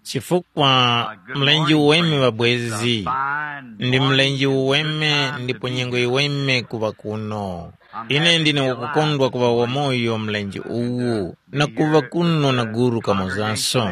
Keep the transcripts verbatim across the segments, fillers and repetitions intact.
Chifukwa mlenje uweme ŵabwezi, ndi mlenje uweme ndipo nyengo yiweme kuŵa kuno. Ine ndine wakukondwa kuŵa wamoyo mlenje uwu, na kuŵa kuno na guru kamozanso.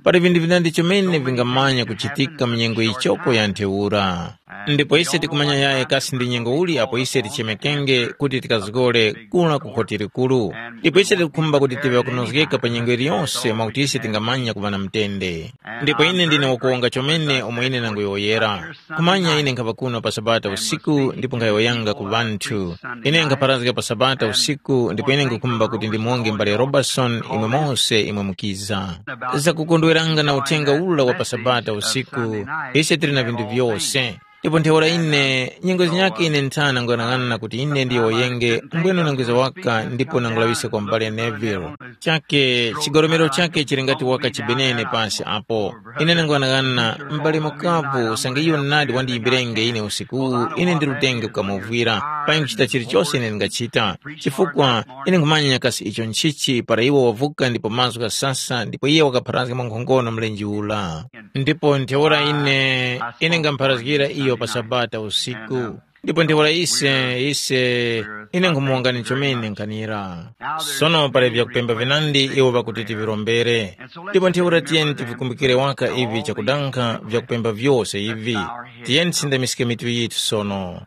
Pali vinthu vinandi chomene vingamanya kuchitika mu nyengo yichoko ya ntheura. Ndipo ise tikumanya yaye kasi ndi nyengo uli apo ise tichemekenge kuti tikazgore kula ku khoti likuru. Ndipo ise tikukhumba kuti tive kunozgeka pa nyengo iliyonse mwakuti ise tingamanya kuŵa na mtende. Ndipo ine ndine wakuwonga chomene umo ine nanguyowoyera. Kumanya ine nkhapa kuno pa Sabata usiku ndipo nkhayowoyanga ku ŵanthu. Ine nkhapharazga pa Sabata usiku ndipo ine nkhukhumba kuti ndimuwonge mbale Robertson imwe mose imwe mukiza. Zakukondweranga na uthenga ula wa pa Sabata usiku, ise tili na vinthu vyose. Ndipo ntheura ine, nyengo zinyakhe ine nthana nkuyang'ana kuti ine ndiyowoyenge mbwene unangwiza waka ndipo nangulaŵiska kwa m'bale Neville. Chake, chigoromero chake chili ngati waka chibenene pasi apo. Ine nanguyang'ana m'bale mukapu usange iyo nadi wandiyimbirenge ine usikuwu, ine ndilutenge kukamuvwira. Payi nkuchita chilichose ine ndingachita. Chifukwa ine nkhumanya nyakasi icho nchichi para iwo wavuka ndipo mazgu ghasasa ndipo iye wakapharazga mwankhongono mlenje ula. Ndipo ntheura ine, ine ngampharazgira iyo pa Sabata usiku. Ndipo ntheura ise, ise, ine nkhumuwongani chomene nkhanira. Sono pali vyakupemba vinandi iwo ŵakuti tivirombere. Ndipo ntheura tiyeni tivikumbikire waka ivi chakudankha vyakupemba vyose ivi. Tiyeni tisindamiske mitu yithu sono.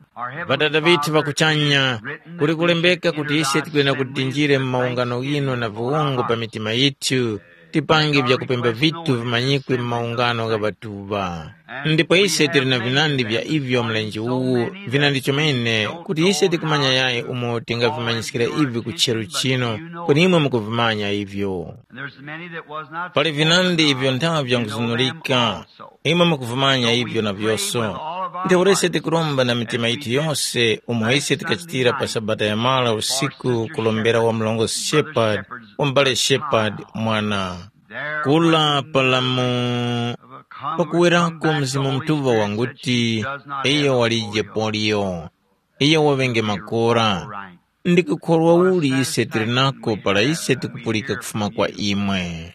Ŵadada vithu ŵa kuchanya, kuli kulembeka kuti ise tikuyenda kuti tinjire mu maungano ghinu na viwungo pa mitima yithu, tipange vyakupemba vithu vimanyikwe mu maungano gha ŵatuŵa. Ndipo ise tili na vinandi vya ivyo mlenje uwu, vinandi chomene kuti ise tikumanya yayi umo tingavimanyiskira ivi ku chero chino, kweni imwe mukuvimanya ivyo. Pali vinandi ivyo nthavi vyanguzunulika, imwe mukuvimanya ivyo na vyoso. Ntheura ise tikuromba na mitima yithu yose umo ise tikachitira pa Sabata ya mara usiku kulombera wa mlongo Shepherd, wa m'bale Shepherd mwana. Kula palamu pakuwerako Mzimu Mutuŵa wanguti, iyo walije polio, iyo waŵenge makora. Ndi kukhorwa uli ise tili nako para ise tikupulika kufuma kwa imwe.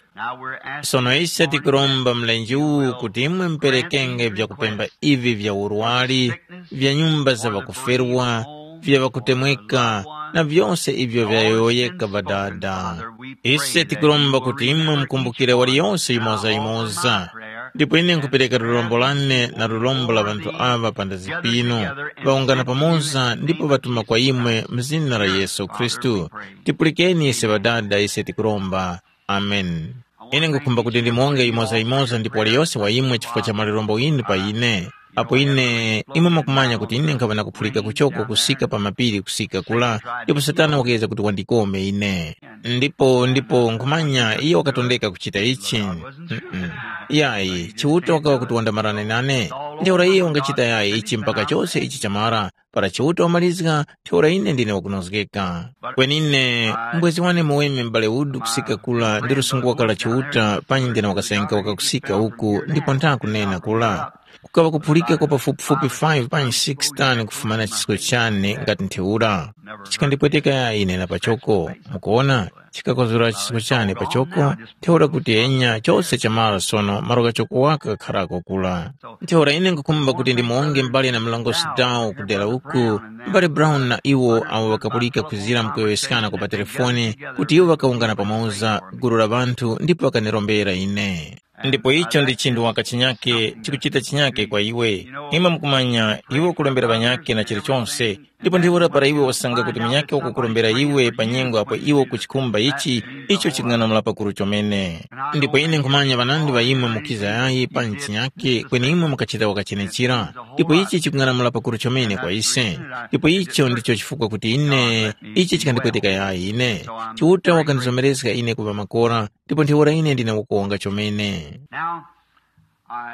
Sono ise tikuromba mlenje uwu kuti imwe muperekenge vyakupemba ivi vya urwari, vya nyumba za ŵakuferwa, vya ŵakutemweka, na vyose ivyo vyayowoyeka Ŵadada. Ise tikuromba kuti imwe mukumbukire waliyose yimoza-yimoza. Ndipo ine nkhupereka lurombo lane na lurombo la ŵanthu aŵa pa ndazi pinu, ŵawungana pamoza ndipo ŵatuma kwa imwe mu zina la Yesu Khristu. Tipulikeni ise Ŵadada ise tikuromba. Ameni. Ine nkhukhumba kuti ndimonge yimoza-yimoza ndipo waliyose wa imwe chifukwa cha malirombo ghinu pa ine. Apo ine, imwe mwakumanya kuti ine nkhaŵa na kuphulika kuchoko kusika pa mapiri kusika kula, ndipo Satana wakeza kuti wandikome ine. Ndipo, ndipo nkhumanya iyo wakatondeka kuchita ichi. Mm-mm. Yayi, Chiuta wakaŵa kuti wandamarane nane. Ntheura iyo wangachita yayi ichi mpaka chose ichi chamara. Para Chiuta wamalizga, ntheura ine ndine wakunozgeka. Kweni ine, mbwezi wane muweme m'bale Wood kusika kula ndi lusungu wakala Chiuta, panyi ndine wakasenga wakakusika uku ndipo ntha kunena kula. Kukaŵa kuphulika kwa pafupifupi five panyi six tani kufumana chisko chane ngati ntheura. Chikandipweteka ine na pachoko, mukuona, chikakozora chisko chane pachoko, ntheura kuti enya chose chamara sono malo ghachoko waka kakharako kula. Ntheura ine nkukhumba kuti ndimuwonge m'bale na mlongosi Dow ku dera uku, m'bale Brown na iwo awo ŵakapulika kuzira mkuyowoyeskana kwa pa telefoni, kuti iwo ŵakawungana pamoza gulu la ŵanthu ndipo ŵakanirombera ine. Ndipo icho ndi chinthu waka chinyake chikuchita chinyake kwa iwe. Imwe mukumanya, iwe ukulembera ŵanyake na chilichonse, ndipo ntheura para iwe wasanga kuti munyake wakukurombera iwe pa nyengo apo iwe ukuchikhumba ichi, icho chikung'anamula pakuru chomene. Ndipo ine nkhumanya ŵanandi ŵa imwe mukiza yayi pa nchinyake, kweni imwe mukachita wakachenechera. Ndipo ichi chikung'anamula pakuru chomene kwa ise. Ndipo icho ndicho chifukwa kuti ine, ichi chikandipweteka yayi ine. Chiuta wakandizomerezga ine kuŵa makora, ndipo ntheura ine ndine wakuwonga chomene.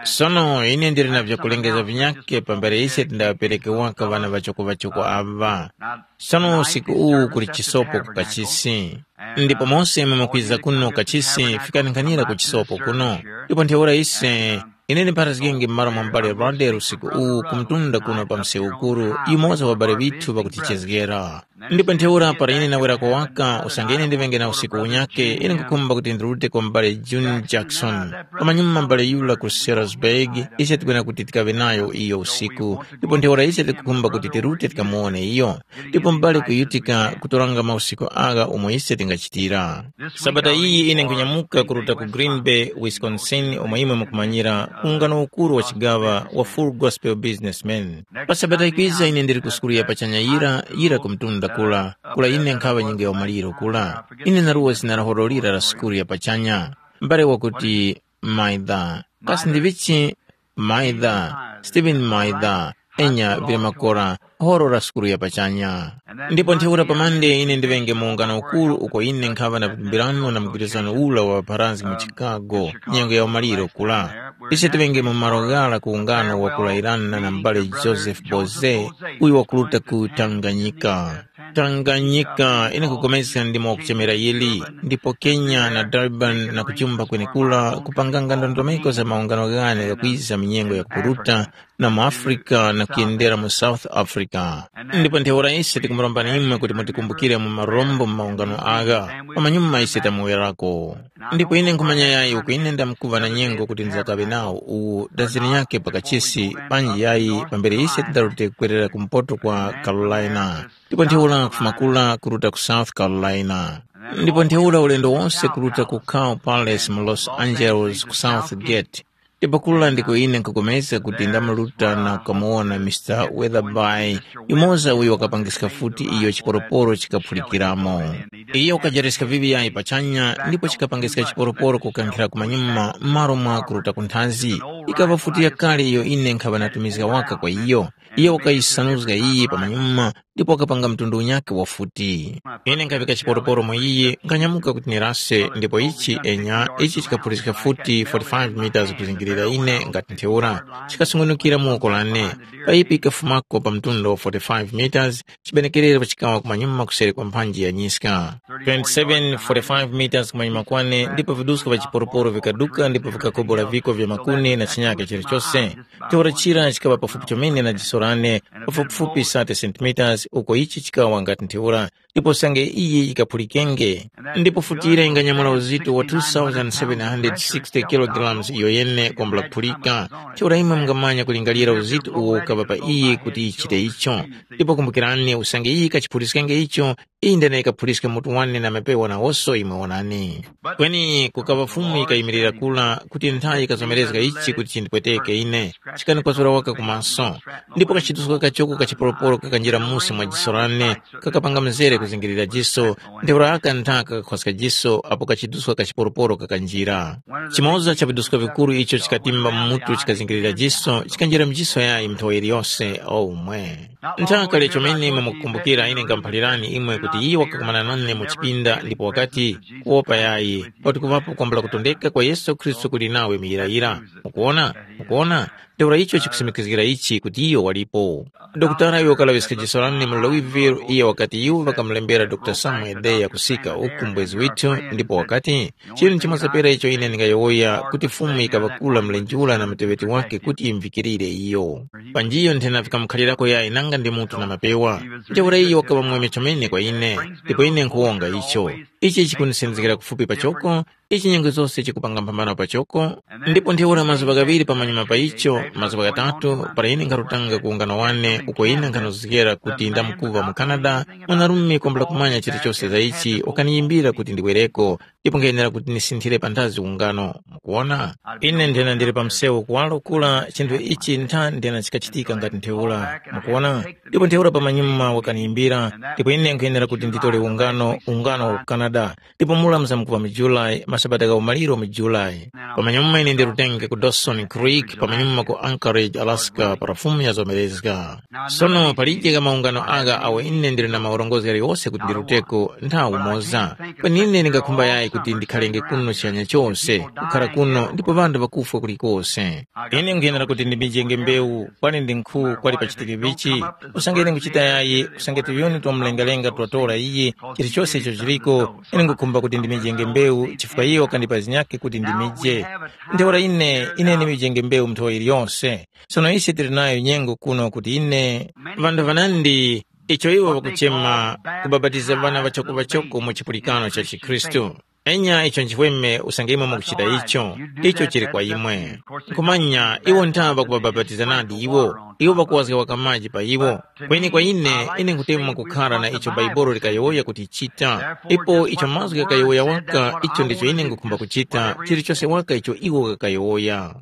Sono ine ndili na vyakulengeza vinyakhe pambere ise tindaŵapereke waka ŵana ŵachoko-ŵachoko aŵa. Sono usiku uwu kuli chisopo ku kachisi. Ndipo mose imwe mukwiza kuno kachisi, fikani nkhanira ku chisopo kuno. Ndipo ntheura ise, ine ndipharazgenge m'malo mwa m'bale Randall usiku uwu kumtunda kuno pa msewu ukuru, yumoza wa ŵabale ŵithu ŵakutichezgera. Ndipo ntheura para ine nawera kuwaka usange ine ndiŵenge na usiku unyake, ine nkhukhumba kuti ndirute kwa m'bale June Jackson. Pamanyuma m'bale yura ku Salisburg, ise tikwena kuti tikaŵe nayo iyo usiku, ndipo ntheura ise tikukhumba kuti tirute tikamuwone iyo. Ndipo m'bale kuyutika kutoranga mausiku agha umo ise tingachitira. Sabata iyi ine nkunyamuka kuruta ku Green Bay, Wisconsin, umo imwe mukumanyira ungano ukuru wa chigaŵa wa Full Gospel Businessmen. Pa Sabata ikwiza ine ndili ku sukulu ya pachanya yira, yira ku mtunda kula, kula ine nkhaŵa nyinga ya umaliro kula. Ine naruwa zina la horo lira la sukulu ya pachanya. Mbale wakuti Maida. Kasi ndi vichi? Maida, Stephen Maida, enya vili makora, horo la sukulu ya pachanya. Ndipo ntheura pamande ine ndiŵenge mu ungano ukuru uko ine nkhaŵa na vitumbirano na mgwirizano ula wa ŵapharazgi mu Chicago, nyengo ya umaliro kula. Ise tiŵenge mu malo ghara ku ungano wa kulairana na m'bale Joseph Boze, uyo wakuruta ku Tanganyika. Tanganyika ine kupulikana ndimo wakuchemera yili, ndipo Kenya na Durban na kuchumba kwenekura kupanganga ndondomeko za maungano ghane ghakwiza mu nyengo yakupuruta, na mu Africa na kuyendera mu South Africa. Ndipo ntheura ise tikumurombani imwe kuti mutikumbukire mu marombo mu maungano agha, pamanyuma ise tamuwerako. Ndipo ine nkhumanya yayi uko ine ndamkuva na nyengo kuti ndizakaŵe nawo uwu daziri nyakhe pa kachisi panji yayi pambere ise tidarute kukwerera kumpoto kwa Carolina. Ndipo ntheura kufuma kura kuruta ku South Carolina. Ndipo ntheura ulendo wose kuruta ku Cow Palace mu Los Angeles ku South Gate. Ndipo kura ndiko ine nkhukomezga kuti ndamaruta na kukamuwona Mister Weatherby, yumoza uyo wakapangiska futi iyo chiporoporo chikaphulikiramo. Iyo wakajareska viŵi yayi pachanya ndipo chikapangiska chiporoporo kukankhira kumanyuma m'malo mwa kuruta ku nthazi. Ikaŵa futi yakale iyo ine nkhaŵa natumizga waka kwa iyo. Iyo wakayisanuzga iyi pamanyuma ndipo wakapanga mtundu unyakhe wa futi. Ine nkhaŵika chiporoporo mu iyi, nkhanyamuka kuti nirase, ndipo ichi enya, ichi chikaphuliska futi forty-five meters kuzingirira ine ngati ntheura, chikasungunukira mu woko lane. Payipi ikafumako pa mtunda wa forty-five meters, chibenekerero chikawa kumanyuma kuseri kwa mphanji ya nyiska. Twenty-seven, forty-five meters kumanyuma kwane, ndipo viduska vya chiporoporo vikaduka ndipo vikakobola viko vya makuni na chinyake chilichose. Ntheura chira chikaŵa pafupi chomene na jiso lane, pafupifupi thirty centimeters, uko ichi chikawa ngati ntheura, ndipo sange iyi yikaphulikenge. Ndipo futi yira yinganyamula uzito wa two thousand seven hundred sixty kilograms iyo yene kwambula kuphulika. Ntheura imwe mungamanya kulingalira uzito uwo ukaŵa pa iyi kuti yichite icho. Ndipo kumbukirani, usange iyi yikachiphuliskenge icho, iyi ndene yikaphuliska mutu wane na mapewa nawonso imwe wonani. Kweni kukaŵa Fumu yikayimirira kura kuti nthayi yikazomerezga ichi kuti chindipweteke ine, chikanikwazura waka ku maso. Ndipo kachiduska kachoko ka chiporoporo kakanjira musi mwa jiso lane, kakapanga mzere kuzingirira jiso, ntheura aka nthaka kakakhwaska jiso apo kachiduska ka chiporoporo kakanjira. Chimoza cha viduska vikuru icho chikatimba mu mutu chikazingirira jiso, chikanjira mjiso yayi mnthowa yiliyose. Oh mwe! Nthaka lya chomene imwe mukukumbukira ine ngamuphalirani imwe kuti iyo wakakumana nane mu chipinda ndipo wakati, kuwopa yayi, pakuti kuŵapo kwambula kutondeka kwa Yesu Khristu kuli nawe muyirayira. Mukuwona? Mukuwona? Ntheura icho chikusimikizgira ichi kuti iyo walipo. Dokotala uyo wakalaŵiska jiso lane mu Louisville, iyo wakati iwo ŵakamulembera Dr. Samuel Day yakusika uku mbwezi withu, ndipo wakati, chinthu chimoza pera icho ine ndingayowoya kuti Fumu yikaŵakula mlenje ura na muteŵeti wake kuti yimvikirire iyo. Panjiyo nthena vikamukhalirako yayi nanga ndi mutu na mapewa. Ntheura iyo wakaŵa mweme chomene kwa ine, ndipo ine nkhuwonga icho. Ichi chikundisenzekera kufupi pachoko, ichi nyengo zose chikupanga mphambano pachoko. Ndipo ntheura mazuŵa ghaŵiri pamanyuma pa icho, mazuŵa ghatatu, para ine nkharutanga ku ungano wane uko ine nkhanozgera kuti ndamkuva mu Canada, mwanarume kwambula kumanya chilichose za ichi wakaniyimbira kuti ndiwereko, ndipo nkhayenera kuti ndisinthire panthazi ungano. Mukuwona? Ine nthena ndili pa msewu kuwalo kula chinthu ichi ntha nthena chikachitika ngati ntheura. Mukuwona? Ndipo ntheura pamanyuma wakaniyimbira, ndipo ine nkhayenera kuti nditole ungano, ungano wa ku Canada. Ndipo mura muzamkuŵa mu July, masabata gha umaliro mu July. Pamanyuma ine ndirutenge ku Dawson Creek, pamanyuma ku Anchorage, Alaska, para Fumu yazomerezga. Sono palije gha maungano agha awo ine ndili na maurongozgi ghaliwose kuti ndiruteko nthawi umoza. Kweni ine ndingakhumba yayi kuti ndikhalenge kuno chihanya chose, kukhara kuno ndipo ŵanthu ŵakufwa kulikose. Ine nkhuyenera kuti ndimijenge mbewu, kwani ndi nkhu kwali pachitike vichi, usange ine nkuchita yayi, usange tuvyuni twa mlengalenga twatora iyi, chilichose icho chiliko, ine nkhukhumba kuti ndimijenge mbewu, chifukwa iyo wakandipa zinyakhe kuti ndimije. Ntheura ine, ine ndimijenge mbewu nthowa yiliyose. Sono ise tili nayo nyengo kuno kuti ine, ŵanthu ŵanandi icho iwo ŵakuchema kubapatiza ŵana ŵachoko-ŵachoko mu chipulikano cha chikhristu. Enya icho nchifweme usange imwe mukuchita icho, icho chili kwa imwe. Nkhumanya iwo ntha ŵakubabapatiza nadi iwo, iwo ŵakuwazga waka maji pa iwo. Kweni kwa ine, ine nkutemwa kukhara na icho Baibolo likayowoya kuti chita, ipo icho mazgu ghakayowoya waka, icho ndicho ine ngukhumba kuchita, chilichose waka icho iwo ghakayowoya.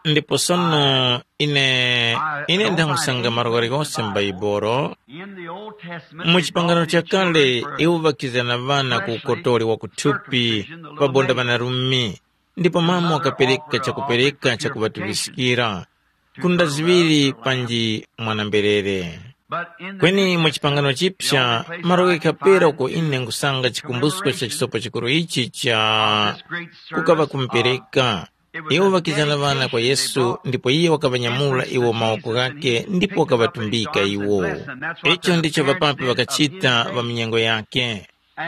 Ndipo sono ine, ine ndangusanga malo ghalikose m'Baibolo. Mu chipangano chakale, iwo ŵakizana ŵana ku ukotoli wa kuthupi, pabonda ŵanarumi, ndipo mama wakapereka chakupereka chakuŵatuŵiskira, kunda ziŵiri panji mwana-mberere. Kweni mu chipangano chipya, malo ghakapera uko ine nkhusanga chikumbusko cha chisopo chikuru ichi cha kukaŵa kumupereka. Iwo ŵakizana ŵana kwa Yesu, ndipo iye wakaŵanyamula iwo mawoko ghake ndipo wakaŵatumbika iwo. Icho ndicho ŵapapi ŵakachita ŵa minyengo yake.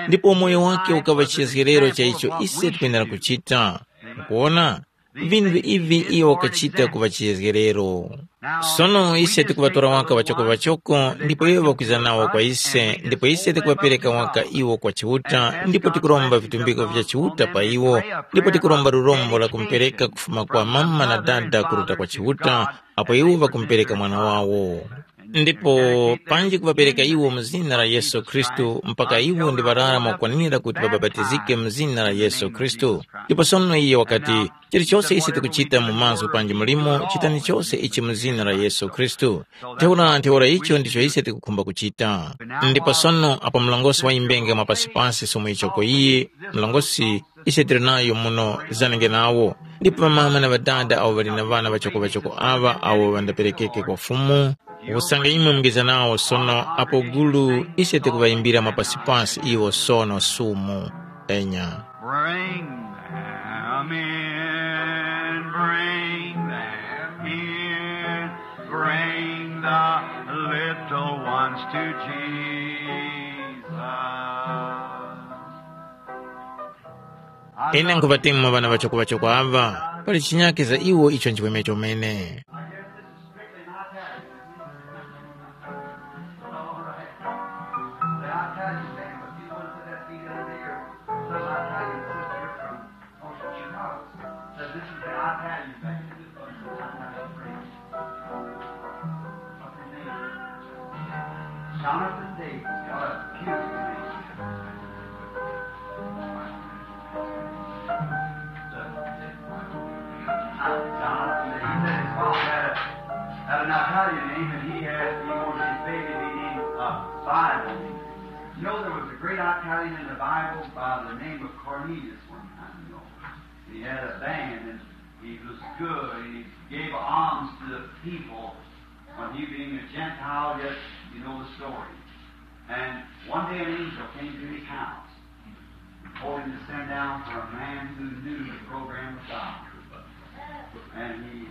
Ndipo umoyo wake ukaŵa chiyezgerero cha icho ise tikwenera kuchita. Mukuwona? Vinthu ivi iyo wakachita kuŵa chiyezgerero. Sono ise tikuŵatora waka ŵachoko-ŵachoko, ndipo iwo ŵakwiza nawo kwa ise, ndipo ise tikuŵapereka waka iwo kwa Chiuta, ndipo tikuromba vitumbiko vya Chiuta pa iwo, ndipo tikuromba lurombo la kumupereka kufuma kwa mama na dada kuruta kwa Chiuta, apo iwo ŵakumupereka mwana wawo. Ndipo panji kuŵapereka iwo mu zina la Yesu Khristu, mpaka iwo ndi ŵarara mwakukwanira kuti ŵabapatizike mu zina la Yesu Khristu. Ndipo sono iye wakati, chilichose ise tikuchita mu mazgu panji mulimo, chitani chose ichi mu zina la Yesu Khristu. Ntheura ntheura icho ndicho ise tikukhumba kuchita. Ndipo sono apo mlongosi wayimbenge mwa pasipansi somo ichoko iyi, mlongosi ise tili nayo muno zanenge nawo. Ndipo ŵamama na ŵadada awo ŵali na ŵana ŵachoko-ŵachoko aŵa awo ŵandaperekeke kwa Fumu, usange imwe mungeza nawo sono apo gulu ise tikuŵayimbira mapasipasi iwo sono sumu. Enya. Bring them in, bring them in, bring the little ones to Jesus. Ine nkhuŵatemwa ŵana ŵachoko-ŵachoko aŵa, pali chinyake za iwo icho nchiweme chomene. Jonathan Davis got a beautiful name. Jonathan Davis. He said his father had a, had an Italian name, and he had, he wanted his baby to be named a Bible name. You know, there was a great Italian in the Bible by the name of Cornelius one time, you know. He had a band, and he was good, and he gave alms to the people. When he being a Gentile, yet you know the story. And one day an angel came to his house and told him to send down for a man who knew the program of God. And he,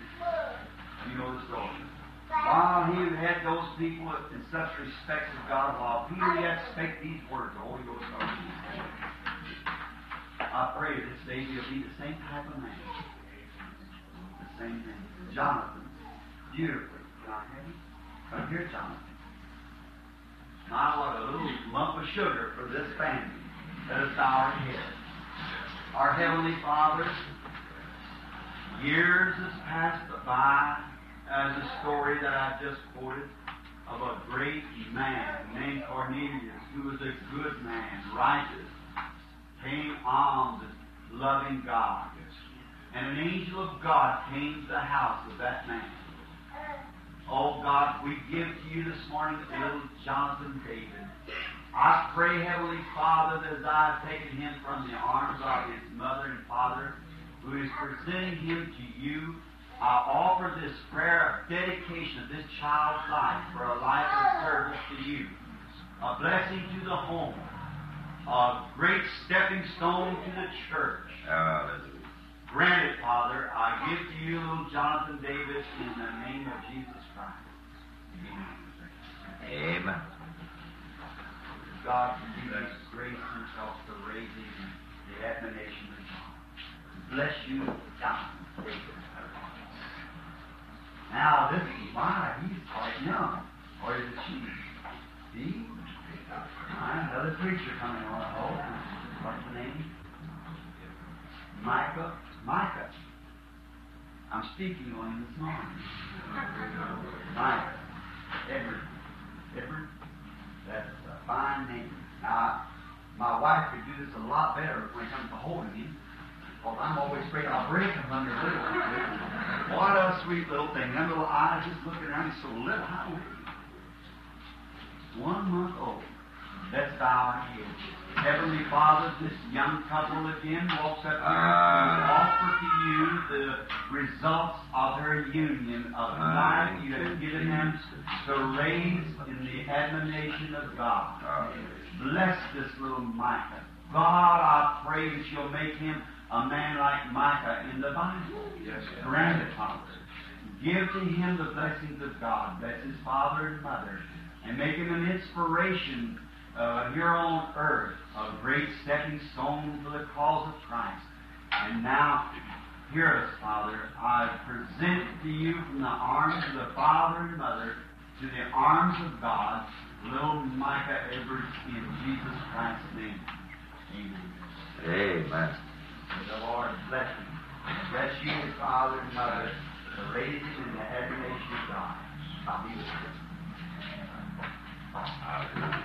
you know the story. While he had those people in such respect of God, while Peter yet spake these words, the Holy Ghost started to speak. I pray this day he'll be the same type of man. The same thing. Jonathan, beautifully. Can I have you? Come here, Jonathan. My, what a little lump of sugar for this family. Let us bow our heads. Our Heavenly Father, years has passed by as the story that I just quoted of a great man named Cornelius, who was a good man, righteous, paying alms and loving God. And an angel of God came to the house of that man. Oh God, we give to you this morning little Jonathan David. I pray, Heavenly Father, that as I have taken him from the arms of his mother and father, who is presenting him to you, I offer this prayer of dedication of this child's life for a life of service to you. A blessing to the home. A great stepping stone to the church. Hallelujah. Grant it, Father. I give to you little Jonathan Davis in the name of Jesus Christ. Amen. Amen. God continue his grace and help to raise him in the admonition of God. Bless you, Jonathan. Now, this is why he's quite young, or is it she? See? All right, another preacher coming on. Oh, what's the name? Micah. Micah. I'm speaking on him this morning. Micah. Edward. Edward. That's a fine name. Now, my wife could do this a lot better when it comes to holding him. Because I'm always afraid I'll break him under little. What a sweet little thing. Them little eyes just looking at me so little. How little. One month old. Let's bow our heads. Heavenly Father, this young couple again walks up here to offer to you the results of their union of life you have given them to raise in the admonition of God. Bless this little Micah. God, I pray that you'll make him a man like Micah in the Bible. Yes, sir. Grant it, Father. Give to him the blessings of God. Bless his father and mother. And make him an inspiration uh, here on earth, a great stepping stone for the cause of Christ. And now, hear us, Father. I present to you from the arms of the father and mother to the arms of God, little Micah Edwards, in Jesus Christ's name. Amen. Amen. May the Lord bless him. Bless you, his father and mother, to raise him in the admiration of God. I'll be with you. Hallelujah.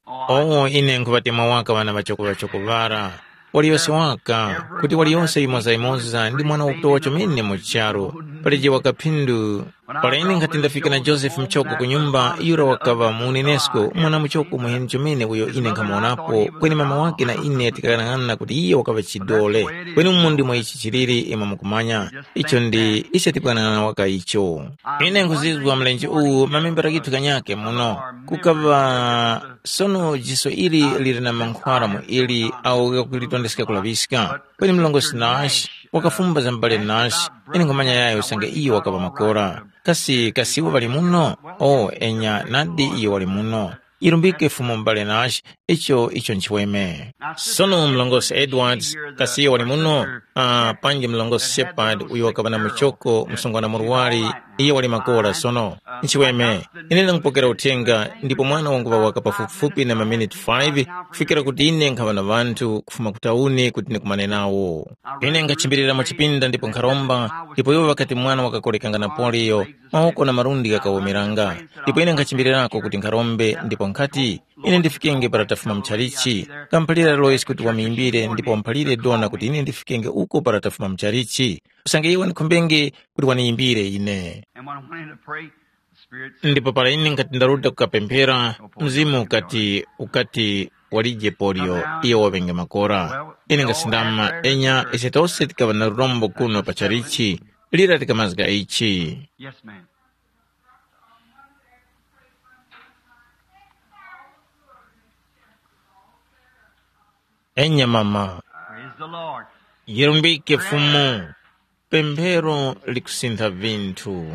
Oh, ine nkhuŵatemwa waka ŵana ŵachoko ŵachoko ŵara. Waliyose waka, kuti waliyose yimoza-yimoza ndi mwana wakutowa chomene mu charu. Paleje waka phindu. Para ine nkhati ndafika na Josefe muchoko ku nyumba, yura wakaŵa mu unenesko, mwana muchoko muheni chomene uyo ine nkhamuwonapo, kweni mama wake na ine tikaghanaghanana kuti iyo wakaŵa chidole. Kweni umu ndimo ichi chiliri, imwe mukumanya. Icho ndi icho tikughanaghanana waka icho. Ine nkhuzizwa mlenje uwu mamembera ghithu ghanyakhe muno. Kukaŵa sono jiso ili lili na mankhwara mu ili awo ghakulitondeska kulaŵiska. Kweni mlongosi Nash wakafumba za m'bale Nash, ine nkhumanya yayo usange iyo wakaŵa makora. Kasi, kasi iwo ŵali muno? O, enya, nadi iyo wali muno. Yirumbike Fumu m'bale Nash, icho, icho nchiweme. Sono mlongosi Edwards, kasi iyo wali muno? Ah, panji mlongosi Shepard, uyo wakaŵa na muchoko, msungwana murwari, iyo wali makora sono. Nchiweme, ine ndangupokera uthenga, ndipo mwana wanguŵa waka pafupifupi na maminiti five, kufikira kuti ine nkhaŵa na ŵanthu kufuma ku tauni kuti ndikumane nawo. Ine nkhachimbirira mu chipinda ndipo nkharomba, ndipo iwo ŵakati mwana wakakorekanga na poliyo, mawoko na malundi ghakawumiranga. Ndipo ine nkhachimbirirako kuti nkharombe, ndipo nkhati, ine ndifikenge para tafuma mchalichi. Kamuphalira Lois kuti wamuyimbire, ndipo wamuphalire Dona kuti ine ndifikenge uko para tafuma mchalichi. Usange iwo wanikhombenge kuti waniyimbire ine. And when I went in to pray, the Spirit said, ndipo para ine nkati ndaruta kukapemphera, mzimu ukati ukati walije polio, iyo waŵenge makora. Ine ngasindama, enya, ise tose tikaŵa na lurombo kuno pa chalichi, lira tikamazga ichi. Yes, ma'am. Enya mama. Praise the Lord. Yirumbike Fumu. Pemphero likusintha vinthu.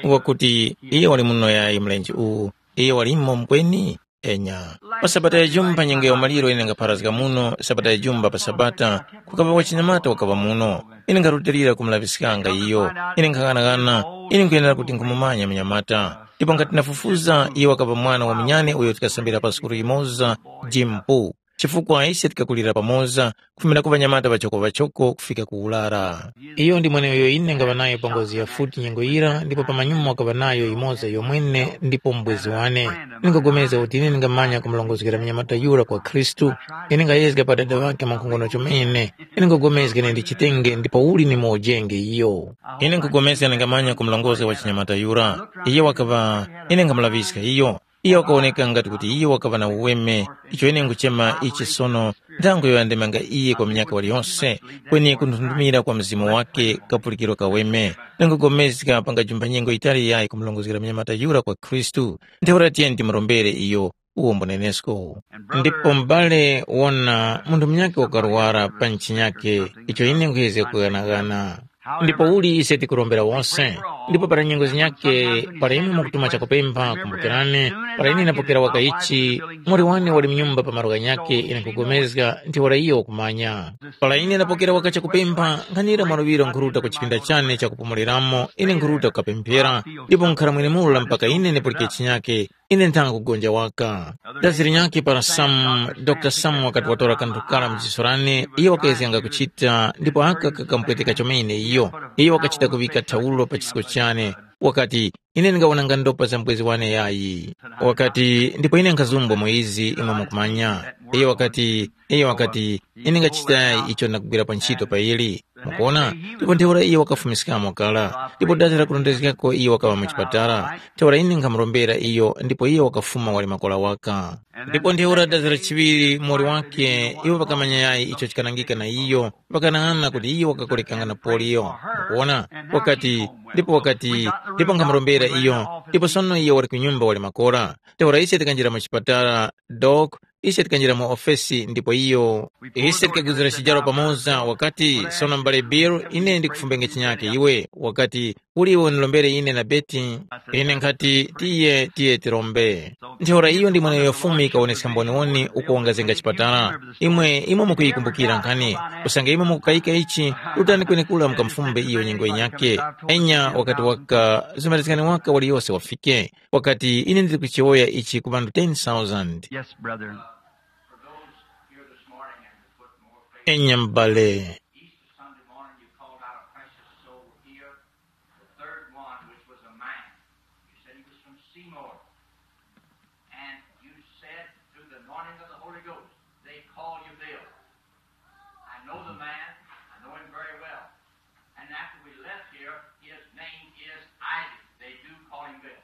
Wakuti iye wali muno yayi mlenje uwu, iye walimo mkweni? Enya. Pa sabata ya jumba nyengo ya umaliro ine ngapharazga muno, sabata ya jumba pa sabata, kukaŵa wachinyamata wakaŵa muno. Ine ngarutilira kumulaŵiskanga iyo. Ine nkhang'anang'ana, ine nkhuyenera kuti nkhumumanya munyamata. Ndipo ngati nafufuza, iye wakaŵa mwana wa munyane uyo tikasambira pa sukulu yimoza, jimpu. Chifukwa ise tikakulira pamoza, kufumira ku ŵanyamata ŵachoko-ŵachoko kufika ku urara. Iyo ndi mweneuyo ine ngaŵa nayo pa ngozi ya futi nyengo yira, ndipo pamanyuma wakaŵa nayo yimoza yomwene ndipo mbwezi wane. Ine nkhupulikana kuti ine ndingamanya kumurongozgera munyamata yura kwa Khristu. Ine ngayezga pa dada ŵakhe mwankhongono chomene. Ine nkhupulikana ine ndichitenge ndipo uli ni mojenge iyo. Ine nkhupulikana ndingamanya kumurongozga wa chinyamata yura. Iye wakaŵa, ine nkhamulaŵiska iyo. Iyo wakawoneka ngati kuti iyo wakaŵa na uweme, icho ine nkuchema ichi sono nthango yoyandemanga iye kwa minyaka waliyonse, kweni kunthundumira kwa mzimu wake kapulikiro kaweme. Ndingopulikana pangajumba nyengo yitali yayi kumurongozgera munyamata yura kwa Khristu. Ntheura tiyeni timurombere iyo, uwo mbunenesko. Ndipo m'bale wona munthu munyakhe wakaruwara pa nchinyakhe, icho ine nkhuyezga kughanaghana. Ndipo uli ise tikurombera wose. Ndipo para nyengo zinyakhe, para imwe mukutuma chakupempha, kumbukirani, para ine ndapokera waka ichi, muli wane wali mnyumba pa malo ghanyakhe, ine nkhugomezga, ntheura iyo wakumanya. Para ine ndapokera waka chakupempha, nkhanira mwaluŵiro nkhuruta ku chipinda chane chakupumuliramo, ine nkhuruta kukapemphera, ndipo nkhara mwenemura mpaka ine ndipulike chinyakhe, ine nthanga kugonja waka. Dazi linyakhe para Sam, Dr Sam wakati watora kanthu kara mu jiso lane, iyo wakayezganga kuchita, ndipo aka kakamupweteka chomene iyo. Iyo wakachita kuŵika thaulo pa chisko chane. Wakati, ine ndingawonanga ndopa za mbwezi wane yayi. Wakati, ndipo ine nkhazumbwa mu izi imwe mukumanya. Iyo wakati, iyo wakati, ine ngachitayi icho ndakugwira pa ntchito pa ili. Mukuona? Ndipo ntheura iyo wakafumiskamo kara, ndipo data lakurondezgako iyo wakaŵa mu chipatala. Ntheura ine nkhamurombera iyo, ndipo iyo wakafuma wali makora waka. Ndipo ntheura data lachiŵiri muli wake, iwo pakamanya yayi icho chikanangika na iyo, pakanang'ana kuti iyo wakakolekanga na polio. Mukuona? Wakati, ndipo wakati, ndipo nkhamurombera iyo, ndipo sono iyo wali ku nyumba wali makora. Ntheura ise tikanjira mu chipatala, dok, ise tikanjira mu ofesi, ndipo iyo, ise tikaguzira chijaro pamoza, wakati, sono m'bale Bill, ine ndikufumbenge chinyake iwe. Wakati, uli iwe unilombere ine na Beti? Ine nkhati, tiye, tiye tirombe. Ntheura iyo ndi mweneyo Fumu ikawoneska mboniwoni uko wangazenga chipatala. Imwe, imwe mukuyikumbukira nkhani, usange imwe mukukayika ichi, rutani kwenekura mukamufumbe iyo nyengo yinyake. Enya wakati waka, zimalizikani waka waliyose wafike. Wakati, ine ndiri kuchiwoya ichi ku ŵanthu ten thousand. Yes, brother. Enya m'bale. Easter Sunday morning, you called out a precious soul here, the third one, which was a man. You said he was from Seymour. And you said, through the anointing of the Holy Ghost, they call you Bill. I know the man. I know him very well. And after we left here, his name is Isaac. They do call him Bill.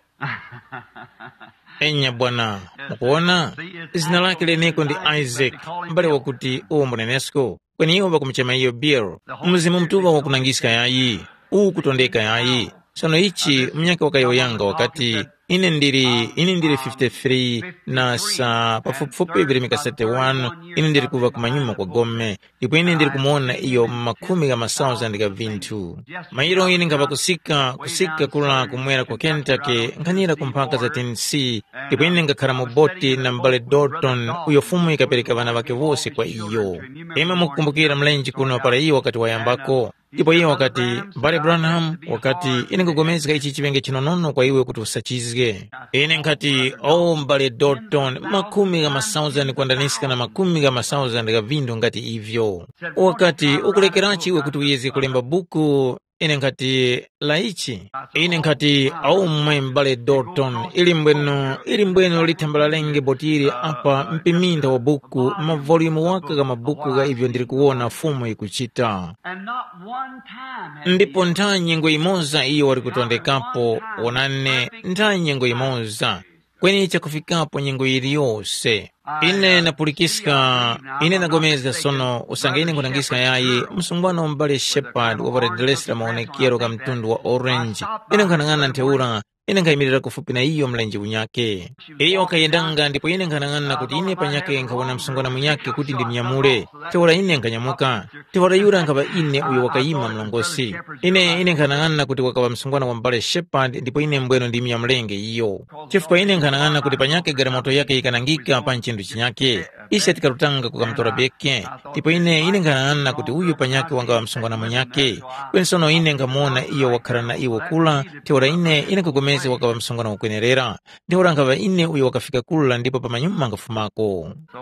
Enya bwana, mukuona? Zina lake leneko ndi Isaac, mbale wakuti uwo mbunenesko. Kweni iwo ŵakumuchema iyo Bill. Mzimu Mutuŵa wakunangiska yayi, uwu kutondeka yayi. Sono ichi munyakhe wakayowoyanga wakati, ine ndili, ine ndili fifty-three na sa pafupifupi virimika thirty-one, ine ndili kuva kumanyuma kwa gome, ndipo ine ndili kumuwona iyo mu makhumi gha masauzandi gha vinthu. Mairo ine nkhaŵa kusika, kusika kula kumwera ku Kentucky, nkhanira ku mphaka za Tennessee, ndipo ine ngakhara mu boti na m'bale Dalton, uyo Fumu yikapereka ŵana ŵakhe wose kwa iyo. Imwe mukukumbukira mlenje kuno para iyo wakati wayambako? Ndipo iyo wakati, m'bale Branham, wakati, ine nkupulikana ichi chiŵenge chinonono kwa iwe kuti usachizge. Ine nkhati, o m'bale Dalton, makhumi gha masauzandi kwandaniska na makhumi gha masauzandi gha vinthu ngati ivyo. Wakati, ukulekerachi iwe kuti uyezge kulemba buku? Ine nkhati, la ichi? Ine nkhati, aumwe m'bale Dalton, ili mbweno, ili mbweno lithambala lenge botili apa mpiminda wa buku, mavolume waka gha mabuku gha ivyo ndili kuwona Fumu yikuchita. And not one time has ndipo he ntha nyengo imoza iyo wali kutondekapo. Wonani, ntha nyengo imoza. Kweni chakufikapo nyengo yiliyose. Ine napulikiska, ine nagomezga sono usange ine nkhunangiska yayi, msungwana wa m'bale Shepard waparadilesi la mawonekero gha mtundu wa orange. Ine nkhanang'ana ntheura, ine nkhayimirira kufupi na iyo mlenje unyake. Iyo wakhayendanga ndipo ine nkhanang'ana kuti ine panyakhe nkhawona msungwana munyakhe kuti ndimnyamule. Ntheura ine nkhanyamuka. Ntheura yura nkhaŵa ine uyo wakayima mlongosi. Ine, ine nkhanang'ana kuti wakaŵa msungwana wa m'bale Shepard ndipo ine mbweno ndimnyamulenge iyo. Chifukwa ine nkhanang'ana kuti panyakhe galimoto yake yikanangika pa nchinthu chinyake. Ise tikarutanga kukamutora Beke, ndipo ine, ine nkhanang'ana kuti uyu panyakhe wangaŵa msungwana munyakhe. Kweni sono ine nkhamuwona iyo wakhara na iwo kura, ntheura ine, ine nkhugomezga wakaŵa msungwana wakwenerera. Ntheura nkhaŵa ine uyo wakafika kura ndipo pamanyuma ngafumako. So,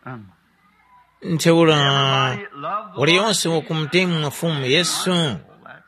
um, ntheura, waliyonse wakumutemwa Fumu Yesu,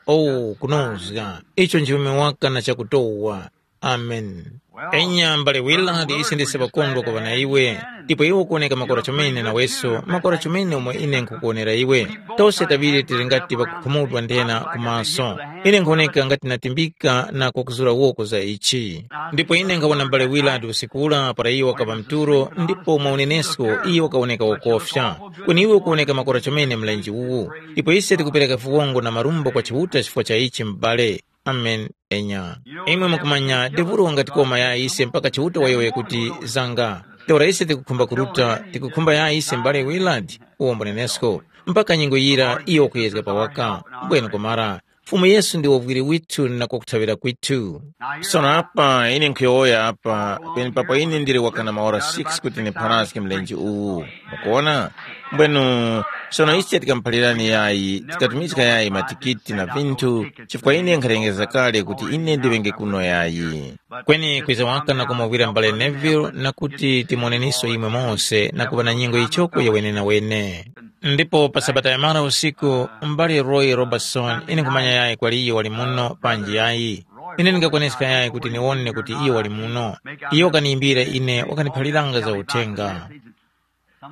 oh, kunozga, icho nchiweme waka na chakutowa. Amen. Enya mbale Willard, ise ndise pakondwa kuŵa na iwe, ndipo iwe ukuwoneka makora chomene naweso, makora chomene umo ine nkhukuwonera iwe. Tose taŵiri tili ngati pakukhumudwa nthena ku maso. Ine nkhuwoneka ngati natimbika na kwakuzura woko za ichi. Ndipo ine nkhawona mbale Willard usikula para iyo wakaŵa mturo, ndipo mwa unenesko iyo wakawoneka wokofya. Kweni iwe ukuwoneka makora chomene mlenje uwu. Ndipo ise tikupereka viwongo na marumbo kwa Chiuta chifukwa cha ichi m'bale. Amen. Enya. Imwe mukumanya, Deburu wangatikoma ya ise mpaka Chiuta wayowoye kuti, zanga. Ntheura ise tikukhumba kuruta, tikukhumba ya ise m'bale Willard, uwo mbunenesko. Mpaka nyengo yira iyo wakuyezga pawaka. Mbwenu kumara. Fumu Yesu ndi wovwiri withu na kwakuthaŵira kwithu. Sono apa ine nkhuyowoya apa, penepapo ine ndili wakana maora six kuti nipharazge mlenje uwu. Mukuwona? Mbwenu, sono ise tikamuphalirani yayi, tikatumizga yayi matikiti na vinthu, chifukwa ine nkhalengeza kale kuti ine ndiŵenge kuno yayi. Kweni kwiza waka na kumuvwira m'bale Neville na kuti timoneniso imwe mose na kuŵa na nyengo yichoko ya wenenawene. Ndipo pa sabata yamara usiku, m'bale Roy Robertson, ine nkhumanya yayi kwali iyo wali muno panji yayi. Ine ndingakwaneska yayi kuti niwone kuti iyo wali muno. Iyo wakaniyimbira ine, wakaniphaliranga za uthenga.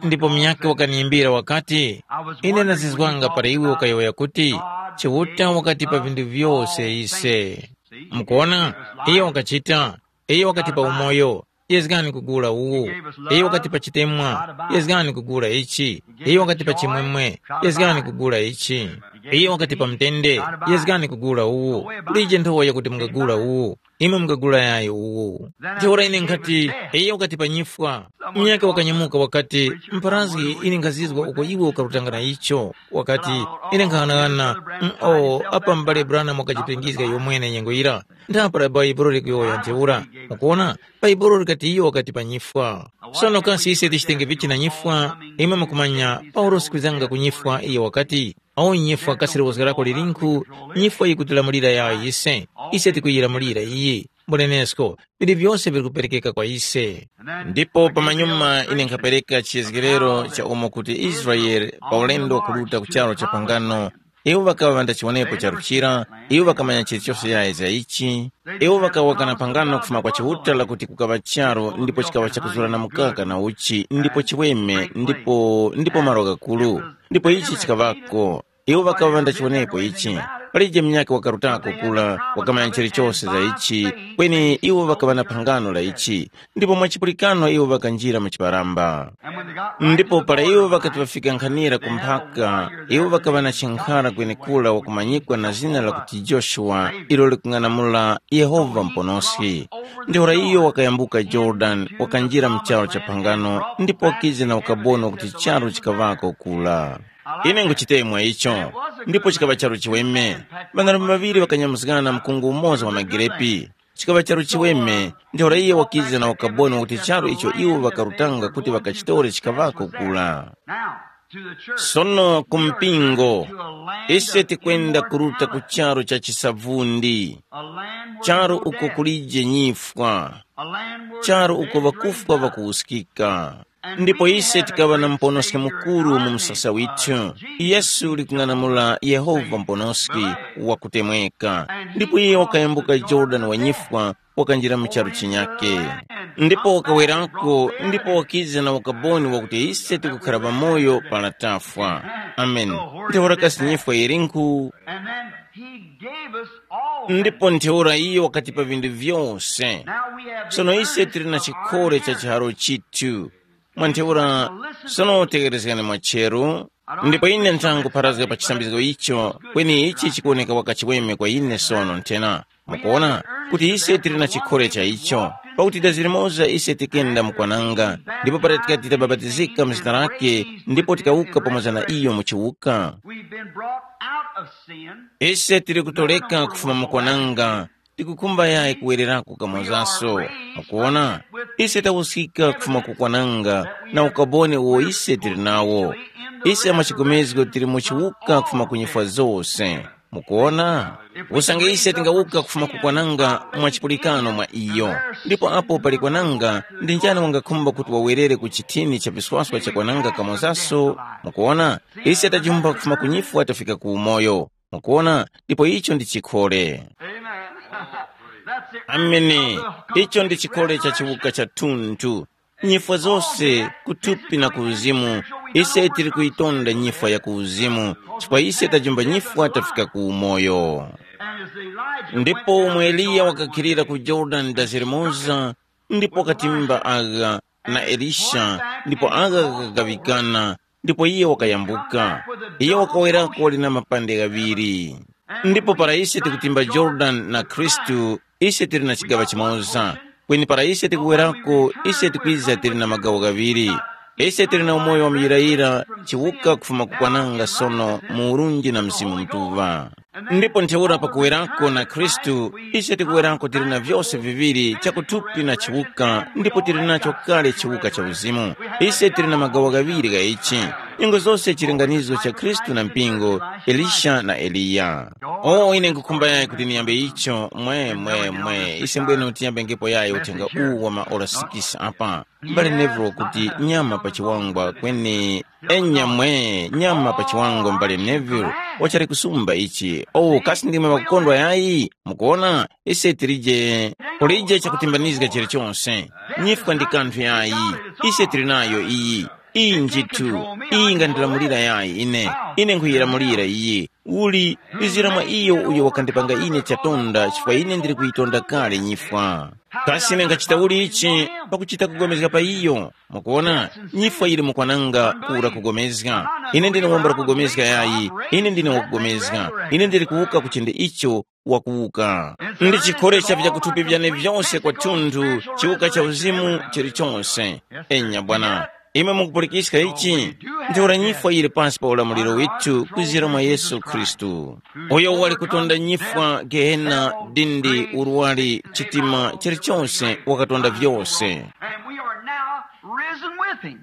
Ndipo munyakhe wakaniyimbira wakati, ine ndazizwanga para iwe ukayowoya kuti, Chiuta wakatipa vinthu vyose ise. Mukuona, iyo wakachita, iyo wakatipa umoyo, yezgani kugula uwu. Iyo wakatipa chitemwa, yezgani kugula ichi. Iyo wakatipa chimwemwe, yezgani kugula ichi. Iyo wakatipa mtende, yezgani kugula uwu. Kulije nthowa yakuti mungagula uwu. Imwe mungagula yayi uwu. Ntheura ine nkhati, iyo wakati pa nyifwa. Munyakhe wakanyamuka wakati, mpharazgi, ine nkhazizwa uko iwe ukarutanga na icho. Wakati, ine nkhaghanaghana, mm, o, apa m'bale Branham wakajipengizga iyo mwene nyengo yira. Ndapara Bhaibuli likuyowoya ntheura. Mukuona, Bhaibuli likati iyo wakati pa nyifwa. Sono kasi ise tichitenge vichi na nyifwa? Imwe mukumanya, Paulosi kwizanga ku nyifwa iyo wakati, awo nyifwa kasi liwozga lako lilinkhu, nyifwa yikutilamulira yayo yise, ise tikuyilamulira iyi. Mbunenesko, vili vyose vili kuperekeka kwa ise. Ndipo pamanyuma ine nkhapereka chiyezgerero cha umo kuti Israele pa ulendo wakuruta ku charu cha pangano, iwo ŵakaŵa ŵandachiwonepo charu chira, iwo ŵakamanya chilichose yayi za ichi, iwo ŵakawa kana pangano kufuma kwa Chiuta lakuti kukaŵa charu ndipo chikaŵa chakuzurana mukaka na uchi ndipo chiweme ndipo ndipo malo ghakulu, ndipo ichi chikaŵako. Iwo ŵakaŵa ŵandachiwonepo ichi. Palije munyakhe wakarutako kula, wakamanya chilichose za ichi, kweni iwo ŵakaŵa na phangano la ichi, ndipo mwa chipulikano iwo ŵakanjira mu chiparamba. Ndipo para iwo ŵakati ŵafika nkhanira ku mphaka, iwo ŵakaŵa na chinkhara kwenekura wakumanyikwa na zina lakuti Joshua, ilo likung'anamula Yehova Muponoski. Ntheura iyo wakayambuka Yorodani, wakanjira mu charu cha phangano, ndipo wakiza na ukaboni wakuti charu chikaŵako kula. Ine nguchitemwa icho, ndipo chikaŵa charu chiweme. Ŵanarume ŵaŵiri ŵakanyamuzgana mkungu umoza wa magirepi. Chikaŵa charu chiweme, ntheura iye wakiza na ukaboni wakuti charu icho iwo ŵakarutanga kuti ŵakachitore chikaŵako kula. Sono ku mpingo, ise tikwenda kuruta ku charu cha chisavundi, charu uko kulije nyifwa, charu uko ŵakufwa ŵakuwuskika. Ndipo ise tikaŵa na Muponoski mukuru mu msasa withu, Yesu likung'anamula Yehova Muponoski wakutemweka. Ndipo iye wakayambuka Yorodani wa nyifwa, wakanjira mu charu chinyake. Ndipo wakawerako, ndipo wakiza na ukaboni wakuti ise tikukhara pamoyo para tafwa. Amen. Ntheura kasi nyifwa yilinkhu? And then he gave us all. Ndipo ntheura iyo wakatipa vinthu vyose. Now we have the sono ise tili na chikole cha chiharo chithu. Mwa ntheura, sono tekerezgani mwa cheru. Ndipo ine nthangupharazga pa chisambizgo icho, kweni ichi chikuwoneka wakachiweme kwa ine sono nthena. Mukuona, kuti ise tili na chikhole cha icho, pakuti dazi limoza ise tikenda mukwananga, ndipo para tikati tabapatizika mu zina lake, ndipo tikawuka pamoza na iyo mu chiwuka. We've been brought out of sin. Ise tili kutoleka kufuma mukwananga, tikukhumba yayi kuwererako kamozaso. Mukuona, ise tawuskika kufuma kukwananga, na ukaboni uwo ise tili nawo. Ise amachigomezgo tili mu chiwuka kufuma ku nyifwa zose. Mukuona? Usange ise tingawuka kufuma ku kwananga mwa chipulikano mwa iyo, ndipo apo pali kwananga, ndi njani wangakhumba kuti wawerere ku chithini cha viswaswa cha kwananga kamozaso? Mukuona? Ise tajumba kufuma ku nyifwa tafika ku umoyo. Mukuona? Ndipo icho ndi chikhole. Amen. That's it. Amene. Icho ndi chikhole cha chiwuka cha thunthu. Nyifwa zose, kuthupi na ku uzimu, ise tili kuyitonda nyifwa ya ku uzimu, chifukwa ise tajumba nyifwa tafika ku umoyo. Ndipo umwe Eliya wakakhilira ku Yorodani dazi limoza, ndipo wakatimba agha na Elisha, ndipo agha ghakagaŵikana, ndipo iye wakayambuka. Iye wakawerako wali na mapande ghaŵiri. Ndipo para ise tikutimba Yorodani na Khristu, ise tili na chigaŵa chimoza. Kweni para ise tikuwerako, ise tikwiza tili na magawo ghaŵiri. Ise tili na umoyo wa muyirayira, chiwuka kufuma kukwananga sono mu urunji na Mzimu Mutuŵa. Ndipo ntheura pakuwerako na Khristu, ise tikuwerako tili na vyose viŵiri chakuthupi na chiwuka, ndipo tili nacho kale chiwuka cha uzimu. Ise tili na magawo ghaŵiri gha ichi, nyengo zose chilinganizo cha Khristu na mpingo, Elisha na Eliya. O ine nkhukhumba yayi kuti niyambe icho mwe mwe mwe ise mbwene tiyambengepo yayi uthenga uwu wa maora sikisi apa. Mbale Neville kuti nyama pa chiwangwa kweni enya mwe nyama pa chiwangwa mbale Neville wachali kusumba ichi. Oh kasi ndimwe makukondwa yayi? Mukuona, ise tilije kulije chakutimbanizga chilichonse. Nyifwa ndi kanthu yayi. Ise tili nayo iyi. Iyi njithu iyi ingandilamulira yayi ine. Ine nkhuyilamulira iyi. Uli izira mwa iyo uyo wakandipanga ine chatonda chifukwa ine ndili kuyitonda kale nyifwa. Kasi ine ngachita uli ichi? Pakuchita kugomezga pa iyo. Mukuona, nyifwa yili mukwananga kura kugomezga. Ine ndine wambula kugomezga yayi. Ine ndine wakugomezga. Ine ndili kuwuka kuchinde icho wakuwuka. Ndi chikhole cha vyakuthupi vyane vyonse kwathunthu, chiwuka cha uzimu chilichonse. Enya bwana, imwe mukupulikiska ichi? Ntheura nyifwa yili pasi pa ulamuliro withu kwizira mwa Yesu Khristu, uyo wali kutonda nyifwa, gehena, dindi, urwari, chitima, chilichonse, wakatonda vyose. And we are now risen with him.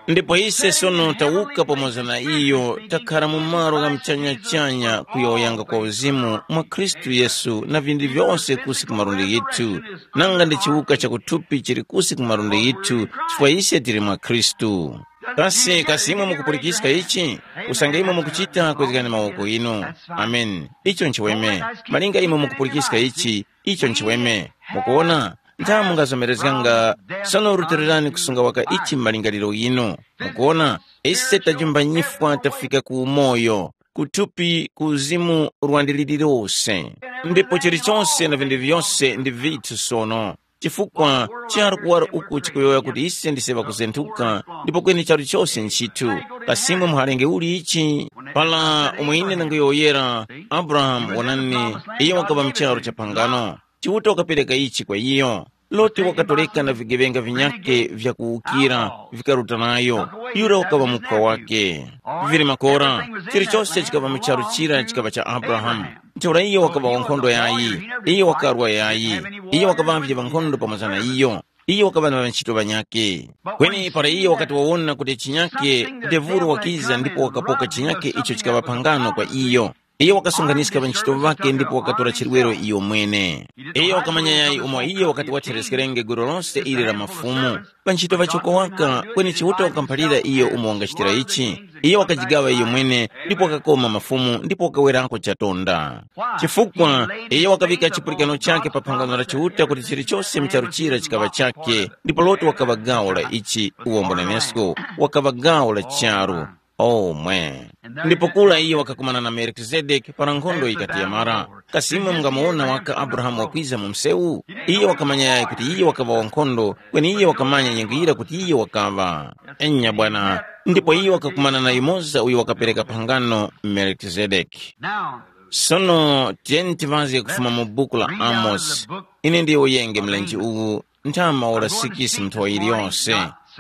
Ndipo ise sono tawuka pamoza na iyo, takhara mu malo gha muchanyachanya kuyowoyanga kwa uzimu mwa Khristu Yesu na vinthu vyose kusi ku malundi ghithu, nanga ndi chiwuka chakuthupi chili kusi ku malundi ghithu, chifukwa ise tili mwa Khristu. Kasi kasi imwe mukupulikiska ichi? Usange imwe mukuchita, kwezgani mawoko inu. Ameni. Icho nchiweme. Malinga imwe mukupulikiska ichi, icho nchiweme. Mukuona? Ntha mungazomerezganga. Sono rutilirani kusunga waka ichi m'malingaliro ghinu. Mukuona, ise tajumba nyifwa tafika ku umoyo, ku thupi, ku uzimu, rwandi lililose. Ndipo chilichonse na vinthu vyose ndi vithu sono. Chifukwa charu kuwara uku chikuyowoya kuti ise ndise ŵakuzenthuka, ndipo kweni charu chose nchithu. Kasimwe muhalenge uli ichi? Pala umwe ine ndanguyowoyera, Abrahamu wonani, iyo wakaŵa mu charu cha phangano. Chiuta wakapereka ichi kwa iyo. Loti wakatoleka na vigeŵenga vinyakhe vya kuwukira, vikaruta nayo. Yura wakaŵa muphwa wake. Vili makora, chilichose chikaŵa mu charu chira chikaŵa cha Abrahamu. Ntheura iyo wakaŵa wankhondo yayi, iyo wakarwa yayi, iyo wakaŵavye ŵankhondo pamoza na iyo. Iyo wakaŵa na ŵanchito ŵanyakhe. Kweni para iyo wakati wawona kuti chinyakhe, Devuro wakiza ndipo wakapoka chinyakhe icho chikaŵa phangano kwa iyo. Iyo wakasonkhanyiska ŵanchito ŵakhe ndipo wakatora chirwero iyo mwene. Iyo wakamanya yayi umo iyo wakati wathereskerenge gulu lose ili la mafumu. Ŵanchito ŵachoko waka, kweni Chiuta wakamuphalira iyo umo wangachitira ichi. Iyo wakajigawa iyo mwene, ndipo wakakoma mafumu, ndipo wakawerako chatonda. Chifukwa iyo wakaŵika chipulikano chakhe pa phangano la Chiuta kuti chilichose mu charu chira chikaŵa chakhe, ndipo Loti wakaŵa gawo la ichi, uwombo nenesko wakaŵa gawo la charu. Omwe. Ndipo kula iye wakakumana na Melikizedeki para nkhondo yikati yamara. Kasi imwe mungamuwona waka Abrahamu wakwiza mu msewu? Iye wakamanya yayi kuti iye wakaŵa wankhondo, kweni iye wakamanya nyengo yira kuti iye wakaŵa. Enya bwana, ndipo iye wakakumana na yumoza uyo wakapereka phangano Melikizedeki. Now, sono tiyeni tivazge kufuma mu buku la Amosi. Ine ndiye uyenge mlenje uwu, nthama ora sikisi mnthowa yiliyonse.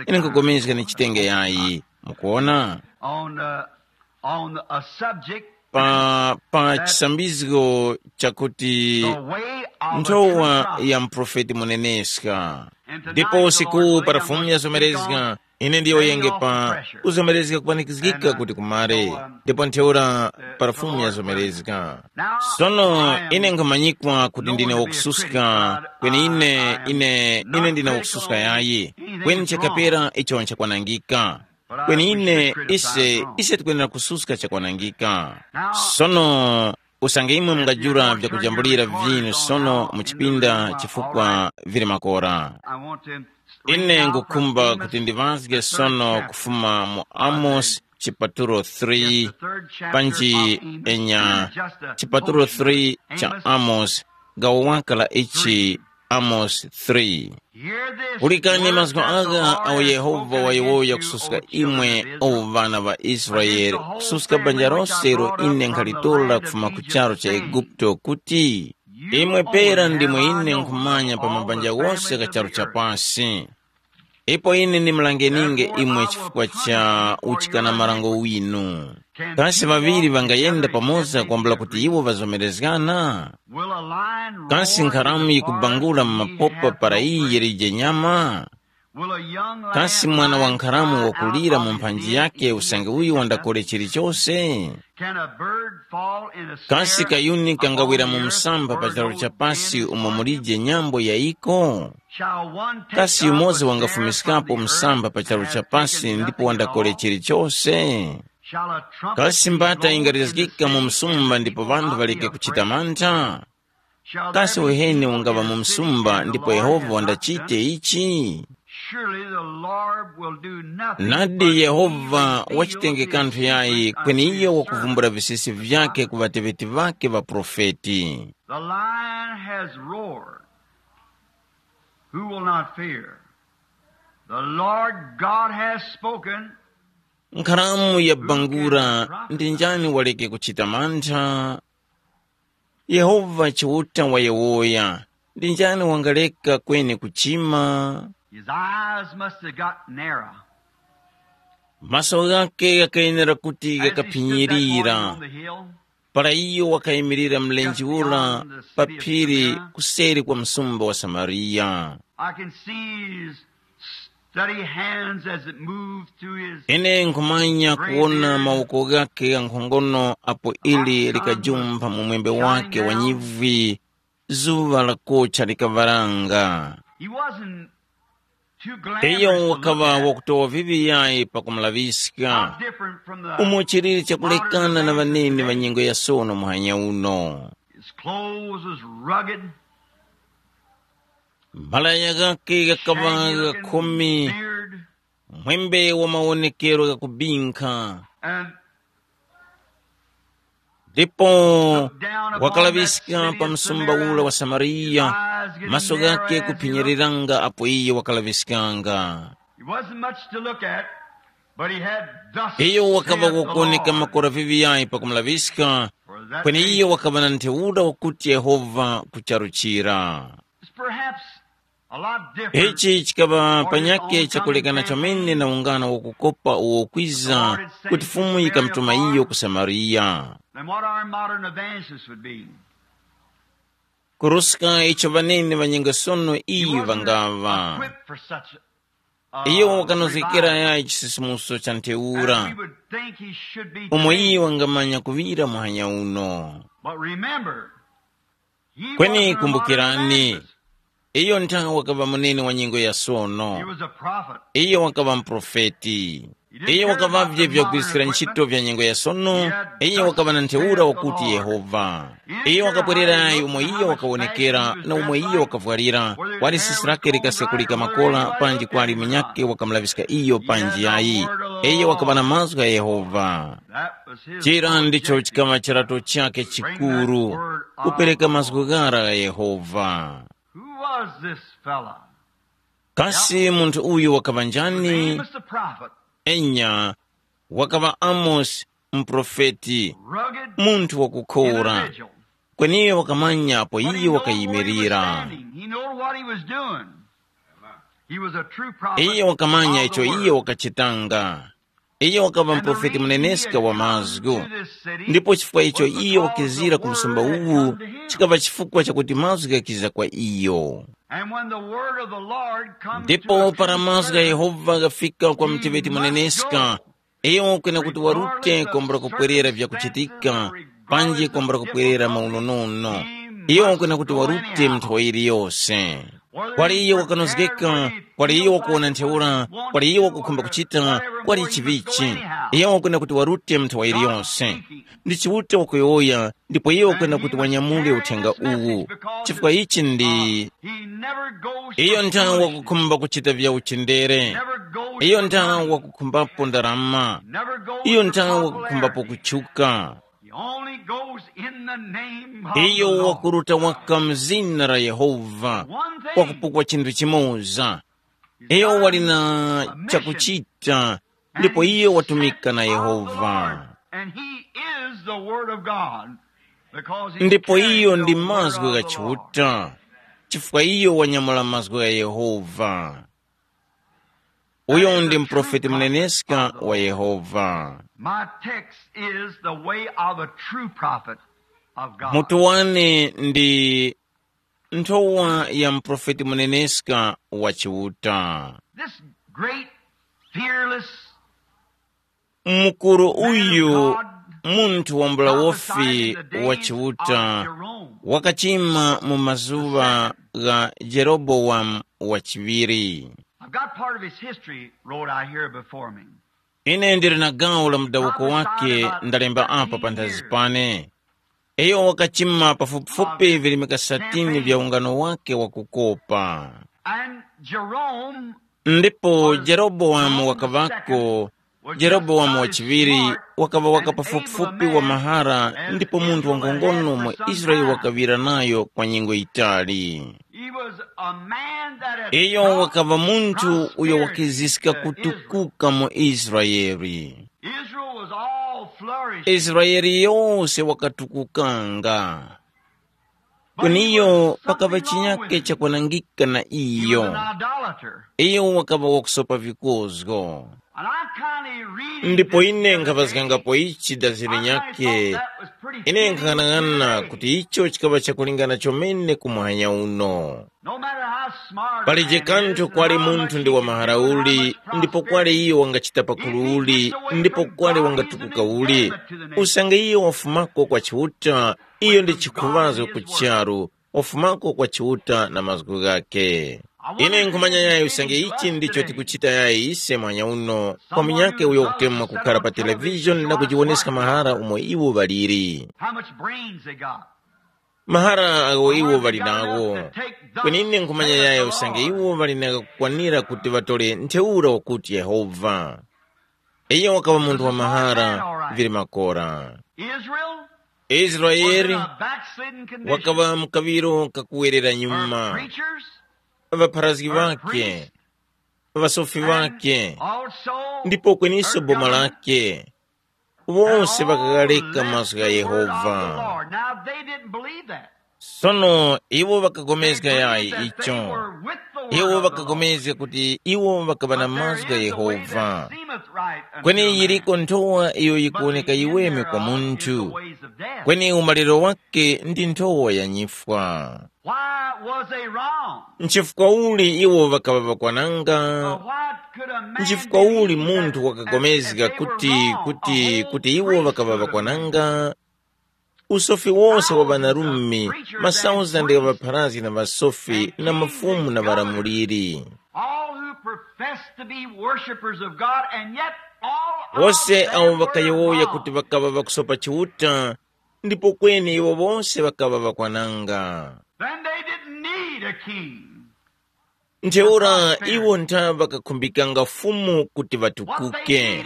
Ine nkupulikana ni chitenge yayi. Mukuona? On, uh, on a subject, pa pa chisambizgo chakuti the way of a nthowa true prophet. Ya mprofeti muneneska. And tonight ndipo the usiku Lord will para help fumu us to speak yazomerezga on ine ndiyo yenge pa kuzomerezga kupanikizgika kuti kumare ndipo ntheura para fumu yazomerezga. Sono ine nkhamanyikwa kuti ndine wakususka, kweni ine ine ine ndine wakususka yayi, kweni chakapera icho nchakwanangika. Kweni ine ise ise tikwenera kususka chakwanangika. Sono usange imwe mungajula vyakujambulira vinu sono mu chipinda chifukwa vili makora. Ine ngukhumba kuti ndiŵazge sono kufuma mu Amosi chipatulo three, panji enya chipatulo three cha Amosi, gawo waka la ichi, Amosi three. Pulikani mazgu agha awo Yehova wayowoya kususka imwe, o ŵana ŵa Israele, kususka banja lose ilo ine nkhalitora kufuma ku charu cha Eguputo, kuti, imwe pera ndimwe ine nkhumanya pa mabanja ghose gha charu cha pasi. Ipo ine ndimulangeninge imwe chifukwa cha uchikana marango winu. Kasi ŵaŵiri ŵangayenda pamoza kwambula kuti iwo ŵazomerezgana? Kasi nkharamu yikubangula mu mapopa para iyi yilije nyama? Kasi mwana wa nkharamu wakulira mu mphanji yake usange uyu wandakole chilichose? Kasi kayuni kangawira mu msamba pa charu cha pasi umo mulije nyambo yayiko? Kasi yumoza wangafumiskapo msamba pa charu cha pasi ndipo wandakole chilichose? Kasi mbata ingarizgika mu msumba ndipo ŵanthu ŵaleke kuchita mantha? Kasi uheni ungaŵa mu msumba ndipo Yehova wandachite ichi? Nadi Yehova wachitenge kanthu yayi kweni iyo wakuvumbula visisi vyake ku ŵateŵeti ŵake ŵaprofeti. The lion has roared. Who will not fear? The Lord God has spoken. Nkharamu yabangura, ndi njani waleke kuchita mantha? Yehova Chiuta wayowoya, ndi njani wangaleka kweni kuchima? His eyes must have got narrow. Maso ghake ghakayenera kuti ghakaphinyirira. Para iyo wakayimirira mlenje ura pa phiri kuseri kwa msumba wa Samariya. I can see his steady hands as it moved through his Ine nkhumanya kuwona mawoko ghake ghankhongono apo ili likajumpha mu mwembe wake wa nyivwi, zuŵa lakocha likaŵaranga. He wasn't too glamorous Iyo to look wakaŵa at. Wakutowa viŵi yayi pakumulaŵiska. How different from the Umo chilili chakulekana na ŵanene ŵa nyengo ya sono muhanya uno. His clothes was rugged. Malaya ghake ghakaŵa ghakhumi, beard, mwembe wa mawonekero ghakubinkha. And ndipo wakalaŵiska pa msumba ula wa Samariya, maso ghake kuphinyiriranga apo iye wakalaŵiskanga. It wasn't much to look at, but he had thus Iyo wakaŵa saith the wakuwoneka Lord. Makora viŵiyayi pakumulaŵiska, For that kweni nation iyo wakaŵa na ntheura wakuti Yehova kucharuchira. Is perhaps a lot different. Ichi chikaŵa panyake chakulekana chomene na ungano wakukopa uwo kwiza kuti Fumu yikamutuma iyo ku Samariya. Than what our modern evangelists would be. Kuruska icho ŵanene ŵanyengo sono iyi ŵangaŵa. Equipped for such a Iyo wakanozgekera revival. Yayi chisisimuso cha ntheura. And we would think he should be Umo today. Iye wangamanya kuŵira muhanya uno. But remember, he kweni wasn't a modern kumbukirani, evangelist. Iyo nthawe wakaŵa munene wa nyengo ya sono. He Was a prophet. Iyo wakaŵa mprofeti. Iyo wakaŵavye vya kugwiskira ntchito vya nyengo ya sono. Iyo wakaŵa na ntheura wakuti Yehova. Iyo wakabwererayi umo iyo wakawonekera na umo iyo wakavwarira, kwali sisi lake likasekulika makola panji kwali munyakhe wakamulaŵiska iyo panji yayi. Iyo wakaŵa na mazgu gha Yehova. Chira ndicho chikaŵa chirato chakhe chikuru, kupereka mazgu ghara gha Yehova. Who was this fella? Kasi munthu uyu wakaŵa njani? Amos the prophet. Enya, wakaŵa Amosi, muprofeti, rugged munthu wakukhora. Individual. Kweni iyo wakamanya apo but he iyo knew where he was wakayimirira. Standing. He knew what he was doing. He was a true prophet. Iyo wakamanya of the icho word. Iyo wakachitanga. Iyo wakaŵa muprofeti muneneska wa mazgu. Ndipo chifukwa icho iyo wakizira ku msumba uwu, chikaŵa chifukwa chakuti mazgu ghakiza kwa iyo. And when the word of the Lord comes to ndipo a para mazgu gha Yehova ghafika kwa mteŵeti muneneska, iyo kwena kuti warute kwambula kupwerera vyakuchitika, panji kwambula kupwerera maunonono. Iyo kwena kuti warute mu nthawi iliyose. Kwali iyo wakanozgeka, kwali iyo wakuwona ntheura, kwali iyo wakukhumba kuchita, kwali chivichi. Iyo kwena kuti warute mu nthawi iliyose. Ndi Chiuta wakuyowoya, ndipo iyo kwena kuti wanyamule uthenga uwu. Chifukwa ichi ndi He never goes iyo for nthawe foolishness. Wakukhumba kuchita vya uchindere. Never goes iyo for nthawe money. Wakukhumbapo ndarama. Never goes iyo for nthawe popularity. Wakukhumbapo kutchuka. He only goes in the name of the iyo Lord. Wakuruta waka mzina la Yehova. One thing. Wakupukwa chinthu chimoza. Iyo wali na chakuchita ndipo iyo watumika na Yehova. And he is the word of God, because he ndipo carried iyo the ndi word mazgu of gha the Lord. Chiuta, chifukwa iyo wanyamula mazgu gha Yehova. Uyo ndi muprofeti muneneska wa Yehova. My text is the way of a true prophet of God. Mutu wane ndi nthowa ya muprofeti muneneska wa Chiuta. This great, fearless Mukuru uyu, munthu wambula wofi wa Chiuta, wakachima mu mazuŵa gha Jerobowamu wa chiŵiri. I've got part of his history wrote out here before me. Ine ndili na gawo la mudawuko wake ndalemba apa panthazi pane. Iyo wakachima pafupifupi virimika satini vya ungano wake wakukopa. And Jerome Ndipo Jerobowamu wakaŵako. Jerobowamu wa chiŵiri wakaŵa waka pafupifupi wa mahara ndipo munthu wankhongono mu Israele wakaŵira nayo kwa nyengo yitali. He was a man that had Iyo wakaŵa munthu uyo wakiziska kutukuka mu Israele. Israel was all flourishing. Israele yose wakatukukanga. Kuniyo pakaŵa chinyake chakwanangika na He was iyo. An idolater. Iyo wakaŵa wakusopa vikozgo. And I kindly read Ndipo this ine the other nkhaŵazgangapo day. Ichi daziri I nyake. Thought that was pretty Ine fitting nkhanang'ana to kuti today. Icho chikaŵa chakulingana chomene ku muhanya uno. No matter how smart a Palije man kanthu is, kwali or how much munthu he ndi can wamahara do, or how uli, much ndipo kwali prosperity, iyo wangachita pakulu uli, ndipo kwali wangatukuka uli, usange iyo wafumako kwa Chiuta, iyo ndi chikhuŵazgo ku charu, wafumako kwa Chiuta na mazgu ghakhe. Ine nkhumanya yayi usange ichi ndicho tikuchita yayi ise mwanya uno kwa munyakhe uyo wakutemwa kukhara pa televishoni na kujiwoneska mahara umo iwo ŵaliri. How much brains they got. Mahara agho iwo ŵali nagho. Kweni ine nkhumanya yayi usange iwo ŵali na kukwanira kuti ŵatole ntheura wakuti Yehova. Iyo wakaŵa munthu wa mahara vili makora. Israel was in Israeli a backslidden condition. Wakaŵa mu kaŵiro kakuwerera Her nyuma. Preachers, ŵapharazgi her ŵakhe, priests, ŵasofi and ŵakhe, also ndipo kweniso her boma government. Lake, wose ŵakaghaleka mazgu gha Yehova. Now, they didn't believe that. Sono iwo ŵakagomezga yayi icho. Iwo ŵakagomezga kuti iwo ŵakaŵa na mazgu gha Yehova. Kweni yiriko nthowa iyo yikuwoneka yiweme kwa munthu. Kweni umaliro wake ndi nthowa ya nyifwa. Why was they wrong? Nchifukwa uli iwo ŵakaŵa ŵakwananga? But what could a man Nchifukwa uli munthu wakapulikana kuti kuti kuti iwo ŵakaŵa ŵakwananga? Usofi wose wa ŵanarume, masauzande gha ŵapharazgi na ŵasofi na mafumu na ŵalamuliri. All who profess to be worshipers of God and yet all of Wose them awo were ŵakayowoya wrong. Kuti ŵakaŵa ŵakusopa Chiuta, ndipo kweni iwo wose ŵakaŵa ŵakwananga. Then they didn't need a king. Ntheura iwo ntha ŵakakhumbikanga Fumu kuti ŵatukuke.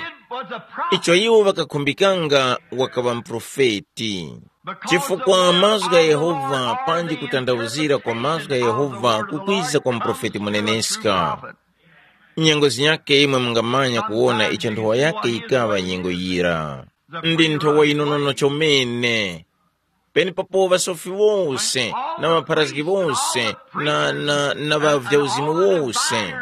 Icho iwo ŵakakhumbikanga wakaŵa muprofeti. Chifukwa mazgu gha Yehova panji kutanthauzira kwa mazgu gha Yehova kukwiza kwa muprofeti muneneska. Nyengo zinyakhe imwe mungamanya kuwona icho nthowa yakhe yikaŵa nyengo yira. Ndi nthowa yinonono chomene. Penepapo ŵasofi wose na ŵapharazgi wose na, na, na ŵa vyauzimu wose.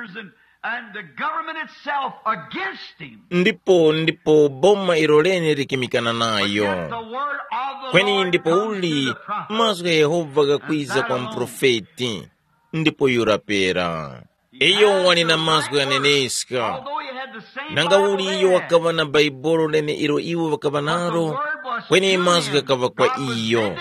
And the government itself against him. Ndipo ndipo boma ilo lene likimikana nayo. Yet the word of the Kweni Lord ndipo comes uli to the prophet. Mazgu gha Yehova ghakwiza kwa muprofeti, ndipo yura pera. Iyo wali na mazgu ghaneneska. Nanga uli iyo wakaŵa na Bhaibuli lene ilo iwo ŵakaŵa nalo, kweni mazgu ghakaŵa kwa iyo.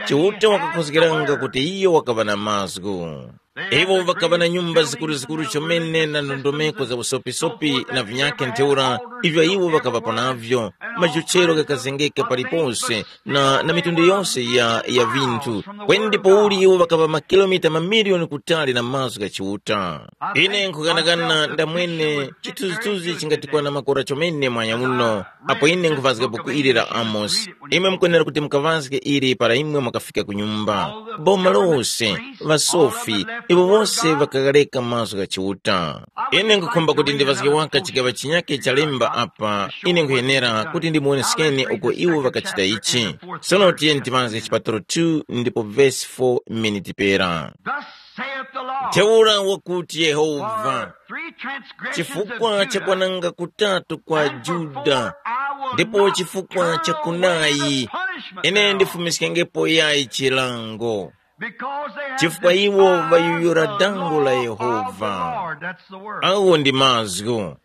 Chiuta wakakhozgeranga kuti iyo wakaŵa na mazgu. Iwo ŵakaŵa na nyumba zikuruzikuru chomene na ndondomeko za usopisopi na vinyakhe ntheura ivyo iwo ŵakaŵapo navyo, majochero ghakazengeka palipose na, na mitundu yose ya, ya vinthu. Kweni ndipo uli iwo ŵakaŵa makilomita mamiliyoni kutali na mazgu gha Chiuta. Ine nkughanagana ndamwene chithunzithunzi chingatikwana makora chomene mwanya uno, apo ine nkuvazga buku ili la Amosi. Imwe mukwenera kuti mukavazge ili para imwe mwakafika ku nyumba. Boma lose, ŵasofi, iwo wose ŵakaghareka mazgu gha Chiuta. Ine nkhukhumba kuti ndivazge waka chigaŵa chinyakhe cha lemba apa, ine nkhuyenera kuti ndimuwoneskeni uko iwo ŵakachita ichi. Sono tiyeni tivazge chipatulo two ndipo vesi four mmene tipera. Thus Ntheura wakuti Yehova, chifukwa cha kwananga kutatu kwa Juda, ndipo chifukwa cha kunayi, ine ndifumiskengepo yayi chilango. Chifukwa iwo ŵayuyura dango la Yehova. Awo ndi mazgu.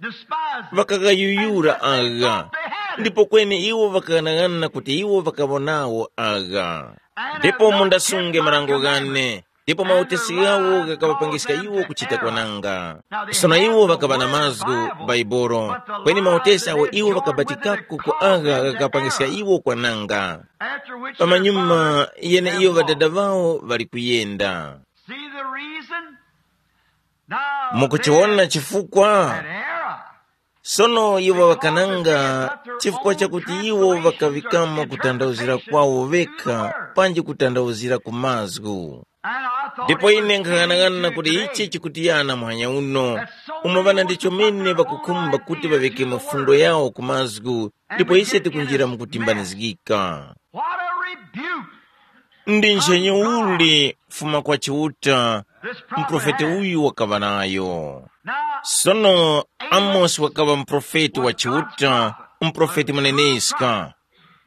Ŵakaghayuyura agha, ndipo kweni iwo ŵakaghanag'ana kuti iwo ŵakaŵonawo agha. Ndipo mundasunge marango ghane, ndipo mautesi ghawo ghakaŵapangiska iwo kuchita kwananga. Sono iwo ŵakaŵa na mazgu, Baibolo, kweni mautesi awo iwo ŵakabatikako ku agha ghakapangiska iwo kwananga. Pamanyuma, yeneiyo ŵadada ŵawo ŵali kuyenda. See the reason? Now, mukuchiwona chifukwa? That era. Sono iwo ŵakananga chifukwa chakuti iwo ŵakaŵikamo kutandawuzira kwawo ŵekha panji kutandawuzira ku mazgu. Ndipo ine nkhang'anang'ana kuti ichi chikutiyana muhanya uno, umo ŵana ndi chomene ŵakukhumba kuti ŵaŵikemo fundo yawo ku mazgu, ndipo ise tikunjira mu kutimbanizgika. What a rebuke! Ndi nchenye uli kufuma kwa Chiuta, muprofeti uyu wakaŵa nayo. Sono Amosi wakaŵa muprofeti wa Chiuta, muprofeti muneneska.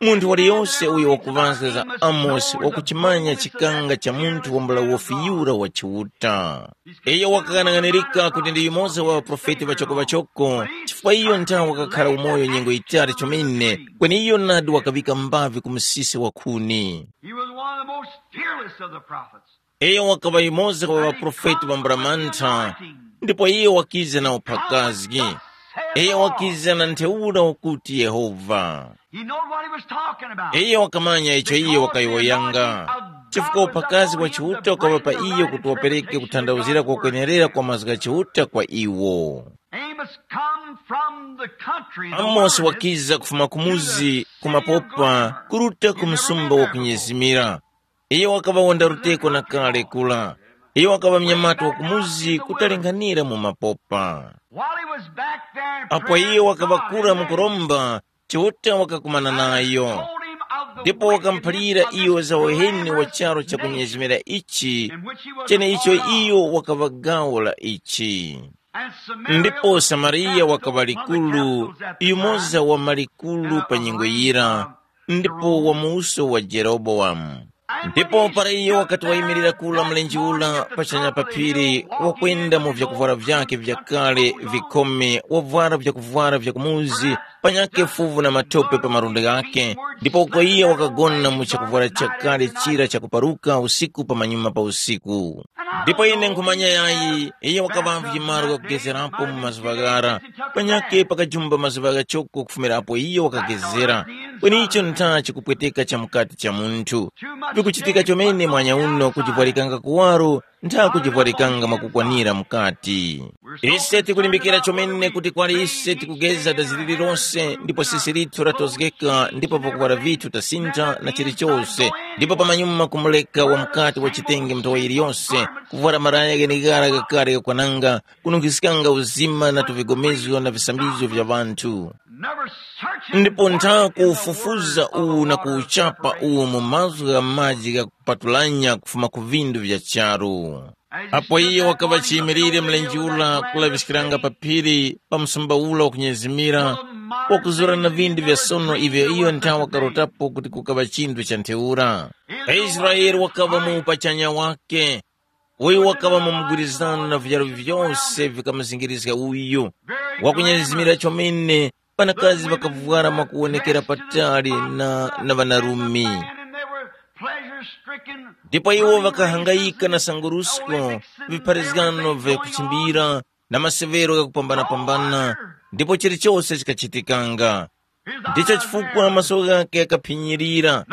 Munthu waliyose uyo wakuŵazga za Amosi wakuchimanya chikanga cha munthu wambula wofi yura wa Chiuta. Iyo wakaghanaghanirika kuti ndi yumoza wa ŵaprofeti ŵachoko-ŵachoko, chifukwa iyo nthawe wakakhara umoyo nyengo yitali chomene, kweni iyo nadi wakaŵika mbavi ku msisi wa khuni. He was one of the most fearless of the prophets. Iyo wakaŵa yumoza wa ŵaprofeti ŵambula mantha, ndipo iyo wakiza na uphakazgi. Iyo wakiza na ntheura ukuti Yehova. He knowed what he was talking about. Iyo wakamanya icho iyo wakayowoyanga, chifukwa uphakazi wa Chiuta ukaŵa pa iyo kuti wapereke kuthandawuzira kokwenerera kwa mazgu gha Chiuta kwa iwo. Amos come from the country, the Amosi wilderness, wakiza kufuma kumuzi kumapopa kuruta ku msumba wa kunyezimira. Iyo wakaŵa wonda ruteko na kale kula. Iyo wakaŵa mnyamata wa kumuzi kutalinganira mu mapopa. While he was back there in Apo prayer iyo to wakaŵa God kura in mu that kuromba, Chiuta wakakumana nayo, ndipo wakamuphalira iyo za uheni wa charu chakunyezimira ichi, cheneicho iyo wakaŵa gawo la ichi. Ndipo Samariya wakaŵa likuru, yumoza wa malikuru pa nyengo yira, ndipo wa muuso wa Jerobowamu. Ndipo para iyo wakati wayimirira kula mlenje ula pachanya pa phiri, wakwenda mu vyakuvwara vyake vyakale vikhome, wavwara vyakuvwara vya kumuzi, panyakhe fuvu na matope pa malundi ghakhe, ndipo uko iyo wakagona mu chakuvwara chakale chira chakuparuka usiku pamanyuma pa usiku. Ndipo ine nkhumanya yayi, iyo wakaŵa vimaro kakugezerapo mu mazuŵa ghara, panyakhe pakajumba mazuŵa ghachoko kufumira apo iyo wakagezera. Kweni icho ntha chikupweteka cha mukati cha munthu. Vikuchitika chomene mwanya uno kujivwarikanga kuwaro ntha kujivwarikanga mwakukwanira mukati. Ise tikulimbikira chomene kuti kwali ise tikugeza dazi lililonse ndipo sisi lithu latozgeka ndipo pakuwara vithu tasintha na chilichose, ndipo pamanyuma kumuleka wa mukati wa chitenge mtowa yiliyose, kuvwara maraya gheneghara ghakale gakwananga, kununkhiskanga uzima na tuvigomezgo na visambizgo vya ŵanthu. Ndipo ntha kuwufufuza uwu na kuwuchapa uwu mu mazgu gha maji ghakupatulanya kufuma ku vindu vya charu. Apo iyo wakaŵa chiyimilire mlenje ula kulaŵiskiranga pa phiri pa msumba ula wakunyezimira, wakuzura na vindu vya sono ivyo iyo ntha wakarotapo kuti kukaŵa chinthu cha ntheura. Israele wakaŵa mu upachanya wake, uyu wakaŵa mu mugwirizano na vijaro vyose vikamuzingirizga uyu, wakunyezimira chomene, ŵanakazi ŵakavwara mwakuwonekera patali na, na ŵanarume. Ndipo iwo ŵakahangayika na sangurusko, vipharizgano vya kuchimbira, na maseŵero ghakupambana-pambana, ndipo chilichose chikachitikanga. Ndicho chifukwa maso ghakhe ghakaphinyirira,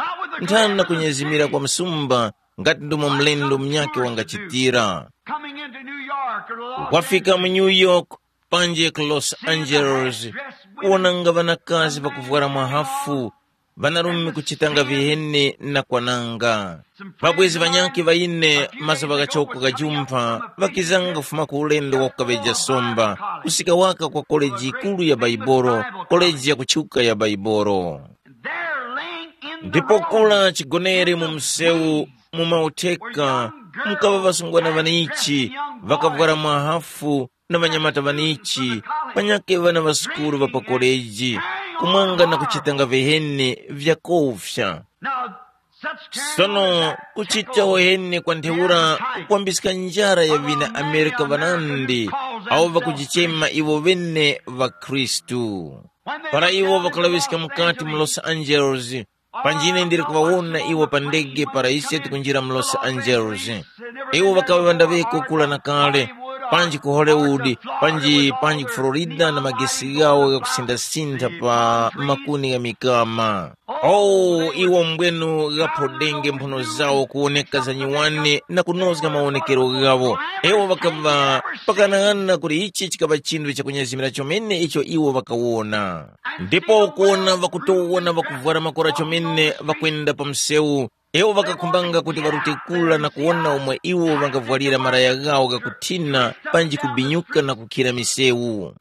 nthani na kunyezimira kwa msumba, ngati ndomwe mlendo munyakhe wangachitira. Coming into New York or Los Wafika mu Angeles, New York, panji ku Los Angeles, kuwonanga ŵanakazi pakuvwara mwahafu, ŵanarume kuchitanga viheni na kwananga. Ŵabwezi ŵanyakhe ŵa ine, mazuŵa ghachoko ghajumpha, ŵakizanga kufuma ku ulendo wa kukaŵeja somba, kusika waka kwa koleji yikuru ya Baibolo, koleji ya kutchuka ya Baibolo. Ndipo kula chigonere mu msewu, mu mautheka, mukaŵa ŵasungwana ŵanichi, ŵakavwara mwahafu na ŵanyamata ŵanichi, panyakhe ŵana ŵa sukulu ŵa pa koleji, kumwanga na kuchitanga viheni vyakofya. Sono kuchita uheni kwa ntheura kukwambiska njara ya ŵina Amerika ŵanandi, awo ŵakujichema iwo ŵene ŵakhristu. Para iwo ŵakalaŵiska mukati mu Los Angeles, panji ine ndili kuŵawona iwo pa ndege para ise tikunjira mu Los Angeles. Iwo ŵakaŵa ŵandaŵeko kula na kale, panji ku Hollywood, panji panji ku Florida na magesi ghawo ghakusindasintha pa makuni gha mikama. Oh, iwo mbwenu ghaphodenge mphuno zawo kuwoneka za nyuwani na kunozga mawonekero ghawo. Iwo ŵakaŵa pakanang'ana kuti ichi chikaŵa chinthu chakunyezimira chomene icho iwo ŵakawona. Ndipo kuwona ŵakutowona ŵakuvwara makora chomene ŵakwenda pa msewu, iwo ŵakakhumbanga kuti ŵarute kura na kuwona umo iwo ŵangavwalira malaya ghawo ghakuthina panji kubinyuka na kukhira misewu.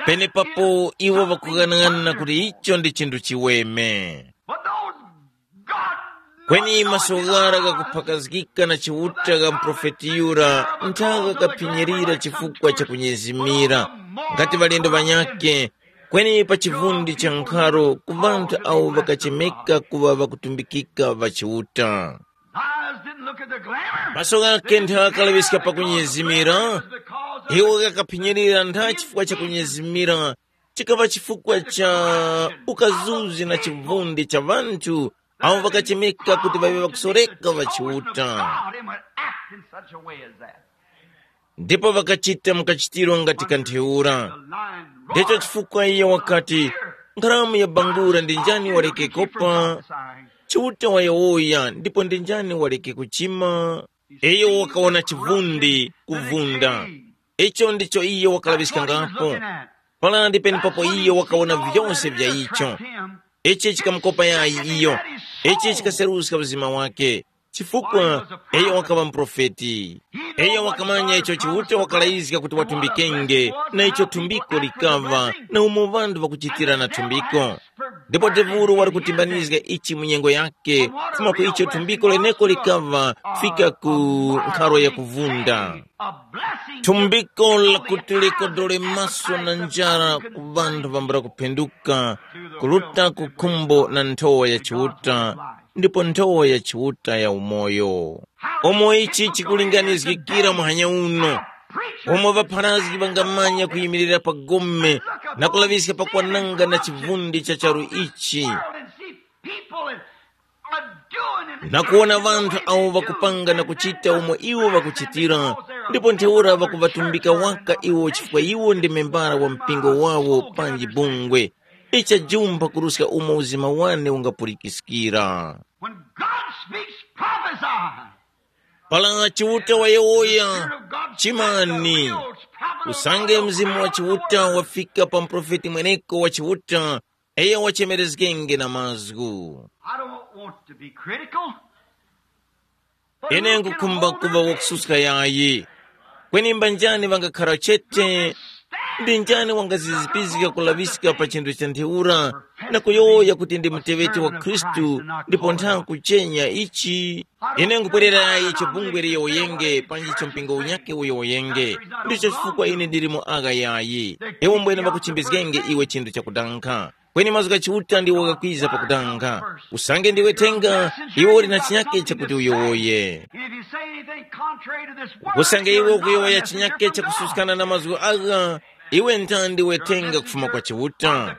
Penepapo iwo ŵakughanaghanana kuti icho ndi chinthu chiweme. Kweni maso ghara ghakuphakazgika na Chiuta gha muprofeti yura nthaka ghakaphinyirira chifukwa cha kunyezimira, ngati ŵalendo ŵanyakhe, kweni pa chivundi cha nkharo ku ŵanthu awo ŵakachemeka kuŵa ŵakutumbikika ŵa Chiuta. Eyes didn't look at the glamour. Maso ghakhe nthakalaŵiska pakunyezimira, iwo ghakaphinyirira ntha chifukwa cha kunyezimira, chikaŵa chifukwa cha ukazuzi na chivundi cha ŵanthu awo ŵakachemeka kuti ŵaŵe ŵakusoreka ŵa Chiuta. God, and would act in such a way as that. Ndipo ŵakachita mukachitiro ngati kantheura. Ndicho chifukwa iye wakati, nkharamu ya bangura ndi njani waleke kopa? Chiuta wayowoya ndipo ndi njani waleke kuchima? Iyo wakawona chivundi kuvunda. Icho ndicho iyo wakalaŵiskangapo. Palandi penepapo iyo wakawona vyose vya icho. Ichi chikamukopa yayi iyo. Ichi chikaseruska uzima wake. Chifukwa iyo wakaŵa muprofeti. Iyo wakamanya icho Chiuta wakalayizga kuti watumbikenge, na icho thumbiko likaŵa, na umo ŵanthu ŵakuchitira na thumbiko. Ndipo Tevuru wali kutimbanizga ichi mu nyengo yake, kufuma ku icho thumbiko leneko likaŵa kufika ku nkharo ya kuvunda. Thumbiko lakuti likodole maso na njara ku ŵanthu ŵambula kuphenduka, kuruta ku khumbo na nthowa ya Chiuta, ndipo nthowa ya Chiuta ya umoyo. Umo ichi chikulinganizgikira muhanya uno, umo ŵapharazgi ŵangamanya kuyimirira pa gome na kulaŵiska pakwananga na chivundi cha charu ichi, na kuwona ŵanthu awo ŵakupanga na kuchita umo iwo ŵakuchitira, ndipo ntheura ŵakuŵatumbika waka iwo chifukwa iwo ndi membara wa mpingo wawo panji bungwe. Ichajumpha kuruska umo uzima wane ungapulikiskira. When God speaks, prophesy. Para Chiuta wayowoya, chimani. Usange mzimu wa Chiuta wafika pa muprofeti mweneko wa Chiuta, iyo wachemerezgenge na mazgu. I don't want to be critical. Ine nkukhumba kuŵa wakususka yayi. Kweni mbanjani ŵangakhara chete? Ndi njani wangazizipizga kulaŵiska pa chinthu cha ntheura na kuyowoya kuti ndi muteŵeti wa Khristu ndipo ntha kuchenya ichi? Ine nkupwerera icho bungwe liyowoyenge panji icho mpingo unyakhe uyowoyenge. Ndicho chifukwa ine ndili mu agha yayi. Iwo mbwene ŵakuchimbizgenge iwe chinthu chakudankha. Kweni mazgu gha Chiuta ndiwo ghakwiza pakudanga. Usange ndiwe thenga, iwe uli na chinyake chakuti uyowoye. And if you say anything contrary to this word, usange iwe ukuyowoya chinyake chakususkana na mazgu agha, iwe ntha ndiwe thenga kufuma kwa Chiuta.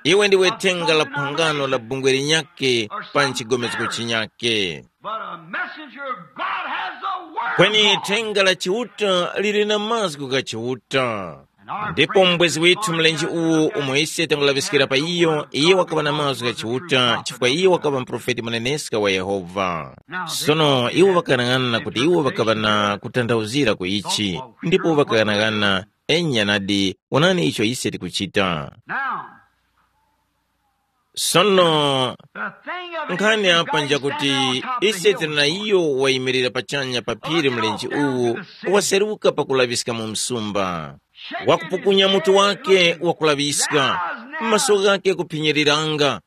Iwe ndiwe thenga la phangano la bungwe linyake pa nchigomezgo chinyake. But a messenger of God has the word of God. Kweni thenga la Chiuta lili na mazgu gha Chiuta. Ndipo mbwezi withu mlenje uwu umo ise tangulaŵiskira pa iyo, iye wakaŵa na mazgu gha Chiuta chifukwa iye wakaŵa muprofeti muneneska wa Yehova. Sono iwo ŵakaghanag'ana kuti iwo ŵakaŵa na kutanthauzira ku ichi, ndipo ŵakaghanag'ana, enya nadi, wonani icho ise tikuchita. Now, sono the thing of it nkhani is apa God njakuti standing on top of the ise tili na hillside. Iyo wayimirira pachanya pa phiri mlenje uwu waseruka pakulaŵiska mu msumba. Wakupukunya mutu wake wakulaŵiska, maso ghake kuphinyiriranga.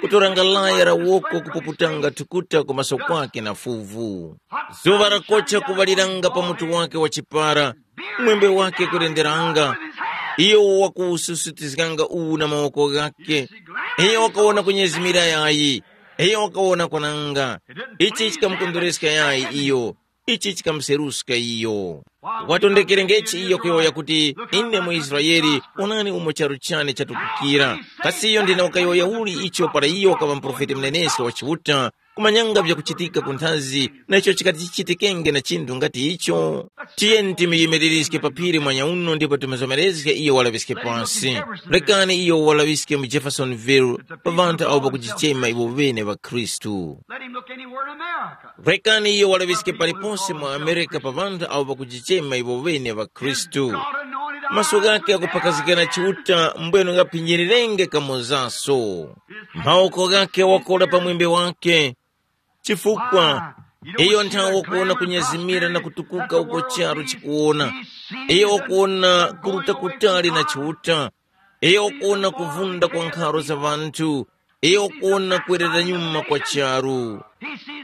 kutoranga laya la woko kupuputanga thukuta ku maso kwake na fuvu. Zuŵa lakocha kuŵaliranga pa mutu wake wa chipara, mwembe wake kulenderanga. Iyo wakuwususutizganga uwu na mawoko ghake. Iyo wakawona kunyezimira yayi. Iyo wakawona kwananga. Ichi chikamukondwereska yayi iyo. Ichi chikamuseruska iyo. Watondekerengechi iyo kuyowoya kuti, ine mu Israeli, onani umo charu chane chatukukira. Kasi iyo ndina wakayowoya uli icho para iyo wakaŵa muprofeti muneneska wa Chiuta, kumanyanga vyakuchitika ku nthazi, na icho chikati chichitikenge na chinthu ngati icho? Tiyeni timuyimiliriske pa phiri mwanya uno ndipo timuzomerezge iyo walaŵiske pansi. Rekani iyo walaŵiske mu Jeffersonville, pa ŵanthu awo pakujichema iwo ŵene ŵa Khristu. Let him look anywhere in America. Rekani iyo walaŵiske paliponse mu Amerika pa ŵanthu awo pakujichema iwo ŵene ŵa Khristu. Maso ghake akuphakazikana Chiuta mbwenu ngaphinyirenge kamozaso. Mawoko ghake wakola pa mwembe wake. Chifukwa iyo nthawe wakuwona kunyezimira na kutukuka uko charu chikuwona. Iyo wakuwona kuruta kutali na Chiuta. Iyo wakuwona kuvunda kwa nkharo za ŵanthu. Iyo wakuwona kwerera nyuma kwa charu.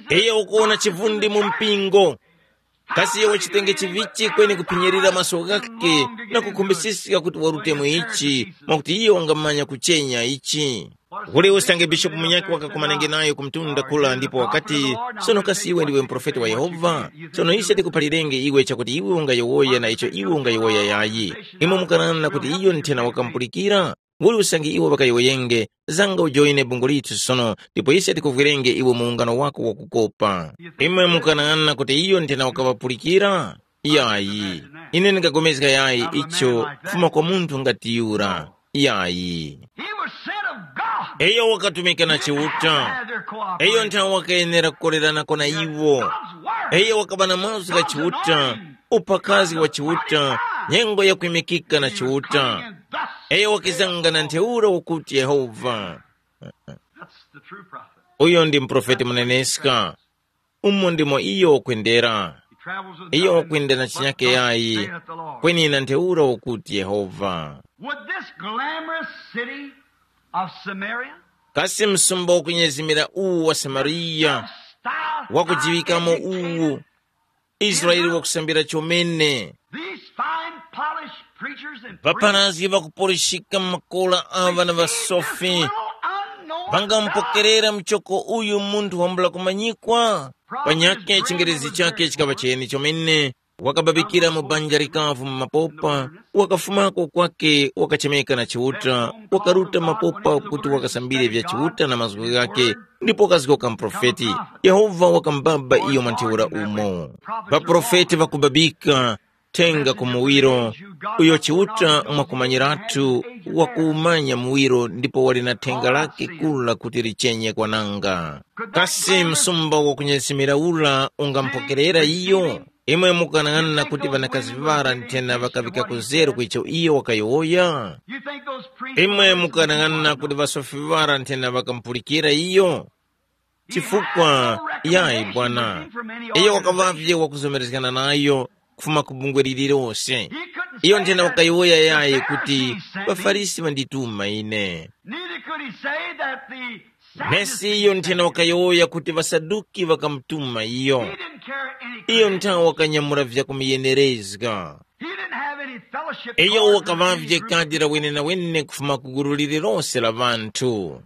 Iyo wakuwona chivundi mu mpingo. Kasi iyo wachitenge chivichi kweni kuphinyirira maso ghake na kukhumbisiska kuti warute mu ichi, mwakuti iyo wangamanya kuchenya ichi? Uli usange bishopu munyakhe wakakumanenge nayo ku mtunda kula ndipo wakati, sono kasi iwe ndiwe muprofeti wa Yehova? Sono ise tikuphalirenge iwe chakuti iwe ungayowoya na icho iwe ungayowoya yayi. Imwe mukanana kuti iyo nthena wakamupulikira? Uli usange iwo ŵakayowoyenge, zanga ujoine bungwe lithu sono, ndipo ise tikuvwirenge iwe mu ungano wako wakukopa. Imwe mukanang'ana kuti iyo nthena wakaŵapulikira? Yayi. Ine ndingapulikana yayi icho kufuma kwa munthu ngati yura. Yayi. He was sent of God. Iyo wakatumika na Chiuta. Had their cooperation. Iyo nthawe wakayenera kukolerana na iwo. God's word. Iyo wakaŵa na mazgu gha Chiuta, uphakazi wa Chiuta, nyengo yakwimikika na Chiuta. Iyo wakizanga na ntheura ukuti Yehova. That's the true prophet. Uyo ndi muprofeti muneneska. Umo ndimo iyo wakwendera. He travels with iyo nothing wakwenda na but chinyake thus yayi, saith the Lord. Kweni na ntheura ukuti Yehova. Would this glamorous city of Samaria kasi msumba wakunyezimira uwu wa Samariya, wakujiŵikamo uwu, Israeli wakusambira chomene. These fine polished preachers and priests, ŵapharazgi ŵakupolishika makola aŵa na ŵasofi, ŵangampokerera mchoko uyu munthu wambula kumanyikwa? Panyakhe chingerezi chakhe chikaŵa cheni chomene. Wakababikira mu banja likavu mu mapopa, wakafumako kwake wakachemeka na Chiuta, wakaruta mapopa kuti wakasambire vya Chiuta na mazgu ghakhe, ndipo wakazgoka muprofeti. Yehova wakamubaba iyo mwa ntheura umo. Ŵaprofeti ŵakubabika thenga ku muwiro, uyo Chiuta mwakumanyiratu wakuumanya muwiro ndipo wali na thenga lakhe kula kuti richenye kwananga. Kasi msumba wakunyesimira ura ungamupokerera iyo? Imwe mukanang'ana kuti ŵanakazi ŵara nthena ŵakaŵika kuzeru ku icho iyo wakayowoya? Imwe mukanang'ana kuti ŵasofi ŵara nthena ŵakamupulikira iyo? Chifukwa yayi bwana, iyo wakaŵavye wakuzomerezgana nayo kufuma ku bungwe lililose. Iyo nthena wakayowoya yayi kuti, ŵaFarisi ŵandituma ine. Neither could he say that the Sadducees nesi iyo nthena wakayowoya kuti ŵasaduki ŵakamutuma iyo. He didn't care any iyo credit. Nthawe wakanyamula vyakumuyenerezga. He didn't have any fellowship iyo card with any wakavavye group. Kadi la wenenawene kufuma ku gulu lililose la ŵanthu.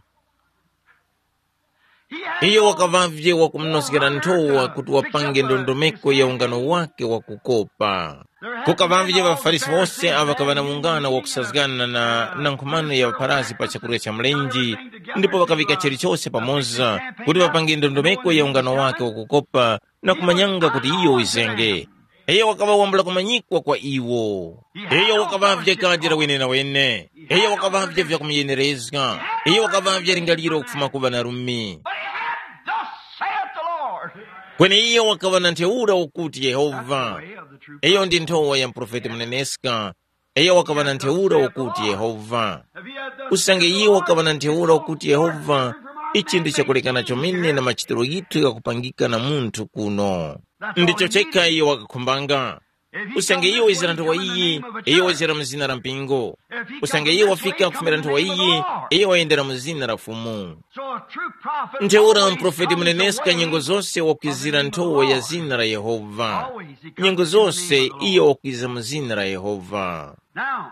He had iyo no wakavavye wakumunoskera nthowa kuti wapange ndondomeko ya ungano wake wakukopa. Kukavavye ŵafarisi wose awo ŵakaŵa na ungano wakusazgana na, na nkhumano ya ŵapharasi pa chakurya cha mlenje, ndipo ŵakaŵika chilichose pamoza kuti ŵapange ndondomeko ya ungano wake wakukopa na kumanyanga kuti iyo wizenge. Iyo wakaŵa wambula kumanyikwa kwa iwo. Iyo wakaŵavye kadi la wenenawene. Iyo wakaŵavye vyakumuyenerezga. Iyo wakaŵavye lingaliro kufuma ku ŵanarumi. But he had, "Thus saith the Lord." Kweni iyo wakaŵa na ntheura ukuti Yehova. Iyo ndi nthowa ya muprofeti muneneska. Iyo wakaŵa na ntheura ukuti Yehova. Usange iyo wakaŵa na ntheura ukuti Yehova, ichi ndi chakulekana chomene na machitiro ghithu ghakupangika na munthu kuno. Ndicho chekha iyo wakakhumbanga. Usange iyo wizira nthowa iyi, iyo wizira mu zina la mpingo. Usange iyo wafika kufumira nthowa iyi, iyo wayendera mu zina la Fumu. Ntheura muprofeti muneneska nyengo zose wakwizira nthowa ya zina la Yehova. Nyengo zose iyo wakwiza mu zina la Yehova.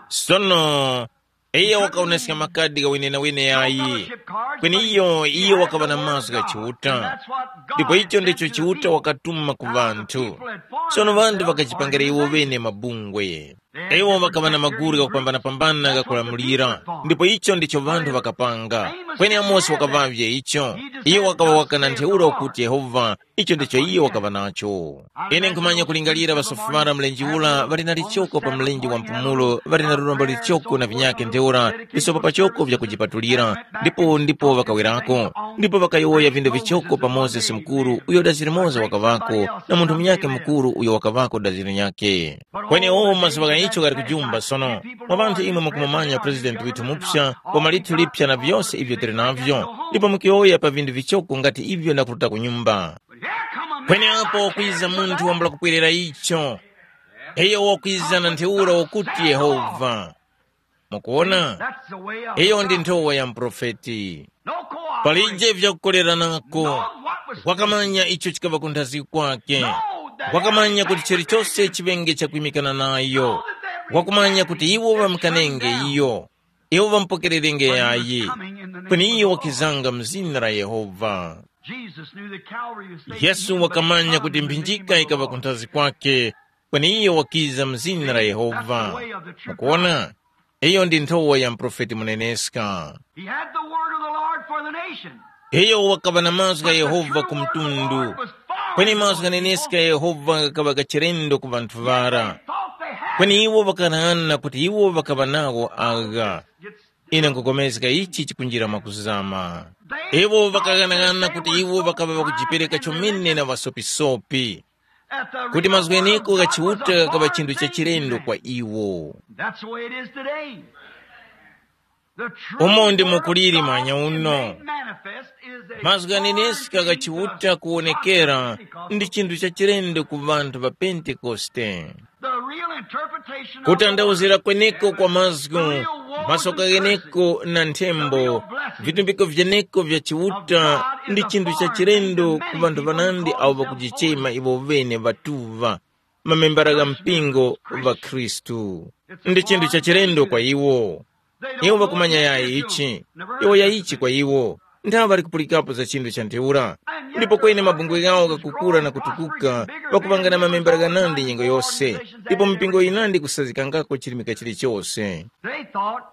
Sono iyo wakawoneska makadi gha wenenawene yayi. Kweni iyo iyo wakaŵa na mazgu gha Chiuta. Ndipo icho ndicho Chiuta wakatuma ku ŵanthu. Sono ŵanthu ŵakajipangira iwo ŵene mabungwe. Iwo ŵakaŵa na maguru ghakupambanapambana ghakulamulira, ndipo icho ndicho ŵanthu ŵakapanga. Kweni Amosi wakaŵavye icho. Iyo wakaŵa waka na ntheura wakuti Yehova, icho ndicho iyo wakaŵa nacho. Ine nkhumanya kulingalira ŵasofumara mlenje ura ŵali na lichoko pa mlenje wa mpumulo, ŵali na lurombo lichoko na vinyakhe ntheura, visopa pachoko vyakujipatulira, ndipo ndipo ŵakawerako. Ndipo ŵakayowoya vindu vichoko pa Mozesi mukuru uyo dazi limoza wakaŵako, na munthu munyakhe mukuru uyo wakaŵako dazi linyakhe. Kwenewo mazuŵa gha icho ghali kujumba sono. Mwa ŵanthu imwe mukumumanya President withu mupsa, koma lithu lipsa na vyose ivyo tili navyo, ndipo mukiyowoya pa vindu vichoko ngati ivyo na kuruta ku nyumba. Kweneapo kwiza munthu wambula kupwerera icho. Iyo wakwiza na ntheura wakuti Yehova. Mukuona? Iyo ndi nthowa ya muprofeti. Palije vyakukoleranako. Wakamanya icho chikaŵa kunthazgi kwake. Wakamanya kuti chilichose chiŵenge chakwimikana nayo. Wakumanya kuti iwo ŵamkanenge iyo. Iwo ŵamupokererenge yayi. Kweni iyo wakizanga mu zina la Yehova. Yesu wakamanya kuti mphinjika ikaŵa kunthazi kwake, kweni iyo wakiza mu zina la Yehova. Mukuona, iyo ndi nthowa ya muprofeti muneneska. He had the word of the Lord for the nation. Iyo wakaŵa na mazgu gha Yehova ku mtundu. Kweni mazgu ghaneneska gha Yehova ghakaŵa gachilendo ku ŵanthu ŵara. Kweni iwo ŵakaghanaghananga kuti iwo ŵakaŵa nawo agha. Ine nkupulikana ichi chikunjira mwakuzama. Iwo ŵakaghanaghananga kuti iwo ŵakaŵa ŵakujipereka chomene na ŵasopisopi, kuti mazgu gheneko gha Chiuta ghakaŵa chinthu cha chilendo kwa iwo. That's the way it is today. The true Umo ndimo word of kuliri God manya uno. Made manifest is a Mazgu ghaneneska gha Chiuta kuwonekera ndi chinthu cha chilendo ku ŵanthu ŵa Pentekoste. The real interpretation of the Kutandawuzira word, kweneko kwa mazgu, the real words masoka of gheneko na nthembo, the real blessings vitumbiko vyeneko vya Chiuta ndi chinthu cha chilendo ku ŵanthu ŵanandi awo ŵakujichema iwo ŵene ŵatuŵa, mamembara gha mpingo ŵa Khristu. Ndi chinthu cha chilendo kwa iwo. Iwo ŵakumanya yayi ichi. Iwo yayichi kwa iwo. Nthawe ŵali kupulikapo za chinthu cha ntheura. Ndipo kweni mabungwe ghawo ghakukura na kutukuka, ŵakupangana mamembera ghanandi nyengo yose, ndipo mipingo yinandi kusazikangako chirimika chilichose. They thought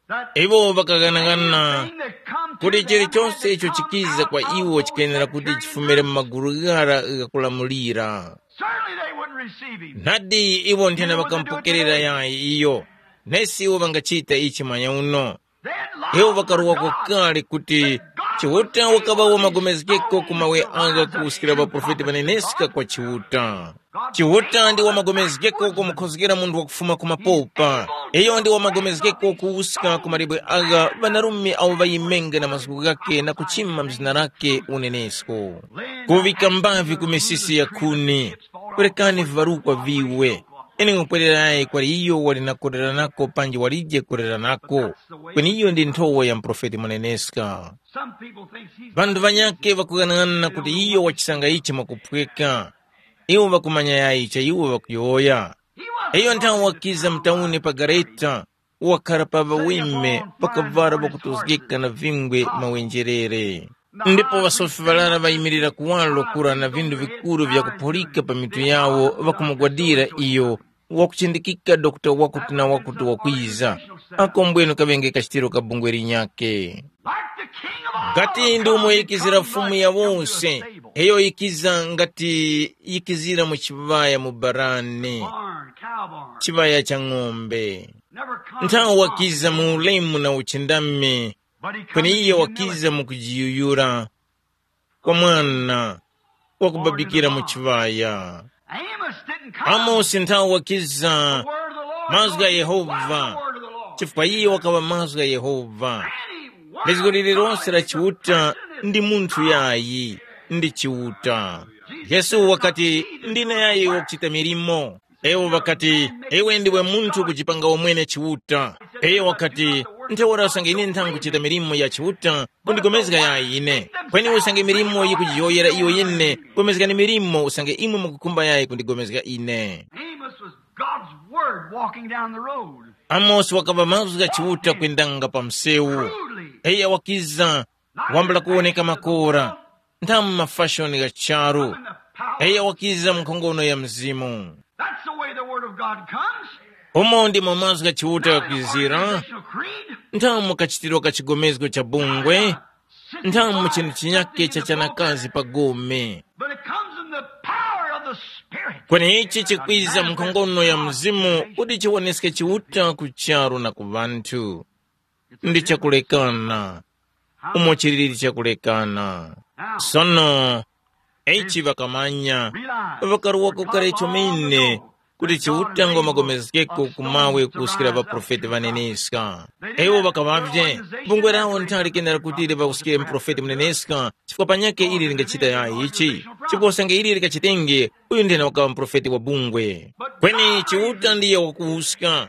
that Iwo ŵakaghanaghanana anything that come to kuti them chilichonse had to icho come chikiza out kwa of iwo those chikuyenera that kuti carried chifumire mu maguru ghara ghakulamulira. Certainly they wouldn't receive him. Nadi iwo nthena ŵakamupokerera yayi iyo, nesi iwo ŵangachita ichi manya uno. Iwo ŵakaruwa kokari kuti Chiuta wakaŵa wamagomezgeko ku mawe agha kuwuskira ŵaprofeti ŵaneneska kwa Chiuta. Chiuta ndi wamagomezgeko kumukhozgera munthu wakufuma ku mapopa. Iyo ndi wamagomezgeko kuwuska ku malibwe agha ŵanarume awo ŵayimenge na mazgu ghake na kuchima mzina lake unenesko. Kuŵika mbavi ku misisi ya khuni. Perekani viŵarukwa viwe. Ine nkhupwererayi kwali iyo wali na kuleranako panji walije kuleranako, kweni iyo ndi nthowa ya muprofeti muneneska. Some people thinks he's Ŵanthu ŵanyakhe ŵakughanaghanana kuti iyo wachisanga ichi mwakuphweka. Iwo ŵakumanya yayi cha iwo ŵakuyowoya. Iyo nthawe wakiza mtauni pa gareta, wakhara pa ŵaweme pakavara ŵakutozgeka na vingwe mawenjerere. Ndipo ŵasofi ŵarara ŵayimirira kuwaro kura na vindu vikuru vyakuphulika pa mitu yawo ŵakumugwadira iyo, wakuchindikika dokta wakuti na wakuti wakwiza. Ako mbwenu kaŵenge kachitiro ka bungwe linyakhe. Ngati ndi umo yikizira Fumu ya wose, iyo yikiza ngati yikizira mu chiŵaya mu barani, chiŵaya cha ng'ombe. Nthawe wakiza mu ulemu na uchindami, kweni iye wakiza mu kujiyuyura kwa mwana wakubabikira mu chiŵaya. Amosi nthawe wakiza mazgu gha Yehova, chifukwa iye wakaŵa mazgu gha Yehova. Lizgo lililonse la Chiuta ndi munthu yayi, ndi Chiuta. Yesu wakati, "Ndine yayi wakuchita milimo." Ewo ŵakati, "Iwe ndiwe munthu kujipanga wamwene Chiuta." Iyo wakati, "Ntheura usange ine ntha nkuchita milimo ya Chiuta, kundigomezga yayi ine. Kweni usange milimo yikujiyowoyera iyo yene, gomezgani milimo usange imwe mukukhumba yayi kundigomezga ine." Amos was God's word walking down the road. Amosi wakaŵa mazgu gha Chiuta kwendanga pa msewu. Truly, eya wakiza, wambula kuwoneka makora, nthamu mafashoni gha charu. Eya wakiza mu nkhongono ya Mzimu. That's the way the word of God comes. Umo ndimo mazgu gha Chiuta ghakwizira. National creed. Nthamu kachitiro ka chigomezgo cha bungwe. Nthamu chinthu chinyake cha chanakazi pa gome. But it comes in the power of the Spirit. Kweni ichi chikwiza mu nkhongono ya Mzimu kuti chiwoneske Chiuta ku charu na ku ŵanthu. Ndi chakulekana. Umo chilili chakulekana. Sono, ichi ŵakamanya, ŵakaruwako kale chomene kuti Chiuta ngomagomezgeko ku mawe kuskira ŵaprofeti ŵaneneska. Iwo ŵakaŵavye, bungwe lawo nthali kenera kuti liŵakuskire muprofeti muneneska, chifukwa panyakhe ili lingachita yayi ichi, chifukwa usange ili likachitenge, uyu ndene wakaŵa muprofeti wa bungwe. Kweni Chiuta ndiye wakuwuska.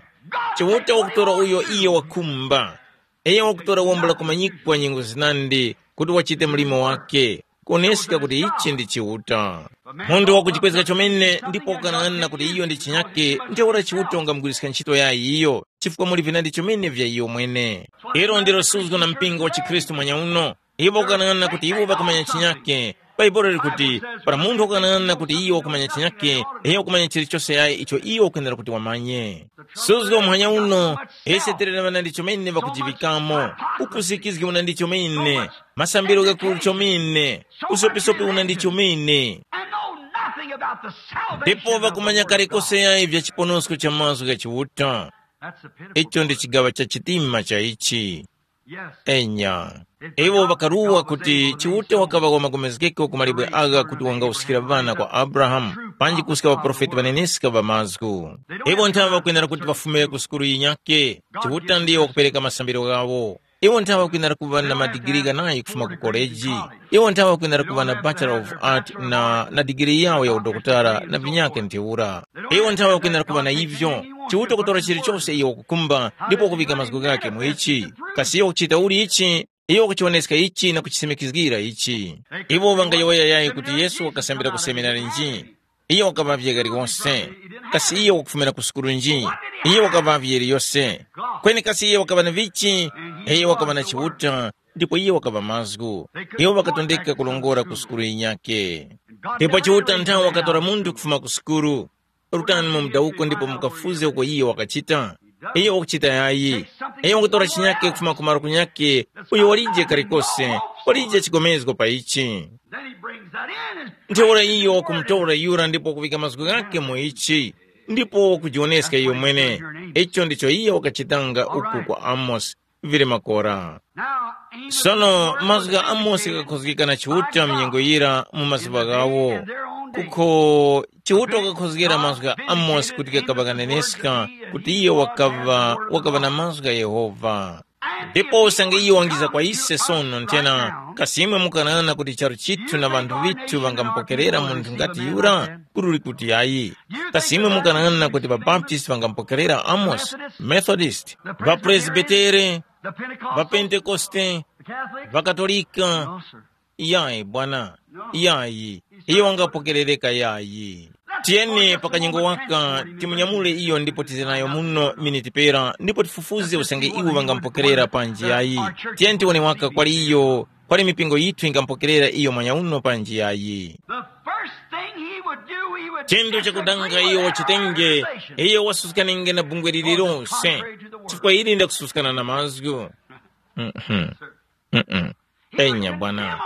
Chiuta wakutora uyo iye wakhumba. Iyo wakutora wombo la kumanyikwa nyengo zinandi kuti wachite mlimo wake, kuoneska kuti ichi ndi Chiuta. Munthu wakuchipwezga chomene ndipo ukanang'ana kuti iyo ndi chinyake, ntheura Chiuta ungamugwiriska ntchito ya iyo, chifukwa muli vinandi chomene vya iyo mwene. Ilo ndilo suzgo na mpingo wa chikhristu mwanyauno. Iwo ukanang'ana kuti iwo ŵakumanya chinyake. Bhaibuli likuti, para munthu wakanang'ana kuti iyo wakumanya chinyake, iyo wakumanya chilichose yayi icho iyo ukwenera kuti wamanye. Suzgo muhanya uno, ise tili na ŵanandi chomene ŵakujiŵikamo, upusikizgi unandi chomene, masambiro ghakuru chomene, usopisopi unandi chomene. And know nothing about the salvation ndipo of the ŵakumanya Word of kale God. Kose yayi vya chiponosko cha mazgu gha Chiuta. That's the pitiful icho ndi part. Chigaŵa cha chitima cha ichi. Yes. Enya. Iwo ŵakaruwa kuti Chiuta wakaŵa wamagomezgeko ku malibwe agha kuti wangawuskira ŵana kwa Abrahamu, panji kuska ŵaprofeti ŵaneneska ŵa mazgu. Iwo nthawe ŵakwenera kuti ŵafumire ku sukulu yinyake. Chiuta ndiye wakupereka masambiro ghawo. Iwo nthawe ŵakwenera kuŵa na madigiri ghanayi kufuma ku koleji. Iwo nthawe ŵakwenera kuŵa na Bachelor of Art na, na digiri yawo ya udokotala na vinyake ntheura. Iwo nthawe ŵakwenera kuŵa na ivyo. Chiuta kutora chilichose iyo wakukhumba ndipo kuvika mazgu ghake mu ichi. Kasi iyo wakuchita uli ichi? Iyo wakuchiwoneska ichi na kuchisimikizgira ichi. Iwo ŵangayowoya yayi kuti Yesu wakasambira ku seminari nji? Iyo wakaŵavye kaliwonse. Kasi iyo wakufumira ku sukulu nji? Iyo wakaŵavye yiliyose. Kweni kasi iyo wakaŵa na vichi? Iyo wakaŵa na Chiuta, ndipo iyo wakaŵa mazgu. Iwo ŵakatondeka kulongora ku sukulu yinyake. Ndipo Chiuta nthawe wakatora munthu kufuma ku sukulu. Rutani mu mudawuko ndipo mukafuze uko iyo wakachita. Iyo wakuchita yayi. Iyo wakutora chinyake kufuma ku malo kunyake, uyo walije kalikose, walije chigomezgo pa ichi. Then he brings that in and ntheura iyo wakumutora yura ndipo kuŵika mazgu ghake mu ichi, ndipo wakujiwoneska iyo mwene. Icho ndicho iyo wakachitanga uku kwa Amosi. Vili makora. Sono mazgu gha Amosi ghakhozgeka na Chiuta mnyengo yira mu mazuŵa ghawo. Kukho Chiuta wakakhozgera mazgu gha Amosi kuti ghakaŵa ghaneneska kuti iyo wakaŵa wakaŵa na mazgu gha Yehova. Ndipo usange iyo wangiza kwa ise sono nthena, kasi imwe mukanang'ana kuti charu chithu na ŵanthu ŵithu ŵangamupokerera munthu ngati yura? Kuli kuti ayi. Kasi imwe mukanang'ana kuti ŵabaptisti ŵangamupokerera Amosi, Methodist, ŵapresbitere, ŵapentekoste, ŵakatolika? Yayi bwana. Yayi. Iyo wangapokerereka yayi. Tiyeni pakanyengo waka timunyamule iyo ndipo tize nayo muno miniti pera ndipo tifufuze usange iwo ŵangamupokerera panji yayi. Tiyeni tiwone waka kwali iyo, kwali mipingo yithu ingamupokerera iyo mwanyauno panji yayi. The first thing he would do, he would chinthu chakudanga iyo wachitenge, iyo wasuskane na bungwe lililonse, chifukwa ili ndakususkana na mazgu. Mhm. Mm-mm. Enya bwana.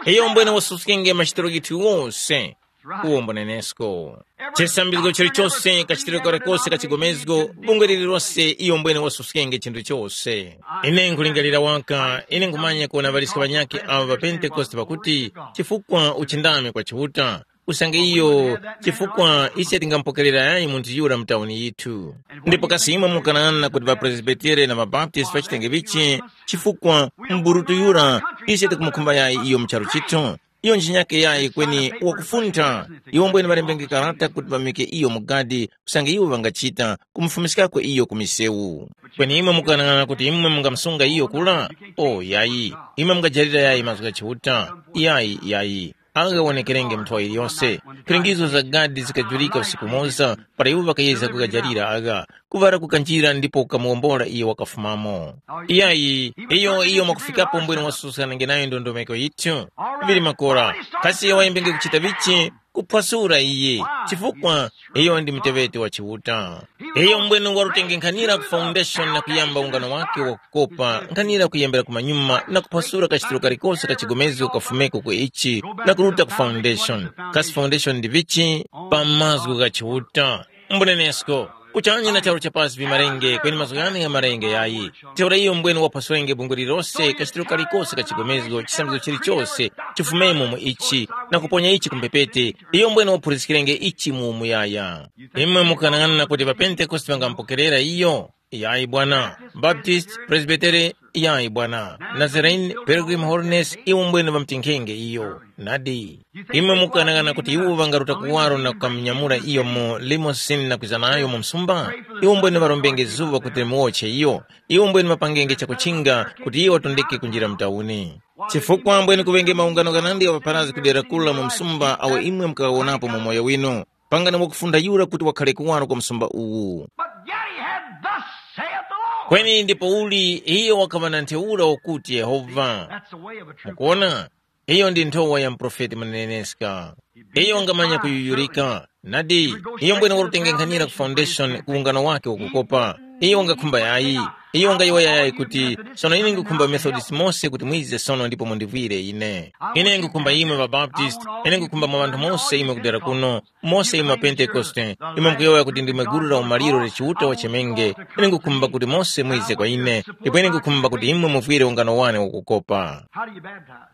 Iyo mbwene wasuskenge machitiro ghithu wose. Uwo mbonenesko. Chisambizgo chilichose kachitiro kalikose ka chigomezgo, bungwe lililose iyo mbwene wasuskenge chinthu chose. Ine nkulingalira waka, ine nkumanya kuwona ŵaliska ŵanyakhe awo ŵa Pentekoste pakuti, chifukwa uchindami kwa Chiuta, usange iyo, chifukwa ise tingamupokerera yayi munthu yura mu tauni yithu. Ndipo kasi imwe mukanana kuti ŵapresbitere na ŵabaptisti ŵachitenge vichi, chifukwa mburutu yura, ise tikumukhumba yayi iyo mu charu chithu. Iyo nchinyake yayi kweni wakufuntha. Iwo mbwene ŵalembenge karata kuti ŵamike iyo mu gadi, usange iwo ŵangachita kumufumiskako iyo ku misewu. Kweni imwe mukanang'ana kuti imwe mungamsunga iyo kula? O yayi, imwe mungajalira yayi mazgu gha Chiuta? Yayi, yayi. Agha wonekerenge mu nthowa yiliyose. Phiringizo za gadi zikajurika usiku umoza, para iwo ŵakayezga kugajalira agha, kuŵala kukanjira ndipo kukamuwombola iyo wakafumamo. Iyayi, iyo iyo mwakufikapo mbwene wasusanenge nayo ndondomeko yithu. Vili makora, kasi iyo wayembenge kuchita vichi? Kuphwasura iye, chifukwa iyo ndi muteŵeti wa Chiuta. Iyo mbwene warutengenkhanira ku foundation na kuyamba ungano wake wakukopa nkhanira kuyembera kumanyuma na kuphwasura kachitiro kalikose ka chigomezgo kafumeko ku ichi, na kuruta ku foundation. Kasi foundation ndi vichi? Pa mazgu gha Chiuta. Mbunenesko, kuchanya na charu cha pasi vimarenge kweni mazgu ghane gha marenge yayi. Ntheura iyo mbwene waphwasurenge bungwe lilose kachitiro kalikose ka chigomezgo chisambizo chilichose, chifumemo mu ichi, na kuponya ichi ku mphepete. Iyo mbwene waphuriskirenge ichi mu umuyaya. Imwe mukanang'ana kuti ŵapentekoste ŵangamupokerera iyo? Yayi bwana. Baptist, Presbytere, yayi bwana. Nazarene, Pilgrim Holiness, iwo mbwene ŵamtinkhenge iyo. Nadi. Imwe mukanang'ana kuti iwo ŵangaruta kuwaro na kukamunyamula iyo mu limosin na kwiza nayo mu msumba? Iwo mbwene ŵarombenge zuŵa kuti limuwotche iyo. Iwo mbwene ŵapangenge chakuchinga kuti iyo watondeke kunjira mu tauni. Chifukwa mbwene kuŵenge maungano ghanandi gha paparazi kudera kula mu msumba awo imwe mukawonapo mu moyo winu. Pangani wakufunda yura kuti wakhale kuwaro kwa msumba uwu. But yet he had, "Thus saith the Lord." Kweni ndipouli iyo wakaŵa na ntheura wakuti Yehova. That's the way of a true. Mukuona, iyo ndi nthowa ya muprofeti muneneska. Iyo wangamanya kuyuyurika. Nadi, iyo mbwene wakutengenkhanira ku foundation ku ungano wake wakukopa. Iyo wangakhumba yayi. Iyo wangayowoya yayi kuti, sono ine ngukhumba Methodist mose kuti mwize sono ndipo mundivwire ine. Ine ngukhumba imwe Mabaptist, ine ngukhumba mwa ŵanthu mose imwe kudera kuno, mose imwe Pentekoste, imwe mukuyowoya kuti ndimwe gulu la umaliro la Chiuta wachemenge, ine ngukhumba kuti mose mwize kwa ine, ndipo ine ngukhumba kuti imwe muvwire ungano wane wakukopa. How do you baptize?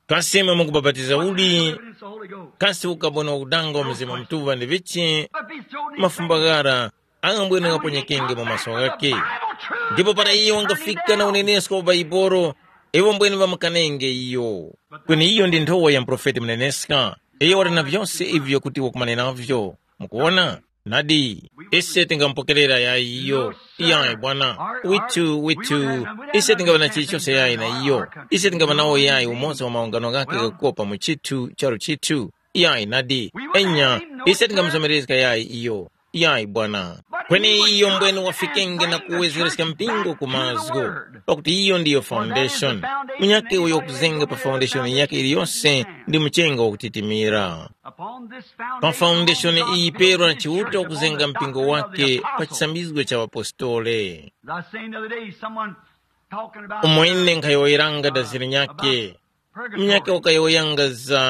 Kasi imwe mukubapatiza uli? It's the Holy Ghost. Kasi ukaboni wakudanga wa Mzimu Mutuŵa ndi vichi? But be so mafumba ghara angambwene ghaponyekenge mu maso ghake. Ndipo para iyo wangafika na unenesko wa Baibolo, iwo mbwene ŵamukanenge iyo. Kweni iyo ndi nthowa ya muprofeti muneneska. Iyo wali na vyose ivyo kuti wakumane navyo. Mukuwona? Nadi, ise tingamupokerera yayi iyo. Iyayi bwana, withu withu, ise tingaŵa na chilichonse yayi na iyo. Ise tingaŵa nawo yayi umoza wa maungano ghake ghakukopa mu chithu charu chithu. Iyayi nadi, enya, ise tingamuzomerezga yayi iyo. Iyayi bwana. Kweni iyo mbwene wafikenge na kuwezereska mpingo ku mazgu, pakuti iyo ndiyo foundation. Munyakhe uyo wakuzenga pa foundation yake iliyose ndi muchenga wakutitimira. Pa foundation iyi Pedro anachiuta kuzenga mpingo wake pa chisambizgo cha ŵapostoli. As I was saying the other day, someone talking about umo ine nkhayowoyeranga daziri nyake, mnyake wakayowoyanga za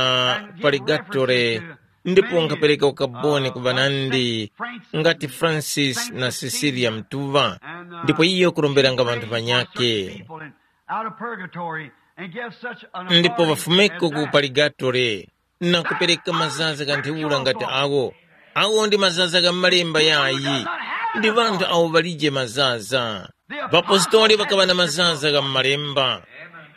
paligatore, ndipo nkhapereka ukaboni ku ŵanandi ngati Francis na Cecilia Mtuva, ndipo iyo kuromberanga ŵanthu ŵanyakhe. Ndipo ŵafumeko ku paligatore na kupereka mazaza gha ntheura ngati awo. Awo ndi mazaza gha m'malemba yayi. Ndi ŵanthu awo ŵalije mazaza. Ŵapostoli ŵakaŵa na mazaza gha m'malemba.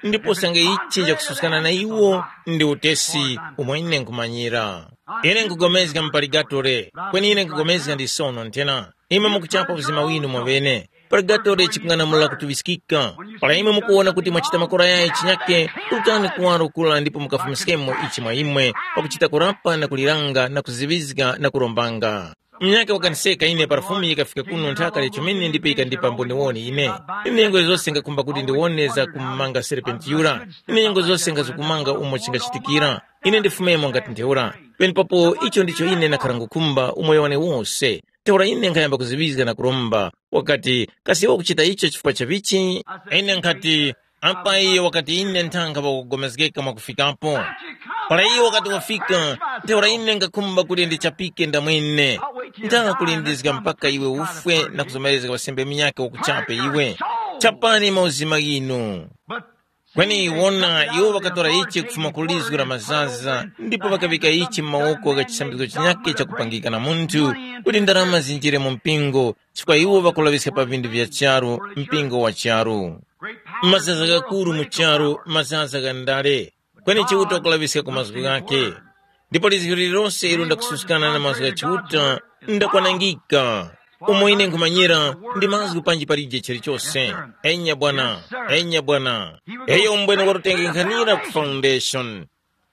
Ndipo sanga ichi chakususkana na iwo ndi utesi umwe ine nkhumanyira. Ine nkugomezga mpaligatore, kweni ine nkugomezga ndi sono nthena. Imwe mukuchapa uzima winu mwaŵene. Purgatori chikung'anamula kutuŵiskika. Para imwe mukuwona kuti mwachita makora yayi chinyake, turukani kuwaro kura ndipo mukafumiskemo ichi mwa imwe, pakuchita kurapa na kuliranga na kuziŵizga na kurombanga. Mnyake wakaniseka ine para Fumu yikafika kuno nthaka ya chomene ndipo yikandipa mboniwoni ine. Ine nyengo zose ngakhumba kuti ndiwone za kumumanga serpenti yura. Ine nyengo zose ngazikumanga umo chingachitikira. Ine ndifumemo ngati ntheura. Penepapo icho ndicho ine nakhara ngukhumba umoyo wane wose. Ntheura ine nkhayamba kuziŵizga na kuromba. Wakati, kasi iwe ukuchita icho chifukwa cha vichi? Ine nkhati, apa iyo wakati ine nthankha pakugomezgeka mwakufikapo. Para iyo wakati wafika, ntheura ine ngakhumba kuti ndichapike ndamwene. Nthankha kulindizga mpaka iwe ufwe na kuzomerezga wasembe munyakhe wakuchape iwe. Chapani mauzima ghinu. Kweni wona, iwo ŵakatora ichi kufuma ku lizgu la mazaza, ndipo ŵakaŵika ichi mu mawoko gha chisambizgo chinyakhe chakupangika na munthu, kuti ndarama zinjire mu mpingo, chifukwa iwo ŵakulaŵiska pa vinthu vya charu, mpingo wa charu. Mazaza ghakuru mu charu, mazaza gha ndale, kweni Chiuta wakulaŵiska ku mazgu ghakhe. Ndipo lizgu lililonse ilo ndakususkana na mazgu gha Chiuta ndakwanangika. Umo ine nkhumanyira ndi mazgu panji palije chilichose. Enya bwana, enya bwana. Eyo mbwene watutengekhanira ku foundation.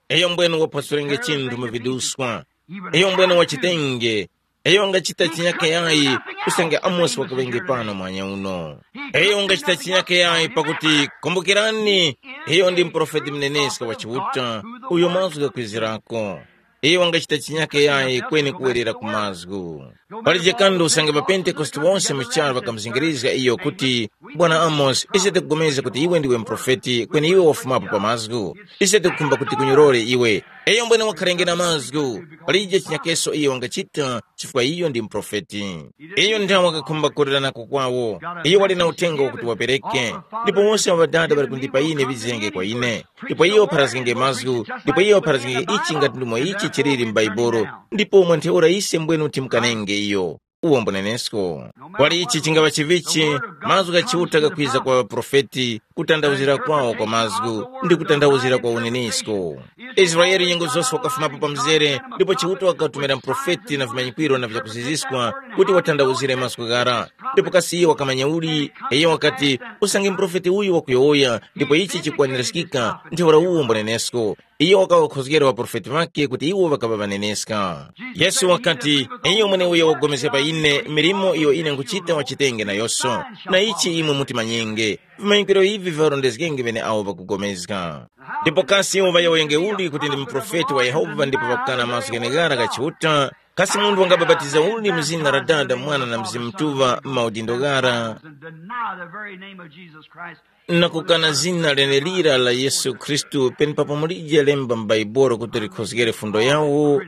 Eyo mbwene waphwasulenge chinthu mu viduswa. Eyo mbwene wachitenge. Eyo ungachita chinyake yayi, usange Amosi wakaŵenge pano mwanya uno. Eyo ungachita chinyake yayi pakuti, kumbukirani, iyo ndi muprofeti muneneska wa Chiuta, uyo mazgu ghakwizirako. Iyo wangachita chinyake yayi kweni kuwerera ku mazgu. Palije kanthu usange ŵapentekoste wonse mu charu ŵakamuzingirizga iyo kuti, Bwana Amosi, ise tikugomezga kuti iwe ndiwe muprofeti kweni iwe wafumapo pa mazgu. Ise tikukhumba kuti kunyorore iwe. Iyo mbwene wakharenge na mazgu. Palije chinyakeso iyo wangachita chifukwa iyo ndi muprofeti. Iyo nthawe wakakhumba kuleranako kwawo. Iyo wali na uthenga wakuti wapereke. Ndipo wose ŵadada ŵali kundipa ine ŵizenge kwa ine. Ndipo iyo pharazgenge mazgu, ndipo iyo pharazgenge ichi ngati ndimo ichi chiliri m'Baibulo. Ndipo mwa ntheura ise mbwenu timukanenge iyo. Uwo mbunenesko. Kwali ichi chingava chivichi, mazgu gha Chiuta gakwiza kwa ŵaprofeti, kutandawuzira kwawo kwa mazgu, ndi kutandawuzira kwa unenesko. Israele nyengo zose wakafumapo pa mzere, ndipo Chiuta wakatumira muprofeti na vimanyikwiro na vyakuziziskwa kuti watandawuzire mazgu ghara. Ndipo kasi iyo wakamanya uli? Iyo wakati, usange muprofeti uyu wakuyowoya, ndipo ichi chikukwanirizgika, ntheura uwo mbunenesko. Iyo wakaŵakhozgera ŵaprofeti ŵakhe kuti iwo ŵakaŵa ŵaneneska. Yesu wakati, iyo mweneuyo wakupulikana pa ine, milimo iyo ine nkuchita wachitenge nayoso. Na ichi imwe mutimanyenge. Vimanyikwiro ivi viŵarondezgenge ŵeneawo ŵakupulikana. Ndipo kasi iwo ŵayowoyenge uli kuti ndi muprofeti wa Yehova ndipo ŵakukana mazgu gheneghara gha Chiuta? Kasi munthu wangabapatiza uli mu zina la Dada, Mwana na Mzimu Mutuŵa m'maudindo ghara? And deny the very name of Jesus Christ. Na kukana zina lenelira la Yesu Khristu penepapo mulije lemba m'Baibulo kuti likhozgere fundo yawo,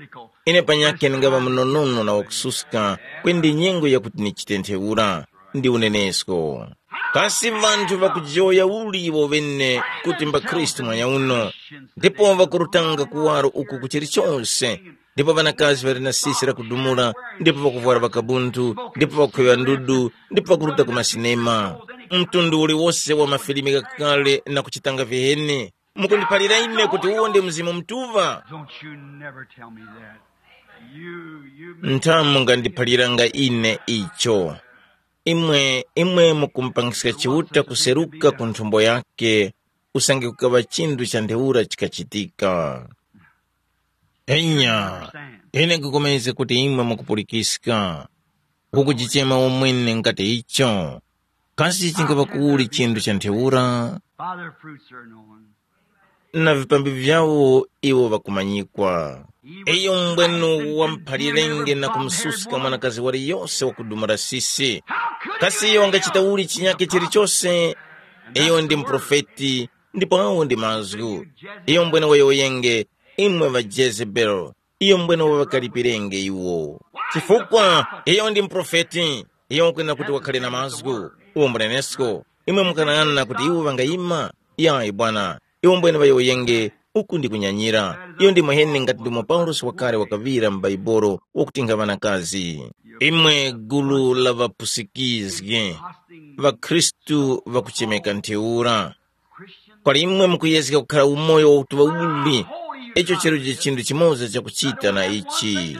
ine panyakhe ndingaŵa munonono na wakususka, kweni ndi nyengo yakuti nichite ntheura. Ndi unenesko. Kasi ŵanthu ŵakujowoya uli iwo ŵene kuti mbakhristu mwanya uno, ndipo ŵakurutanga kuwaro uku ku chilichonse, ndipo ŵanakazi ŵali na sisi lakudumula, ndipo ŵakuvwara ŵakabuntu, ndipo ŵakukhweŵa ndudu, ndipo ŵakuruta ku masinema. Mtundu uliwose wa mafilimi ghakale na kuchitanga viheni. Mukundiphalira ine kuti uwo ndi Mzimu Mutuŵa? Don't you never tell me that. You, you may Nthamu mungandiphaliranga ine icho. Imwe, imwe mukumupangiska Chiuta kuseruka ku nthumbo yake, usange kukaŵa chinthu cha ntheura chikachitika. Enya, ine nkupulikana kuti imwe mukupulikiska, kukuchichema umwene ngati icho. Kasi chingapa kuli chinthu cha ntheura? By their fruits are known. Na vipambi vyawo iwo ŵakumanyikwa. Iyo mbwenu wamphalirenge na kumususka mwanakazi waliyose wakudumula sisi. Kasi iyo wangachita uli chinyake chilichose? Iyo ndi muprofeti, ndipo awo ndi mazgu. Iyo mbwene wayowoyenge, imwe ŵa Jezebeli, iyo mbwene waŵakalipirenge iwo. Chifukwa iyo ndi muprofeti, iyo wakwena kuti wakhale na mazgu. Uwo mbunenesko, imwe mukanang'ana kuti iwo ŵangayima? Yayi bwana, iwo mbwene ŵayowoyenge, uku ndi kunyanyira. Iyo ndi mwaheni ngati ndimo Paulosi wakale wakaŵira m'Baibolo wakuti nkha ŵanakazi. Imwe gulu la ŵapusikizgi, ŵakhristu ŵakuchemeka ntheura. Kwali imwe mukuyezga kukhala umoyo wakutuŵa uli, icho chilije chinthu chimoza chakuchita na ichi.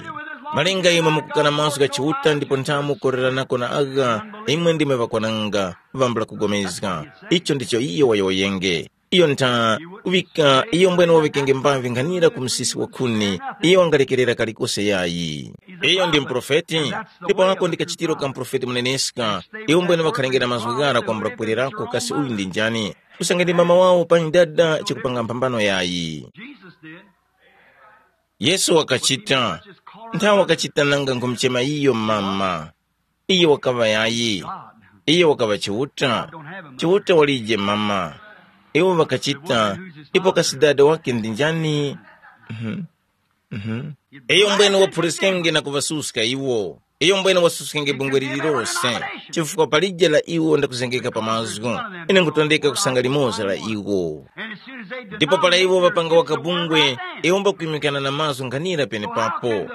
Malinga imwe mukukana mazgu gha Chiuta ndipo nthamu kukoreranako na agha, imwe ndimwe ŵakwananga, ŵambula kugomezga. Icho ndicho iyo wayowoyenge. Iyo ntha kuŵika iyo mbwene waŵikenge mbavi nkhanira ku msisi wa khuni, iyo wangalekerera kalikose yayi. Iyo ndi muprofeti, ndipo ako ndi kachitiro ka muprofeti muneneska. Iwo mbwene ŵakhalengera mazgu ghara kwambula kubwererako kasi uyu ndi njani? Usange ndi mama wawo panyi dada chikupanga mphambano yayi. Jesus did. Yesu wakachita, nthawi wakachita nanga nkumuchema iyo mama. Iyo wakaŵa yayi. Iyo wakaŵa Chiuta. Chiuta walije mama. Iwo ŵakachita, ipo kasi dada wake ndi njani? Mhm. Mhm. Iyo mbwene waphuliskenge na kuŵasuska iwo. Iyo mbwene wasuskenge bungwe lililose, chifukwa palije la iwo ndakuzengeka pa mazgu. Ine nkutondeka kusanga limoza la iwo. Ndipo para iwo ŵapanga waka bungwe, iwo mbakwimikana na mazgu nkhanira penepapo.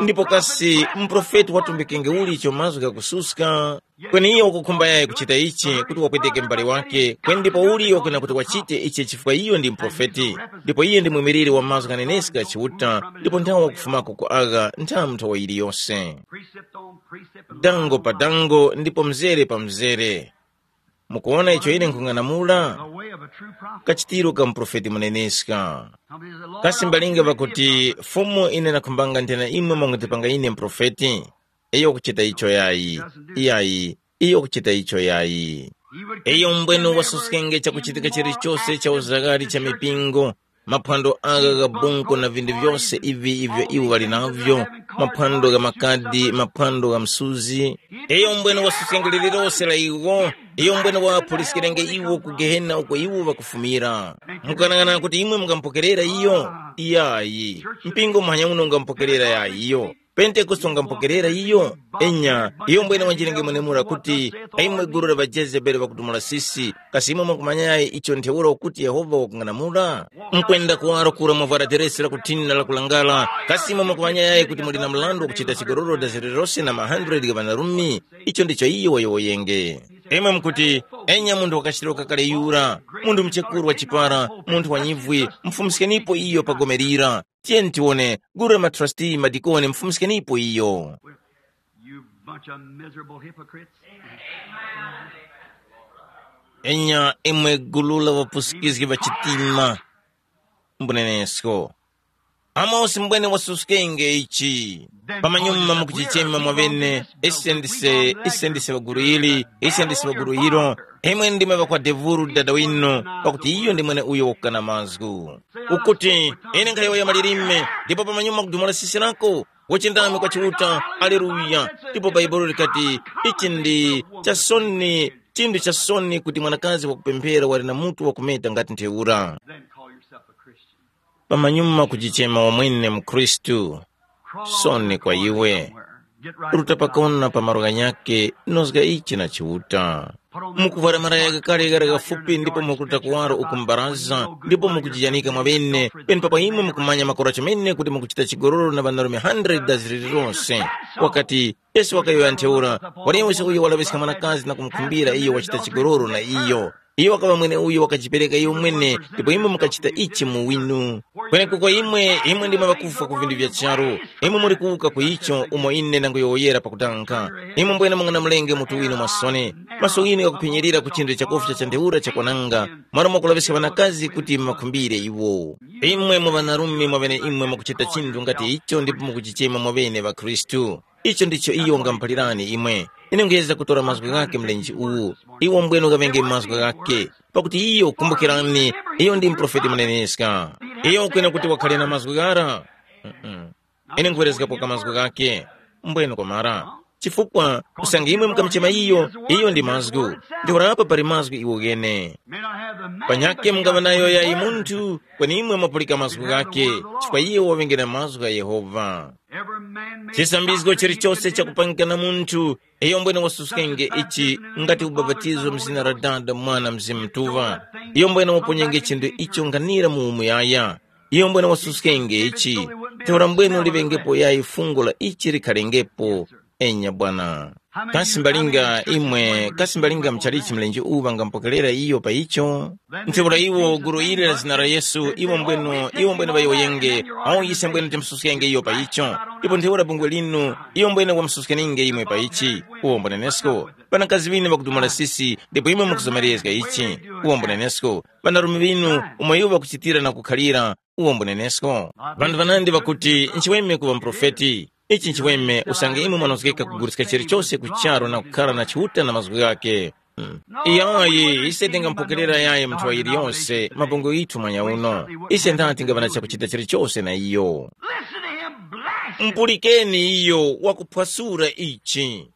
Ndipo kasi muprofeti watumbikenge uli icho mazgu ghakususka? Kweni iyo wakukhumba yayi kuchita ichi kuti wapweteke m'bale wake, kweni ndipo uli wakwena kuti wachite ichi chifukwa iyo ndi muprofeti, ndipo iye ndi mwimiliri wa mazgu ghaneneska gha Chiuta, ndipo nthawe wakufumako ku agha nthamu nthawa yiliyose. Precept on precept and Dango pa dango ndipo mzere pa mzere. Mukuona icho ine nkhung'anamula? The way of a true prophet. Kachitiro ka muprofeti muneneska. Kasi mbalinga ŵakuti, Fumu, ine ndakhumbanga nthena imwe mwangutipanga ine muprofeti? Iyo kuchita icho yayi. Iyayi, iyo kuchita icho yayi. Iyo mbwene wasuskenge chakuchitika chilichose cha uzagari cha mipingo, maphwando agha gha bunko na vindu vyose ivi ivyo iwo ŵali navyo, maphwando gha makadi, maphwando gha msuzi. Iyo mbwene wasuskenge lililose la iwo. Iyo mbwene waphuliskirenge iwo ku gehena uko iwo ŵakufumira. Mukanang'ana kuti imwe mungampokerera iyo? Iyayi. Mpingo muhanya uno ungampokerera yayi iyo. Pentekoste ungampokerera iyo? Enya, iyo mbwene wanjirenge mwenemura kuti, aimwe gulu la ŵajezebeli ŵakutumula sisi, kasi imwe mwakumanya yayi icho ntheura ukuti Yehova wakung'anamula? Mukwenda kuwaro kura mwavwara deresi la kuthina la kulangala, kasi imwe mwakumanya yayi kuti muli na mrandu wakuchita chigololo dazere lose na ma hundred gha ŵanarumi? Icho ndicho iyo wayowoyenge. Imwe mukuti, enya munthu wakachitiro kakale yura, munthu muchekuru wa chipara, munthu wa nyivwi, mufumuskenipo iyo pa gome lira. Tiyeni tiwone, gulu la matrasti, madikoni, mufumuskenipo iyo. You bunch of miserable hypocrites. Enya imwe gulu la ŵapusikizgi ŵa chitima. Mbunenesko. Amosi mbwene wasuskenge ichi. Pamanyuma mukuchichema mwavene, ise ndise, ise ndise ŵaguru ili, ise ndise ŵaguru ilo. Imwe ndimwe ŵakwa devuru dada winu, pakuti iyo ndi mwene uyo wakukana mazgu. Ukuti, ine nkhayowoya malilime, ndipo pamanyuma kudumula sisi lako, wachindami kwa Chiuta. Aleluya. Ndipo Bhaibuli likati, ichi ndi chasoni, chinthu chasoni kuti mwanakazi wakupemphera wali na mutu wakumeta ngati ntheura. Then call yourself a Christian. Pamanyuma kujichema wamwene mkhristu. Soni kwa iwe. Ruta pakona pa malo ghanyakhe, nozga ichi na Chiuta. Mukuvwara malaya ghakale ghara ghafupi ndipo mukuruta kuwaro uku mbaraza, ndipo mukujijanika mwaŵene, penepapo imwe mukumanya makora chomene kuti mukuchita chigololo na ŵanarume hundred ziliri lose. Wakati, Yesu wakayowoya ntheura, waliyose uyo walaŵiska mwanakazi na kumukhumbira iyo wachita chigololo na iyo. Iyo wakaŵa mweneuyo wakajipereka iyo mwene, ndipo imwe mukachita ichi mu winu. Kwenekuko imwe, imwe ndimwe ŵakufwa ku vinthu vya charu. Imwe muli kuwuka ku icho umo ine ndanguyowoyera pakutanga. Imwe mbwene mung'anamulenge mutu winu mwasone. Maso ghinu ghakuphenyerera ku chinthu chakufya cha ntheura chakwananga, malo mwakulaŵiska ŵanakazi kuti muŵakhumbire iwo. Imwe mu ŵanarume mwaŵene imwe mukuchita chinthu ngati icho ndipo mukuchichema mwaŵene ŵakhristu. Icho ndicho iyo ungamuphalirani imwe. Ine nkuyeza kutora mazgu ghakhe mlenje uwu. Iwo mbwene ukaŵenge mazgu ghakhe. Pakuti iyo, kumbukirani, iyo ndi muprofeti muneneska. Iyo ukwena kuti wakhale na mazgu ghara. Mm-mm. Ine nkhuwerezgapo ka mazgu ghakhe. Mbwene kwamara. Chifukwa usange imwe mukamuchema iyo, iyo ndi mazgu. Ntheura apa pali mazgu iwo ghene. Panyakhe mungaŵa nayo yayi munthu, kweni imwe mwapulika mazgu ghakhe, chifukwa iye waŵengera mazgu gha Yehova. Chisambizgo chilichose chakupangika na munthu, iyo mbwene wasuskenge ichi, ngati ubapatizo mu zina la Dada, Mwana, Mzimu Mutuŵa. Iyo mbwene waponyenge chinthu icho nganira mu umuyaya. Iyo mbwene wasuskenge ichi, ntheura mbwene uliŵengepo yayi fungo la ichi likhalengepo. Enya bwana. Kasi mbalinga imwe, kasi mbalinga muchalichi mlenje uwu ŵangamupokerera iyo pa icho? Ntheura iwo gulu ili la zina la Yesu, iwo mbwenu, iwo mbwenu ŵayowoyenge, awo ise mbwenu timususkenge iyo pa icho. Ndipo ntheura bungwe linu, iyo mbwenu wamususkeninge imwe pa ichi. Uwo mbunenesko. Ŵanakazi ŵinu ŵakudumula sisi, ndipo imwe mukuzomerezga ichi. Uwo mbunenesko. Ŵanarume ŵinu, umo iwo ŵakuchitira na kukhalira, uwo mbunenesko. Ŵanthu ŵanandi ŵakuti, nchiweme kuŵa muprofeti. Ichi nchiweme usange imwe mwanozgeka kuguliska chilichose ku charu na kukhala na Chiuta na mazgu ghakhe. Hmm. Iyayi, ise tingamupokerera yayi munthu wa yiliyonse mabungwe ghithu mwanya uno. Ise ndati tingava na chakuchita chilichose na iyo. Listen to him blaspheme. Mpulikeni iyo wakuphwasura ichi.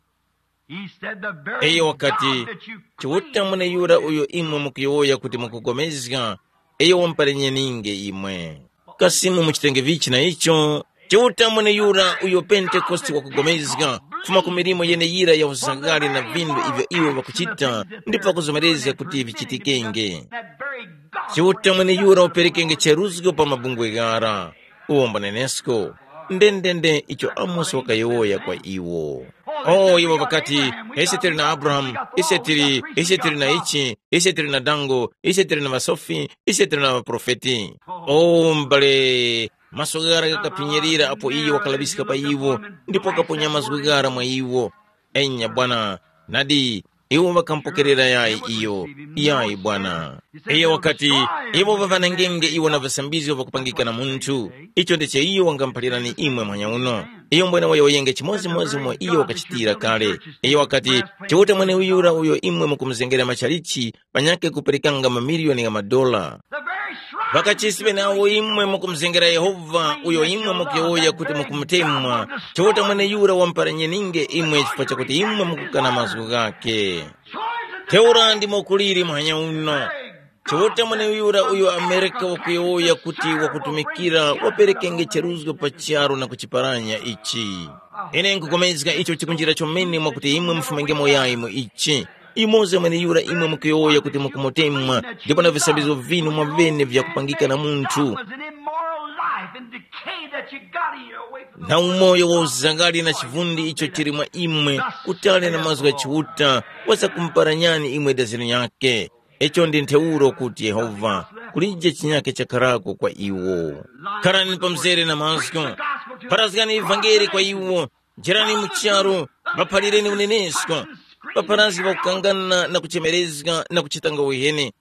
He said, "The very Iyo wakati, God that you Chiuta claim mwene yura uyo imwe mukuyowoya kuti mukugomezga, iyo wamuparenyeninge imwe." Kasi muchitenge vichi na icho? Chiuta mwene yura uyo Pentekoste wakugomezga, kufuma ku milimo yeneyira ya uzagari na vindu ivyo iwo ŵakuchita, ndipo ŵakuzomerezga kuti vichitikenge. That very God Chiuta mwene yura uperekenge cheruzgo pa mabungwe ghara. Uwo mbunenesko. Ndendende icho Amosi wakayowoya kwa iwo. O iwo ŵakati, ise tili na Abrahamu, ise tili ise tili na ichi, ise tili na dango, ise tili na ŵasofi, ise tili na ŵaprofeti. O m'bale, maso ghara ghakaphinyirira apo iye wakalaŵiska pa iwo, ndipo wakaponya mazgu ghara mwa iwo. Enya bwana, nadi, iwo ŵakamupokerera yayi iyo. Yayi bwana. Iyo wakati, iwo ŵaŵanangenge iwo na visambizgo vakupangika na munthu. Icho ndicho iyo wangamuphalirani imwe mwanyauno. Iyo mbwene wayowoyenge chimodzimodzi mwa iyo wakachitira kale. Iyo wakati, chiuta mweneyura uyo imwe mukumuzengera machalichi panyakhe kuperekanga mamiliyoni gha madola. Ŵakachisi ŵeneawo imwe mukumuzengera Yehova uyo imwe mukuyowoya kuti mukumutemwa, Chiuta mweneyura wamuparanyeninge imwe chifukwa chakuti imwe mukukana mazgu ghakhe. Ntheura ndimo kuliri muhanya uno. Chiuta mweneyura uyo Amerika wakuyowoya kuti wakutumikira waperekenge cheruzgo pa charu na kuchiparanya ichi. Ine nkukomezga icho chikunjira chomene mwakuti imwe mufumengemo yayi mu ichi. Imoza mweneyura imwe mukuyowoya kuti mukumutemwa, ndipo na visambizgo vinu mwavene vyakupangika na munthu. That was an immoral life and decay that you got in your way from the na umoyo wa uzangari na chivundi icho chili mwa imwe, kutali na mazgu gha Chiuta, wazakumparanyani imwe daziro yake. Icho ndi ntheuro kuti Yehova, kulije chinyake chakharako kwa iwo. Kharani pamzere na mazgu, pharazgani ivangeli kwa iwo, jerani mu charu, ŵaphalireni unenesko, ŵapharazgi ŵakukangana na kuchemerezga na kuchitanga uheni,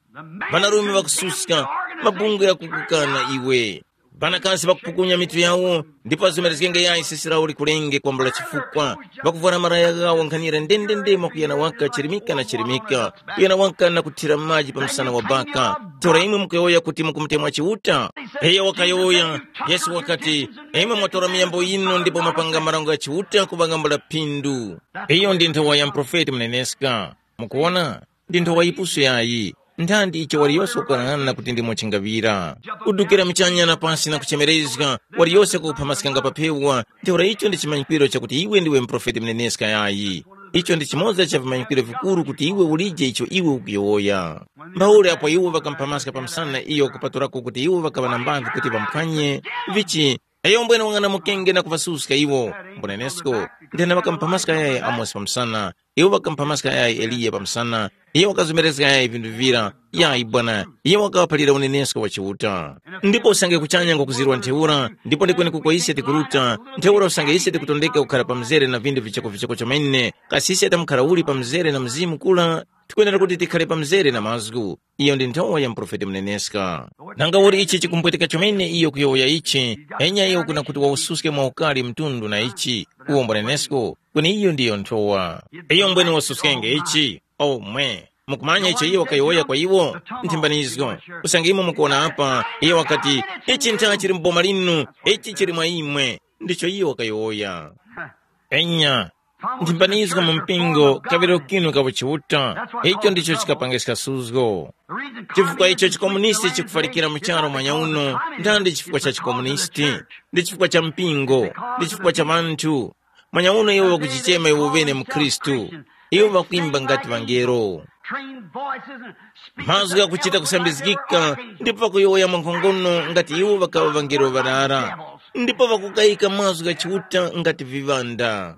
ŵanarume ŵakususka, mabungwe ghakukukana iwe. Ŵanakazi ŵakupukunya mitu yawo, ndipo azomerezgenge yayi sisi lawo likulenge kwambula chifukwa, ŵakuvwara malaya ghawo nkhanira ndendende mwakuyana waka chirimika na chirimika, kuyana waka na kuthira maji pa msana wa baka. Ntheura imwe mukuyowoya kuti mukumutemwa Chiuta? Iyo wakayowoya. Yesu wakati, imwe mwatora miyambo yinu ndipo mwapanga marango gha Chiuta kuŵangambula phindu. Iyo ndi nthowa ya muprofeti muneneska. Mukuwona? Ndi nthowa yipusu yayi. Nthanti icho waliyose ukughanaghana kuti ndimo chingaŵira. Kudukira muchanya na pasi na kuchemerezga, waliyose kukuphamaskanga pa phewa, ntheura icho ndi chimanyikiro chakuti iwe ndiwe muprofeti muneneska yayi. Icho ndi chimoza cha vimanyikiro vikuru kuti iwe ulije icho iwe ukuyowoya. Mbaule apo iwo ŵakamuphamaska pa msana iyo kupatulako kuti iwo ŵakaŵa na mbamvi kuti ŵamuphwanye, vichi, iyo mbwene wang'anamukenge na kuŵasuska iwo. Mbunenesko, ndena ŵakamuphamaska yayi Amosi pa msana, iwo ŵakamuphamaska yayi Eliya pa msana, iwo ŵakazomerezga yayi vinthu vira, yayi bwana, iwo ŵakaphalira unenesko wa Chiuta. Ndipo usange kuchanya ngwakuzirwa ntheura, ndipo ndikwenekuko ise tikuruta, ntheura usange ise tikutondeka kukhara pa mzere na vinthu vichokovichoko chomene, kasi ise tamukhara uli pa mzere na Mzimu kula? Tikwenera kuti tikhare pa mzere na mazgu. Iyo ndi nthowa ya muprofeti muneneska. Nanga uli ichi chikumpweteka chomene iyo kuyowoya ichi, enya iyo kuna kuti waususke mwa ukali mtundu na ichi, uwo mbunenesko, kweni iyo ndiyo nthowa. Iyo mbwene wasuskenge ichi, omwe. Mukumanya icho iyo wakayowoya kwa iwo? Nthimbanizgo. Usange imwe mukuwona apa, iyo wakati, ichi ntha chili mu boma linu, ichi chili mwa imwe. Ndicho iyo wakayowoya. Enya, nthimbanizgo mu mpingo, kaŵiro kinu ka uchiuta, icho ndicho chikapangiska suzgo. Chifukwa icho chikomunisti chikufalikira mu charu mwanya uno, ndandi chifukwa cha chikomunisti, ndi chifukwa cha mpingo, ndi chifukwa cha ŵanthu. Mwanya uno iwo ŵakuchichema iwo ŵene mu Khristu, iwo ŵakwimba ngati ŵangelo. Mazgu ghakuchita kusambizgika, ndipo ŵakuyowoya mwankhongono ngati iwo ŵakaŵa ŵangelo ŵarara, ndipo ŵakukayika mazgu gha Chiuta ngati viŵanda.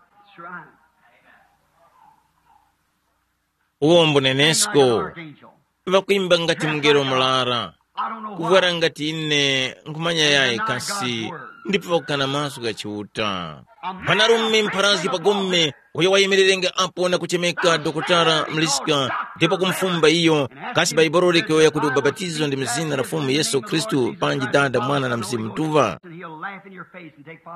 Uwo mbunenesko, ŵakwimba ngati mungelo murara, kuvwara ngati ine nkhumanya yayi kasi, ndipo ŵakukana mazgu gha Chiuta. Mwanarume mpharazgi pa gome, uyo wayemererenge apo na kuchemeka dokotala Mliska, ndipo kumufumba iyo, kasi Baibuli likuyowoya kuti ubapatizo ndi mu zina la Fumu Yesu Khristu, panji Dada, Mwana na Mzimu Mutuŵa?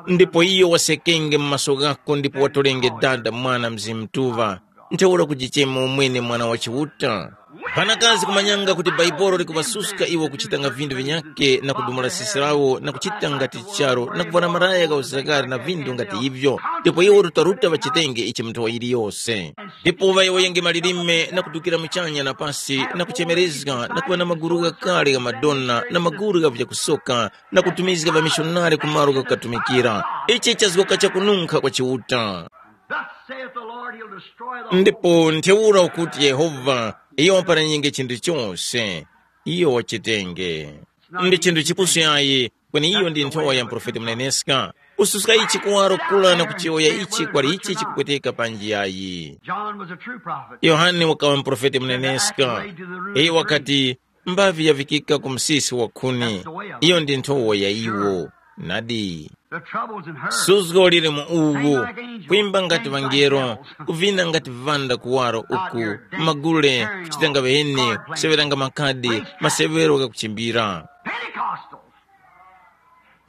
Ndipo iyo wasekenge mu maso ghako ndipo watolenge Dada, Mwana, Mzimu Mutuŵa. Ntheura kujichema umwene mwana wa Chiuta. Ŵanakazi kumanyanga kuti Baibuli likuŵasuska iwo kuchitanga vinthu vinyakhe na kudumula sisi lawo na kuchita ngati charu na kuvwara malaya gha uzakari na vinthu ngati ivyo, ndipo iwo rutaruta ŵachitenge ichi mu nthowa yiliyose. Ndipo ŵayowoyenge malilime na kudukira muchanya na pasi na kuchemerezga na kuŵa na maguru ghakale gha madona na maguru gha vyakusoka na kutumizga ŵamishonari ku malo ghakukatumikira. Ichi chazgoka chakununkha kwa Chiuta. Thus saith the Lord, he'll destroy the whole. Ndipo ntheura ukuti Yehova, iyo waparanyenge chinthu chose, iyo wachitenge. Ndi chinthu chipusu yayi, kweni iyo ndi nthowa ya muprofeti muneneska. Kususka ichi kuwaro kura na kuchiyowoya ichi kwali ichi chikupweteka panji yayi. John was a true prophet. Yohane wakawa muprofeti muneneska. Iye wakati, mbavi yavikika ku msisi wa khuni. Iyo ndi nthowa ya iwo. Nadi. The troubles in her. Suzgo lili mu uwu. Kwimba ngati vangelo, kuvina ngati vanda kuwaro uku, magule, kuchitanga vene, kuseveranga makadi, masevero ghakuchimbira. Pentecostals.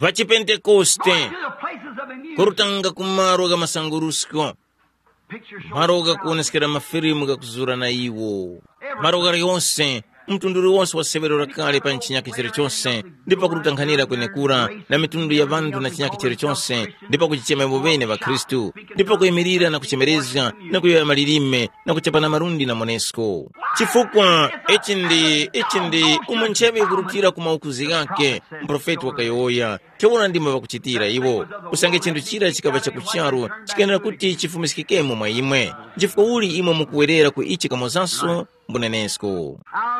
Vachipentekoste. Go to the places of immune. Kurutanga ku malo gha masangurusko. Pictures show. Malo ghakuwoneskera mafilimu ghakuzura na iwo. Malo ghalyonse, mtundu uliwonse wa severo lakale pa chinyakhe chilichonse, ndipo kututanghanira kwenekura na mitundu ya ŵanthu na chinyakhe chilichonse, ndipo kuchichema iwo ŵene ŵakhristu, ndipo kuyimirira na kuchemerezga, na kuyowoya malilime, na kuchapana malundi na monesko. Chifukwa ichi ndi ichi ndi umo nchebe ikurutira ku maukuzi ghake, muprofeti wakayowoya. Ntheura ndimo ŵakuchitira iwo. Usange chinthu chira chikaŵa chakucharu, chikayenera kuti chifumiskikemo mwa imwe. Nchifukwa uli imwe mukuwerera ku ichi kamozanso? Mbunenesko.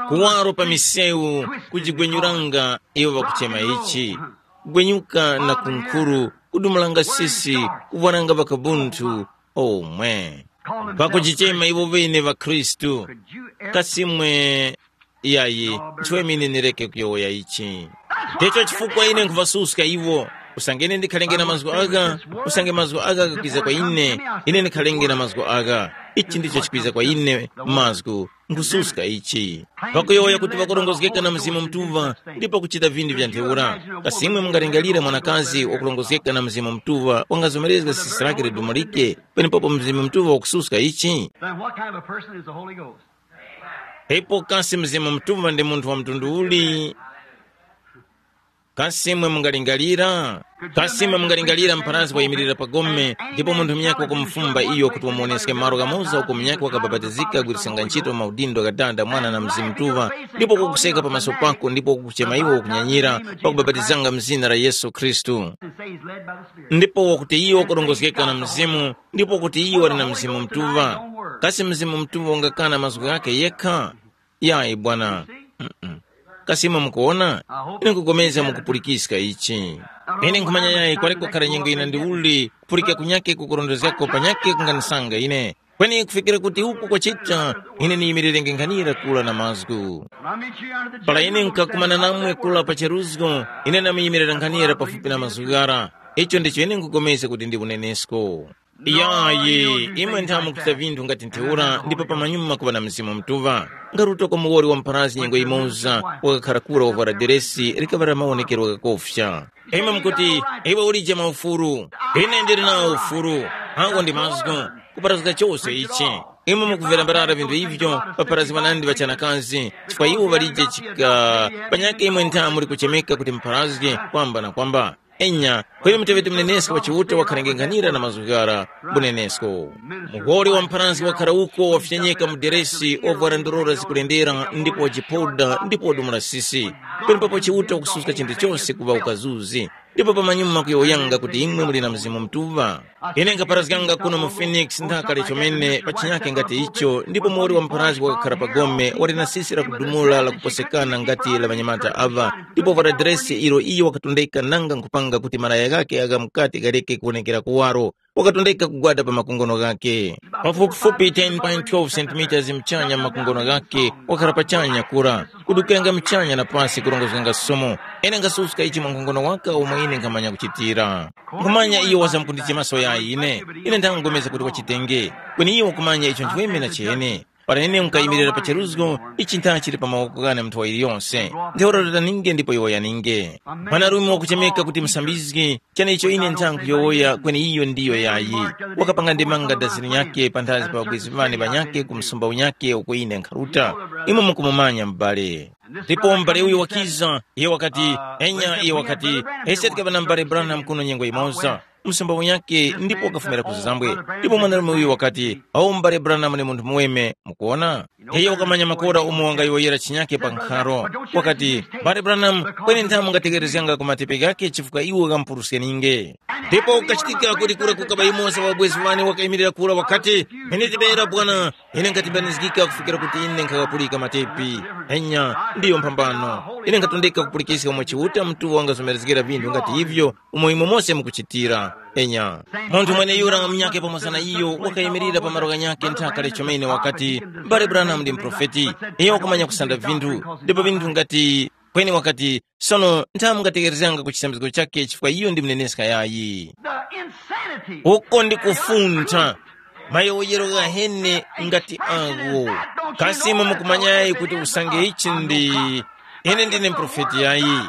Kuwaro pa misewu, kujigwenyuranga, iwo ŵakuchema ichi. Kugwenyuka na kunkhuru, kudumulanga sisi, kuvwaranga ŵakabunthu. Omwe. Pakuchichema iwo ŵene ŵakhristu. Kasimwe. Iyayi, nchiweme ine ndireke kuyowoya ichi. Ndicho chifukwa ine nkhuvasuska iwo. Usange ine ndikhalenge na mazgu agha, usange mazgu agha ghakwiza kwa ine, ine ndikhalenge na mazgu agha. Ichi ndicho chikwiza kwa ine mazgu, nkhususka ichi. Pakuyowoya kuti ŵakurongozgeka na Mzimu Mutuŵa, ndipo kuchita vinthu vya ntheura. Kasi imwe mungalingalira mwanakazi wakurongozgeka na Mzimu Mutuŵa wangazomerezga sisi lake lidumulike, penepapo Mzimu Mutuŵa wakususka ichi? Then what kind of a person is the Holy Ghost? Ipo kasi Mzimu Mutuŵa ndi munthu wa mtundu uli? Kasi imwe mungalingalira? Kasi imwe mungalingalira mpharazgi wayimirira pa gome, ndipo munthu munyakhe wakumufumba iyo kuti wamuwoneske malo ghamoza uko munyakhe wakabapatizika kugwirisanga ntchito maudindo gha Dada, Mwana na Mzimu Mutuŵa, ndipo kukuseka pamaso pako ndipo kukuchema iwe ukunyanyira pakubapatizanga mzina la Yesu Khristu? Ndipo wakuti iyo wakurongozgeka na Mzimu, ndipo kuti iyo wali na Mzimu Mutuŵa. Kasi Mzimu Mutuŵa ungakana mazgu ghakhe yekha? Yayi bwana. Mm-mm. Kasi imwe mukuwona? Ine nkupulikana mukupulikiska ichi. Ine nkhumanya yayi kwaleko khara nyengo ina ndi uli kupulika kunyake kukurondezgako panyake kunganisanga ine. Kweni kufikira kuti uku kwachita, ine niyimirirenge nkhanira kula na mazgu. Para ine nkakumana namwe kula pa cheruzgo, ine namuyimira nkhanira pafupi na mazgu ghara. Icho ndicho ine nkupulikana kuti ndi unenesko. Yayi, imwe nthamu kuchita vinthu ngati ntheura ndipo pamanyuma kuŵa na Mzimu Mutuŵa. Ngaruto kwa muwoli wa mpharasi nyengo yimoza wakakhara kura wavwara deresi likaŵa la mawonekero ghakofya. Imwe mukuti, iwe ulije maufuru. Ine ndili nawo ufuru. Ako ndi mazgu. Kuparazga chose ichi. Imwe mukumvera mbarara vinthu ivyo paparazgwa nandi ŵachanakazi, chifukwa iwo ŵalije chika. Panyakhe imwe nthamu muli kuchemeka kuti mpharazge kwamba na kwamba. Enya, kweni muteŵeti munenesko wa Chiuta wakhalengenganira na mazgu ghara. Bunenesko. Muhori wa mpharanzi wakhara uko wafyenyeka mu deresi, wavwara ndorora zikulendera, ndipo wajipoda, ndipo wadumula sisi. Penepapo Chiuta wakususka chinthu chose kuŵa ukazuzi, ndipo pamanyuma kuyowoyanga kuti imwe muli na Mzimu Mutuŵa. Ine nkhaparazganga kuno mu Phoenix nthaka chomene pa chinyakhe ngati icho, ndipo muwoli wa mpharanzi wakakhara pa gome wali na sisi lakudumula lakuposekana ngati la ŵanyamata aŵa, ndipo vwara dresi ilo iyo wakatondeka nanga nkhupanga kuti malaya ghakhe agha mukati ghaleke kuwonekera kuwaro. Wakatondeka kugwada pa makongono ghakhe. Pafupifupi ten point twelve centimeters mchanya makongono ghakhe, wakhala pachanya kura, kudukiranga mchanya na pasi kurongozganga somo. Ine ngasuska ichi mwa nkhongono waka omwe ine nkhamanya kuchitira. Nkhumanya iyo wazamkundichemaso yayi ine. Ine ndangomeza kuti wachitenge. Kweni iyo wakumanya icho nchiweme na chene. Para ine nkayimirira pa cheruzgo, ichi ntha chili pa mawoko ghane munthu wa iliyonse. Ntheura rutaninge ndipo yowoyaninge. Mwanarume wakuchemeka kuti musambizgi, chene icho ine ntha nkuyowoya kweni iyo ndiyo yayi. Wakapanga ndemanga dazini nyakhe panthazi pa ŵabwezi ŵane ŵanyakhe ku msumba unyakhe uko ine nkharuta. Imwe mukumumanya m'bale. Ndipo m'bale uyu wakiza, iye wakati, enya iye wakati, ese tikaŵa na m'bale Branham kuno nyengo imoza. msumba munyakhe ndipo wakafumira ku zambwe. Ndipo mwanarume uyu wakati, awo m'bale Branham ni munthu muweme, mukuona? Iyo wakamanya makora umo wangayowoyera chinyakhe pa nkharo. Wakati, m'bale Branham, kweni nthamu ngatekerezganga ku matepe ghakhe chifukwa iwo ghamupuruskeninge. Ndipo kukachitika kuti kura kukaba yumoza wa bwezi wane wakayimirira kura wakati, mene tibera bwana, ine nkatibanizgika kufikira kuti ine nkhakapulika matepi. Enya, ndiyo mphambano. Ine nkhatondeka kupulikiska mwa Chiuta mtuŵa wangazomerezgera vinthu ngati ivyo umo imwe mose mukuchitira. Enya, munthu mweneyura munyakhe pamoza na iyo wakayimirira pa malo ghanyakhe nthaka lechomene wakati, mbale Branham ndi muprofeti. Iyo wakumanya kusanda vinthu, ndipo vinthu ngati kweni wakati, sono nthamu ngatekerezganga ku chisambizgo chakhe chifukwa iyo ndi mneneska yayi. The insanity. Uko ndi kufuntha. Mayowoyero ghahene ngati agho. Kasi imwe mukumanyayi kuti usange ichi ndi ine ndine mprofeti yayi?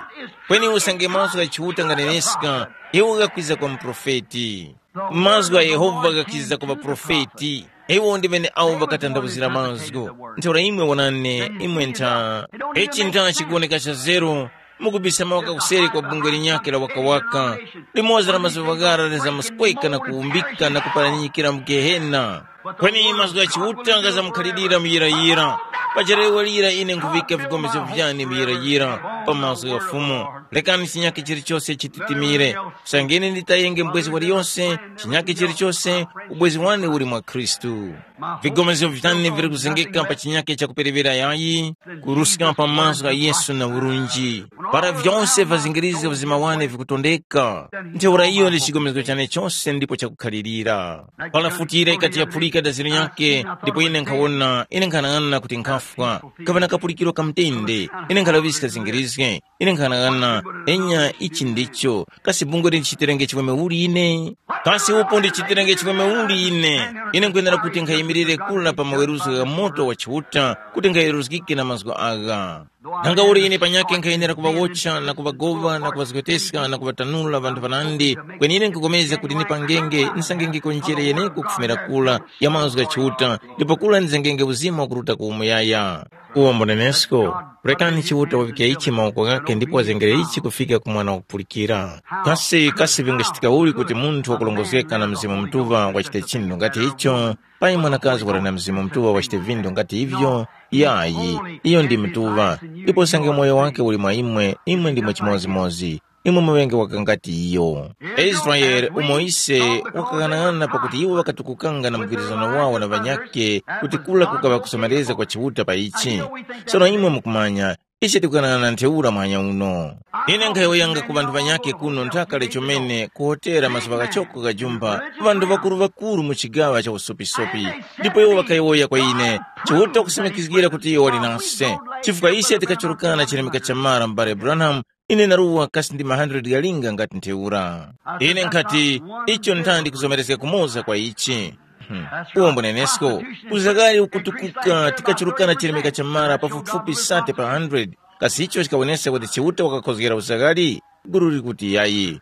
Kweni usange mazgu gha Chiuta nganeneska, iwo ghakwiza kwa mprofeti. Mazgu gha Yehova ghakwiza kwa ŵaprofeti. Iwo ndi ŵene awo ŵakatanthauzira mazgu. Ntheura imwe wonani, imwe ntha. Ichi ntha chikuwoneka cha zeru. Mukubisa mawaka kuseri kwa bungwe linyakhe la wakawaka, limodzi la mazuŵa ghara lizamuskweka na kuwumbika na kuparanyikira mu Gehena. Kweni mazgu gha Chiuta ghazamukhalirira muyirayira. Paja lero lira ine nkhuŵika vigomezo vyane muyirayira pa mazgu gha Fumu. Rekani chinyakhe chilichose chititimire, kusangeni nditayenge mbwezi waliyose, chinyakhe chilichose, ubwezi wane uli mwa Khristu. Vigomezgo vitani vili kuzengeka pa chinyakhe chakuperewera yayi, kuruska pa mazgu gha Yesu na urunji. Para vyose vyazingirizga vizima wane vikutondeka, ntheura iyo ndi chigomezgo chane chose ndipo chakukhalirira. Para futi yira ikati yaphulika daziro nyakhe, ndipo ine nkhawona, ine nkhanang'ana kuti nkhafwa, kapana kapulikiro ka mtende, ine nkhalaŵiska zingirizge, ine nkhanang'ana, enya ichi ndicho, kasi bungwe lindichitirenge chiweme uli ine? Kasi upo ndichitirenge chiweme uli ine? Ine nkwenera kuti nkhayimirire kula pa maweruzgo gha moto wa Chiuta kuti nkhaweruzgike na mazgu agha. Nanga uli ine panyakhe nkhayenera kuŵawotcha na kuŵagoŵa na kuŵazgoteska na kuŵatanula ŵanthu ŵanandi, kweni ine nkupulikana kuti ndipangenge nsangengeko njere yeneko kufumira kula ya mazgu gha Chiuta, ndipo kula ndizengenge uzima wakuruta ku umuyaya. Uwo mbunenesko, rekani Chiuta waŵike ichi mawoko ghakhe ndipo wazengere ichi kufika ku mwana wakupulikira. Kasi kasi vingachitika uli kuti munthu wakulongozgeka na Mzimu Mutuŵa wachite chinthu ngati icho? Payi mwanakazi wali na Mzimu Mutuŵa wachite vinthu ngati ivyo? Yayi, iyo ndi mutuŵa, ndipo usange moyo wake uli mwa imwe, imwe ndimwe chimodzimodzi. Imwe muŵenge waka ngati iyo. Israele umo ise wakaghanag'ana pakuti iwo ŵakatukukanga na mgwirizano wawo na ŵanyakhe kuti kula kukaŵa kuzomerezga kwa Chiuta pa ichi. Sono imwe mukumanya, ise tikughanag'ana ntheura mwanya uno. Ine nkhayowoyanga ku ŵanthu ŵanyakhe kuno nthaka lechomene ku hotera mazuŵa ghachoko gha jumba, ŵanthu ŵakuru-ŵakuru mu chigaŵa cha usopisopi. Ndipo iwo ŵakayowoya kwa ine, Chiuta kusimikizgira kuti iyo wali nase, chifukwa ise tikachurukana chilemeka cha mara m'bale Branham, ine naruwa kasi ndi ma hundred ghalinga ngati ntheura. Ine nkhati, icho nthandi kuzomerezga kumoza kwa ichi. Hmm. Uwo mbunenesko, uzaghali ukutukuka tikachurukana chilemeka cha mara pafupifupi sate pa hundred, kasi icho chikawoneska kuti Chiuta wakakhozgera uzaghali? Guru likuti yayi.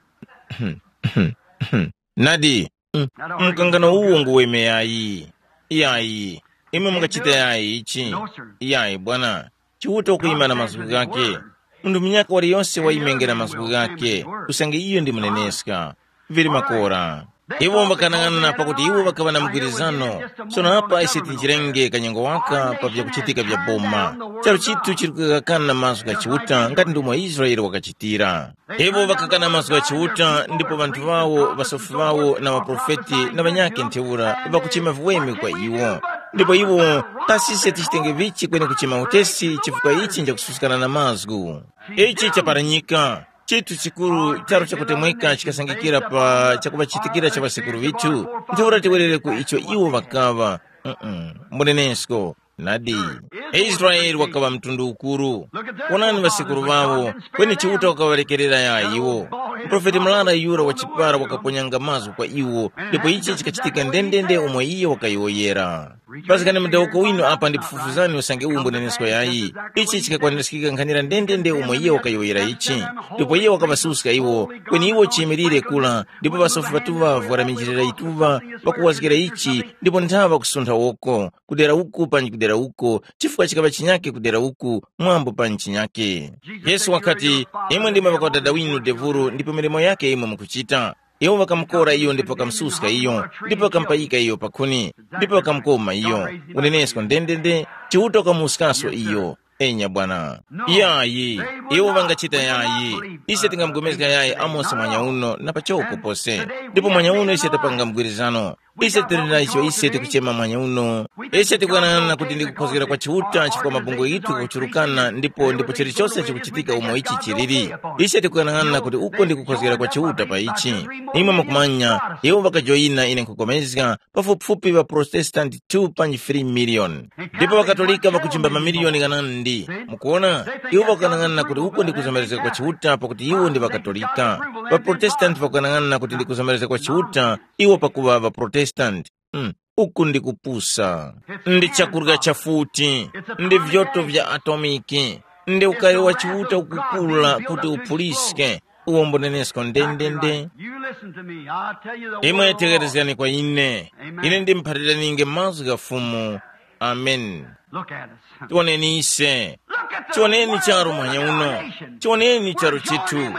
Nadi, mm, mkangano uwo nguweme yayi. Yayi, imwe mungachita yayi ichi? Yayi bwana, Chiuta ukuyima na mazgu ghake. Munthu munyaka waliyose wayimenge na mazgu ghake, usange iyo ndi muneneska. Vili makora. Iwo ŵakanang'ana pakuti iwo ŵakaŵa na mgwirizano. Sono apa ise tinjirenge kanyengo waka pa vyakuchitika vya boma. Charu chithu chili kugakana na mazgu gha Chiuta ngati ndomwe Israele wakachitira. Iwo ŵakakana mazgu gha Chiuta ndipo ŵanthu ŵawo, ŵasofi ŵawo na ŵaprofeti na ŵanyakhe ntheura ŵakuchema viweme kwa iwo. Ndipo iwo, kasi ise tichitenge vichi kweni kuchema utesi chifukwa ichi nchakususkana na mazgu. Ichi chaparanyika. Chithu chikuru charu chakutemweka chikasangikira pa chakuŵachitikira cha ŵasekuru ŵithu, ntheura tiwerere ku icho iwo ŵakaŵa. Mm-mm. Mbunenesko, nadi. Israele wakaŵa mtundu ukuru. Wonani ŵasekuru ŵawo, kweni Chiuta wakaŵalekerera ya iwo. Muprofeti murara yura wa chipara wakaponyanga mazgu kwa iwo, ndipo ichi chikachitika ndendende umo iye wakayowoyera. Paskani mudawuko winu apa ndipufufuzani usange uwu mbunenesko yayi. Ichi chikakwaniskika nkhanira ndendende umo iye wakayowoyera ichi. Ndipo iye wakaŵasuska iwo, kweni iwo chiyimirire kula, ndipo ŵasofi ŵatuŵa ŵakalaminjirira yituŵa, ŵakuwazgira ichi, ndipo nthaŵa kusuntha woko, kudera uku panji kudera uko, chifukwa chikaŵa chinyake kudera uku, mwambo panji chinyake. Yesu wakati, imwe ndimwe ŵakwadada winu devuru ndipo milimo yake imwe mukuchita. Iwo ŵakamukora iyo ndipo ŵakamususka iyo, ndipo ŵakamupayika iyo pa khuni, ndipo ŵakamukoma iyo. Unenesko ndendende, Chiuta wakamuwuskaso iyo. Enya bwana. Yayi, iwo ŵangachita yayi. Ise tingamugomezga yayi Amosi mwanya uno na pachoko pose. Ndipo mwanya uno ise tapanga mgwirizano. Ise tili na icho ise tikuchema mwanya uno. Ise tikuyang'ana kuti ndi kukhozgera kwa Chiuta chifukwa mabungwe ghithu ghakuchurukana ndipo ndipo chilichose chikuchitika umo ichi chiliri. Ise tikuyang'ana kuti uko ndi kukhozgera kwa Chiuta pa ichi. Imwe mukumanya, iwo ŵakajoyina ine nkhupulikana, pafupifupi ŵaProtestanti two panji three miliyoni. Ndipo ŵaKatolika ŵakuchimba mamiliyoni ghanandi. Mukuona, iwo ŵakanang'ana kuti uko ndi kuzomerezga kwa Chiuta pakuti iwo ndi ŵaKatolika. ޣaProtestanti ŵakanang'ana kuti ndi kuzomerezga kwa Chiuta iwo pakuŵa ŵaProtestanti. Mm, uku ndi kupusa. Ndi chakurya cha futi, ndi vyoto vya atomiki, ndi ukari wa Chiuta ukukula kuti uphuliske. Uwo mbunenesko ndendende. You listen to me. I'll tell you the Imwe word of the Lord. Tegerezgani kwa ine. Amen. Ine ndimphaliraninge mazgu gha Fumu. Amen. Look at us. Tioneni ise. Look at the Tioneni world charu mwanya of our uno. Nation. Tioneni charu chithu.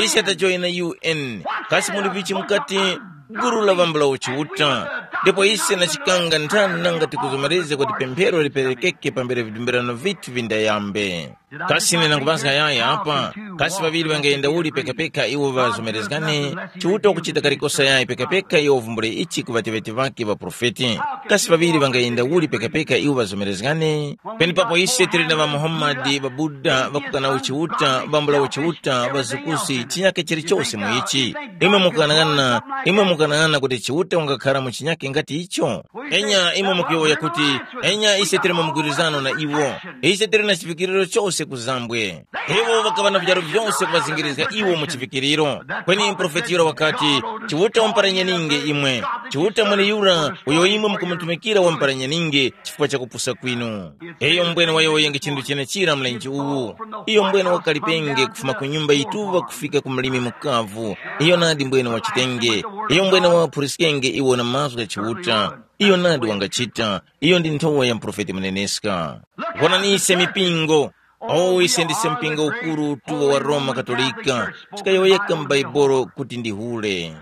Ise tajoyina U N. Kasi muli vichi mukati guru la vambula uchiuta? Ndipo ise na chikanga nthani nanga tikuzomereze kuti pemphero liperekeke pambere vidumbirano vithu vindayambe. Kasi ine nanguŵazga yaya apa? Kasi ŵaŵiri ŵangayenda uli pekapeka iwo ŵazomerezgane? Chiuta ukuchita kalikosa yayi pekapeka iwo uvumbule ichi ku ŵateŵeti ŵakhe ŵaprofeti. Kasi ŵaŵiri ŵangayenda uli pekapeka iwo ŵazomerezgane? Penepapo ise tili na ŵaMuhammadi, ŵaBuda, ŵakukana uchiuta, ŵambula uchiuta, ŵazukusi, chinyake chilichose mu ichi. Imwe mukanang'ana, imwe mukanang'ana kuti Chiuta wangakhara mu chinyake ngati icho? Enya imwe mukuyowoya kuti, enya ise tili mu mgwirizano na iwo. Ise tili na chivikiriro chose ku zambwe. Iwo ŵakaŵa na vyaru vyose kuŵazingirizga iwo mu chivikiriro. Kweni muprofeti yura wakati, Chiuta wamuparanyaninge imwe. Chiuta mweneyura uyo imwe mukumutumikira wamuparanyaninge chifukwa cha kupusa kwinu. Iyo mbwene wayowoyenge chinthu chenechira mlenje uwu. Iyo mbwene wakalipenge kufuma ku nyumba yituŵa kufika ku mlimi mukavu. Iyo nadi mbwene wachitenge. Iyo mbwene waphuriskenge iwo na mazgu gha Chiuta. Iyo nadi wangachita. Iyo ndi nthowa ya muprofeti muneneska. Wonani ise mipingo. O ise ndise mpingo ukuru tuwo wa Roma Katolika. Tikayowoyeka mu Baibolo kuti ndi hule.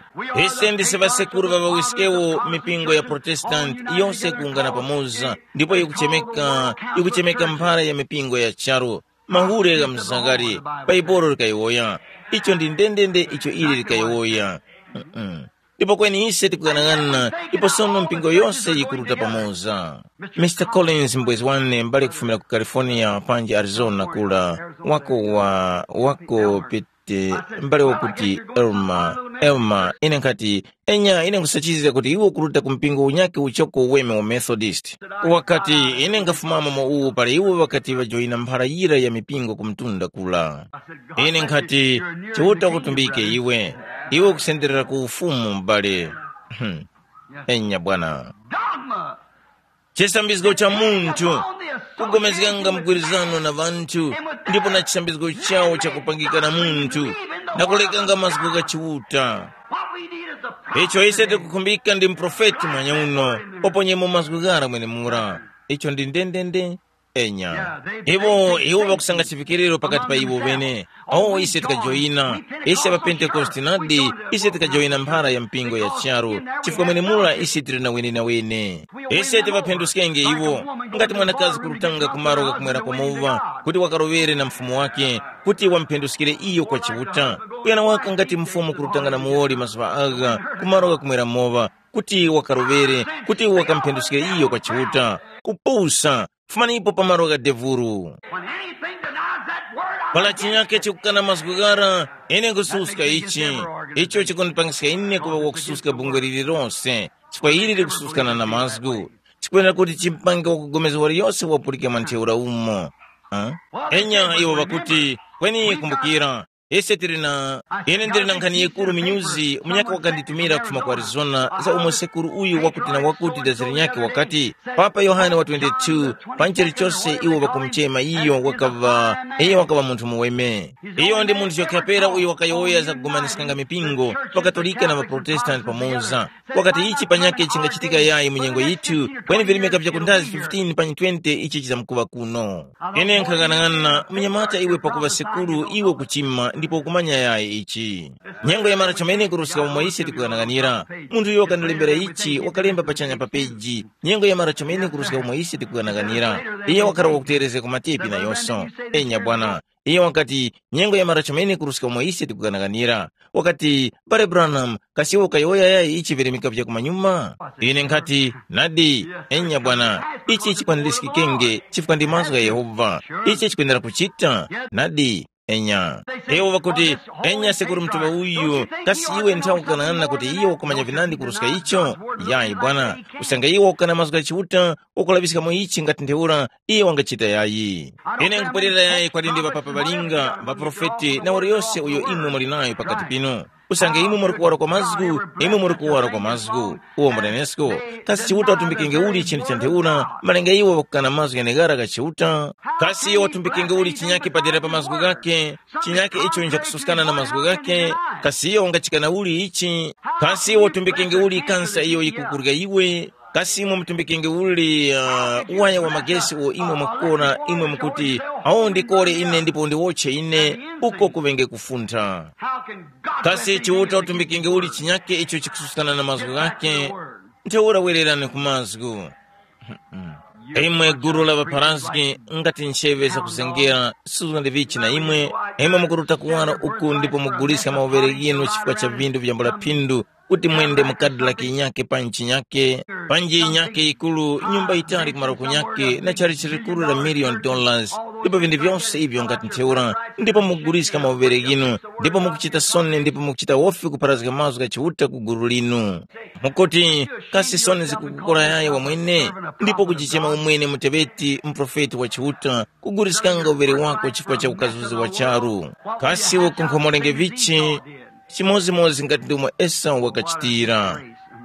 Ise ndise ŵasekuru ŵa ŵawiskewo mipingo ya Protestanti yose kuungana pamoza, ndipo ikuchemeka ikuchemeka mphara ya mipingo ya charu. Mahule gha mzangari. Baibolo likayowoya. Icho ndi ndendende icho ili likayowoya. Mm-mm. Ndipo kweni ise tikuyang'ana ipo sono mpingo yose yikuruta pamoza. Mister Collins mbwezi wane mbale kufumira ku California panji Arizona kula, wako wa wako pete mbale wakuti Elma. Elma, ine nkhati, enya ine nkhusachizga kuti iwe ukuruta ku mpingo unyakhe uchoko uweme wa Methodist. Wakati, ine nkhafumamo mu uwu para iwo ŵakati ŵajoyina mphara yira ya mipingo ku mtunda kula. Ine nkhati, Chiuta wakutumbike iwe. Iwe ukusenderera ku ufumu m'bale. Hmm. Enya bwana. Dogma. Chisambizgo cha munthu. Kugomezganga mgwirizano na ŵanthu, ndipo na chisambizgo chawo chakupangika na munthu, na kulekanga mazgu gha Chiuta. What we need is a prophet. Icho ise tikukhumbika ndi mprofeti mwanya uno, oponyemo mazgu ghara mwenemura. Icho ndi ndendende. Enya. Iwo iwo ŵakusanga chivikiriro pakati pa iwo ŵene. O ise tikajoyina, ise ŵapentekoste nadi, ise tikajoyina mphara ya mpingo ya charu, chifukwa mwenemura ise tili na wenenawene. Ise tivaphenduskenge iwo, ngati mwanakazi kurutanga ku malo ghakumwera kwa muŵa, kuti wakaroŵere na mfumu wake, kuti wamuphenduskire iyo kwa Chiuta. Kuyana waka ngati mfumu kurutanga na muwoli mazuŵa agha ku malo ghakumwera moŵa, kuti wakaroŵere, kuti wakamuphenduskire iyo kwa Chiuta. Kupusa, fumanipo pa malo gha devuru. When anything denies that word, I Pala chinyake chikukana mazgu ghara, ine nkususka ichi. Icho chikundipangiska ine kuŵa wakususka bungwe lililonse, chifukwa ili likususkana na mazgu. Chikwenera kuti chimpange wakugomeza waliyose wapulike mwa ntheura umo. Ah? Enya iwo ŵakuti, kweni kumbukira, ise tili na, ine ndili na nkhani yikuru minyuzi, munyaka wakanditumira kufuma ku Arizona, za umo sekuru uyu wakuti na wakuti daziri nyakhe wakati, Papa Yohane wa twenty-two, pa chilichose iwo ŵakumuchema iyo wakaŵa, iyo wakaŵa munthu muweme. Iyo ndi munthu chokhapera uyo wakayowoya za kugomaniskanga mipingo, ŵaKatolika na ŵaProtestanti pamoza. Wakati ichi panyakhe chingachitika yayi mu nyengo yithu, kweni virimika vya kundazi fifteen panyi twenty ichi chizamkuŵa kuno. Ine nkhang'anang'ana, munyamata iwe pakuŵa sekuru iwe kuchima, ndipo ukumanya yayi ichi. Nyengo yamara chomene kuruska umo ise tikuyang'anira. Munthu uyo wakandilembera ichi wakalemba pachanya pa peji. Nyengo yamara chomene kuruska umo ise tikuyang'anira. Iye wakhala wakuterezga ku matepi nayonso. Enya bwana. Iye wakati, nyengo yamara chomene kuruska umo ise tikuyang'anira. Wakati, Mbale Branham, kasi iwe ukayowoya yayi ichi virimika vya kumanyuma? Ine nkhati, nadi, enya bwana, ichi chikwanirizgikenge chifukwa ndi mazgu gha Yehova. Ichi chikwendera kuchita, nadi, enya. Iwo ŵakuti, enya sekuru mutuŵa uyu, kasi iwe nthawi ukanang'ana kuti iye wakumanya vinandi kuruska icho? Yayi bwana, usange iwe ukana mazgu gha Chiuta, ukulaŵiskamo ichi ngati ntheura, iye wangachita yayi. Ine nkupwerera yayi kwati ndi ŵapapa ŵalinga, ŵaprofeti na waliyose uyo imwe muli nayo pakati pinu. Usange imwe muri kuwara kwa mazgu, imwe muri kuwara kwa mazgu. Uwo munenesko, kasi Chiuta watumbikenge uli chinthu cha ntheura, malinga iwo ŵakukana mazgu gheneghara gha Chiuta? Kasi iyo watumbikenge uli chinyake padera pa mazgu ghakhe, chinyake icho nchakususkana na mazgu ghakhe? Kasi iyo ungachikana uli ichi? Kasi iyo watumbikenge uli kansa iyo yikukurya iwe? Kasi imwe mutumbikenge uli uh, waya wa magesi uwo imwe mwakukora imwe mukuti, awo ndikore ine ndipo ndiwotche ine, uko kuŵenge kufuntha? Kasi Chiuta utumbikenge uli chinyake icho chikususkana na mazgu ghake? Ntheura wererani ku mazgu. Imwe gulu la ŵapharazgi, ngati ncheŵe zakuzengera, suzgani vichi na imwe, imwe mukuruta kuwara uku ndipo muguliska mawuvere ghinu chifukwa cha vindu vyambula phindu, kuti mwende mu kadilaki yinyakhe panji chinyakhe, panji yinyakhe yikuru, nyumba yitali ku maluko nyakhe na chalichi likuru la miliyoni dollars, ndipo vinthu vyose ivyo ngati ntheura, ndipo mukuguliska mawuvere ghinu, ndipo mukuchita soni ndipo mukuchita wofi kupharazga mazgu gha Chiuta ku gulu linu. Mukuti, kasi soni zikukukora yayi wamwene, ndipo kujichema umwene muteŵeti muprofeti wa Chiuta, kuguliskanga uvere wako chifukwa cha ukazuzi wa charu? Kasi ukunkhomorenge vichi? Chimodzimodzi ngati ndomwe Esau wakachitira.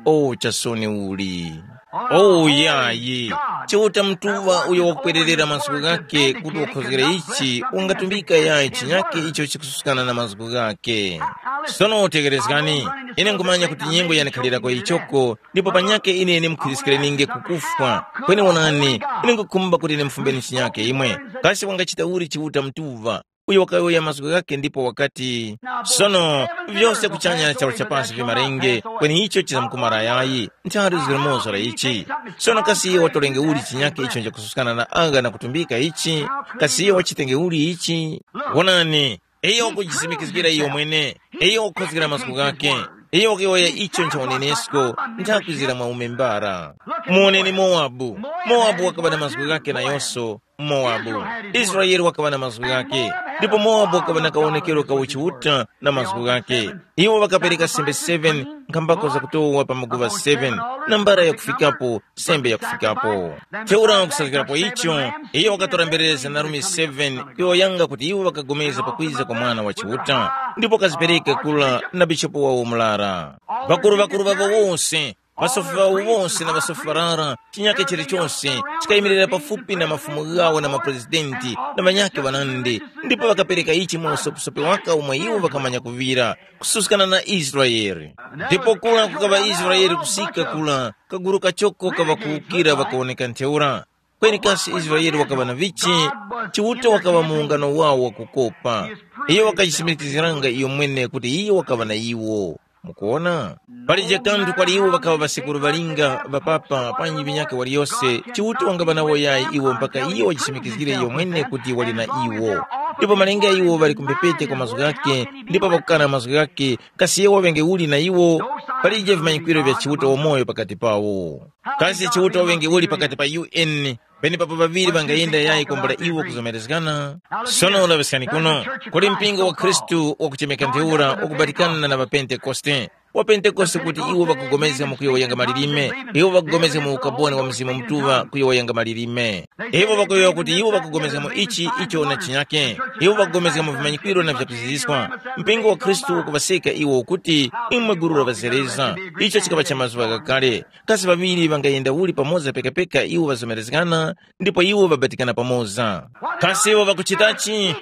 O chasoni uli! O yayi! Chiuta mutuŵa uyo wakupwererera mazgu ghake kuti wakhozgere ichi, wangatumbika yayi chinyake icho chikususkana na mazgu ghake. Sono tekerezgani, ine nkhumanya kuti nyengo yanikhalirako ichoko, ndipo panyakhe ine ndimkhwiskirenge ku kufwa. Kweni wonani, ine nkhukhumba kuti ndimfumbeni chinyakhe imwe. Kasi wangachita uli Chiuta mutuŵa, uyo wakayowoya mazgu ghakhe ndipo wakati, sono, vyose kuchanya na charu cha pasi vimarenge, kweni icho chizamkumara yayi, nthari zilimoza la ichi. Sono kasi iye watolenge uli chinyakhe icho nchakususkana na agha na kutumbika ichi? Kasi iye wachitenge uli ichi? Wonani, iyo ukujisimikizgira iyo mwene, iyo ukhozgera mazgu ghakhe, iyo wakuyowoya icho ncha unenesko, nthakwizira mwa umembara. Muwoneni Mowabu. Mowabu wakaŵa na mazgu ghakhe nayonso. Mowabu. Israele wakaŵa na mazgu ghakhe, ndipo Mowabu wakaŵa na kawonekero ka uchiuta na mazgu ghakhe. Iwo ŵakapereka sembe seven, nkhambako zakutowa pa maguŵa seven, na mbara yakufikapo, sembe yakufikapo. Ntheura kusazgirapo icho, iyo wakatora mberere za narumi seven kuyowoyanga kuti iwo ŵakagomeza pakwiza kwa Mwana wa Chiuta, ndipo wakazipereka kula na bishopu wawo murara. Ŵakuru-ŵakuru ŵawo wose, ŵasofi ŵawo wose na ŵasofi ŵarara, chinyakhe chilichose chikayimirira pafupi na mafumu ghawo na maprezidenti na ŵanyakhe ŵanandi, ndipo ŵakapereka ichi mu usopesope waka umwe iwo ŵakamanya kuŵira, kususkana na Israele. Ndipo kura kukaŵa Israele kusika kura, kaguru kachoko kaŵa kuwukira ŵakawoneka ntheura. Kweni kasi Israele wakaŵa na vichi? Chiuta wakaŵa mu ungano wawo wakukopa. Iyo wakajisimikiziranga iyo mwene kuti iyo wakaŵa na iwo. Mukuwona? Palije kanthu kwali iwo ŵakaŵa ŵasekuru ŵalinga, ŵapapa, panji vinyakhe waliyose, Chiuta wangaŵa nawo yayi iwo mpaka iyo wajisimikizgire iyo mwene kuti wali na iwo. Ndipo malinga iwo ŵali ku mphepete kwa mazgu ghakhe, ndipo pakukana mazgu ghakhe, kasi iyo waŵenge uli na iwo? Palije vimanyikwiro vya Chiuta wamoyo pakati pawo. Kasi Chiuta waŵenge uli pakati pa U N, penepapo ŵaŵiri ŵangayenda yayi kwambula iwo kuzomerezgana? Sono laŵiskani kuno, kuli mpingo wa Khristu wakuchemeka ntheura wakubatikana na ŵaPentekoste. WaPentekoste kuti iwo ŵakupulikana mu kuyowoyanga malilime, iwo ŵakupulikana mu ukaboni wa Mzimu Mutuŵa kuyowoyanga malilime. Iwo ŵakuyowoya kuti iwo ŵakupulikana mu ichi icho na chinyake. Iwo ŵakupulikana mu vimanyikwiro na vyakuziziska. Mpingo wa Khristu ukuŵaseka iwo ukuti, imwe gulu la ŵazereza. Icho chikaŵa cha mazuŵa ghakale. Kasi ŵaŵiri ŵangayenda uli pamoza pekapeka iwo ŵazomerezgana, ndipo iwo ŵabatikana pamoza? Kasi iwo ŵakuchitachi?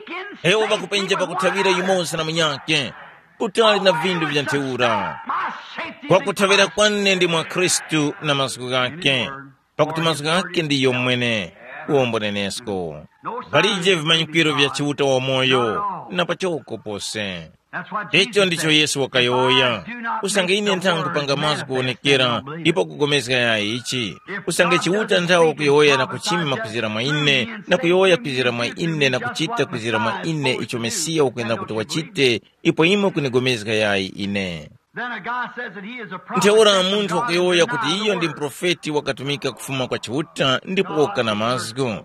Iwo ŵakupenja pakuthaŵira yumoza na munyakhe, kutali na vindu vya ntheura. Kwakuthaŵira kwane ndi mwa Khristu na mazgu ghakhe, pakuti mazgu ghakhe ndi yomwene. Uwombo nenesko. Palije vimanyikwiro vya Chiuta wamoyo, na pachoko pose. Icho ndicho Yesu wakayowoya. Usange ine nthanga kupanga mazgu kuwonekera ipo kugomezga yayi ichi, usange Chiuta nthawe kuyowoya na kuchima kwizira mwa ine, na kuyowoya kwizira mwa ine na kuchita kwizira mwa ine icho Mesiya ukuyenda kuti wachite, ipo imwe kunigomezga yayi ine. Then a guy says that he is a prophet. Ntheura sent from munthu God wakuyowoya and kuti then iyo ndi God. Mprofeti wakatumika kufuma kwa Chiuta ndipo woka na mazgu.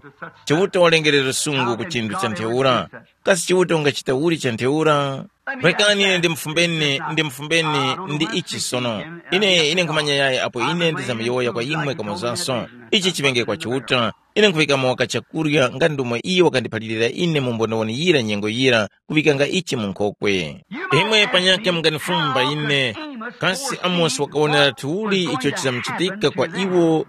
Chiuta walengerera sungu ku chinthu cha ntheura. Kasi Chiuta ungachita uli cha ntheura? Rekani ine ndimfumbeni, ndimfumbeni ndi ichi sono. Ine, ine nkhumanya yayi apo ine ndizamyowoya kwa imwe kamozanso. Ichi chipenge kwa Chiuta. Ine nkhuŵikamo waka chakurya nga ndomwe iyo wakandiphalirira ine mu mbonewoni yira nyengo yira, kuŵikanga ichi mu nkhokwe. Imwe panyakhe munganifumba ine, kasi Amosi wakawonera tuli icho chizamuchitika kwa iwo?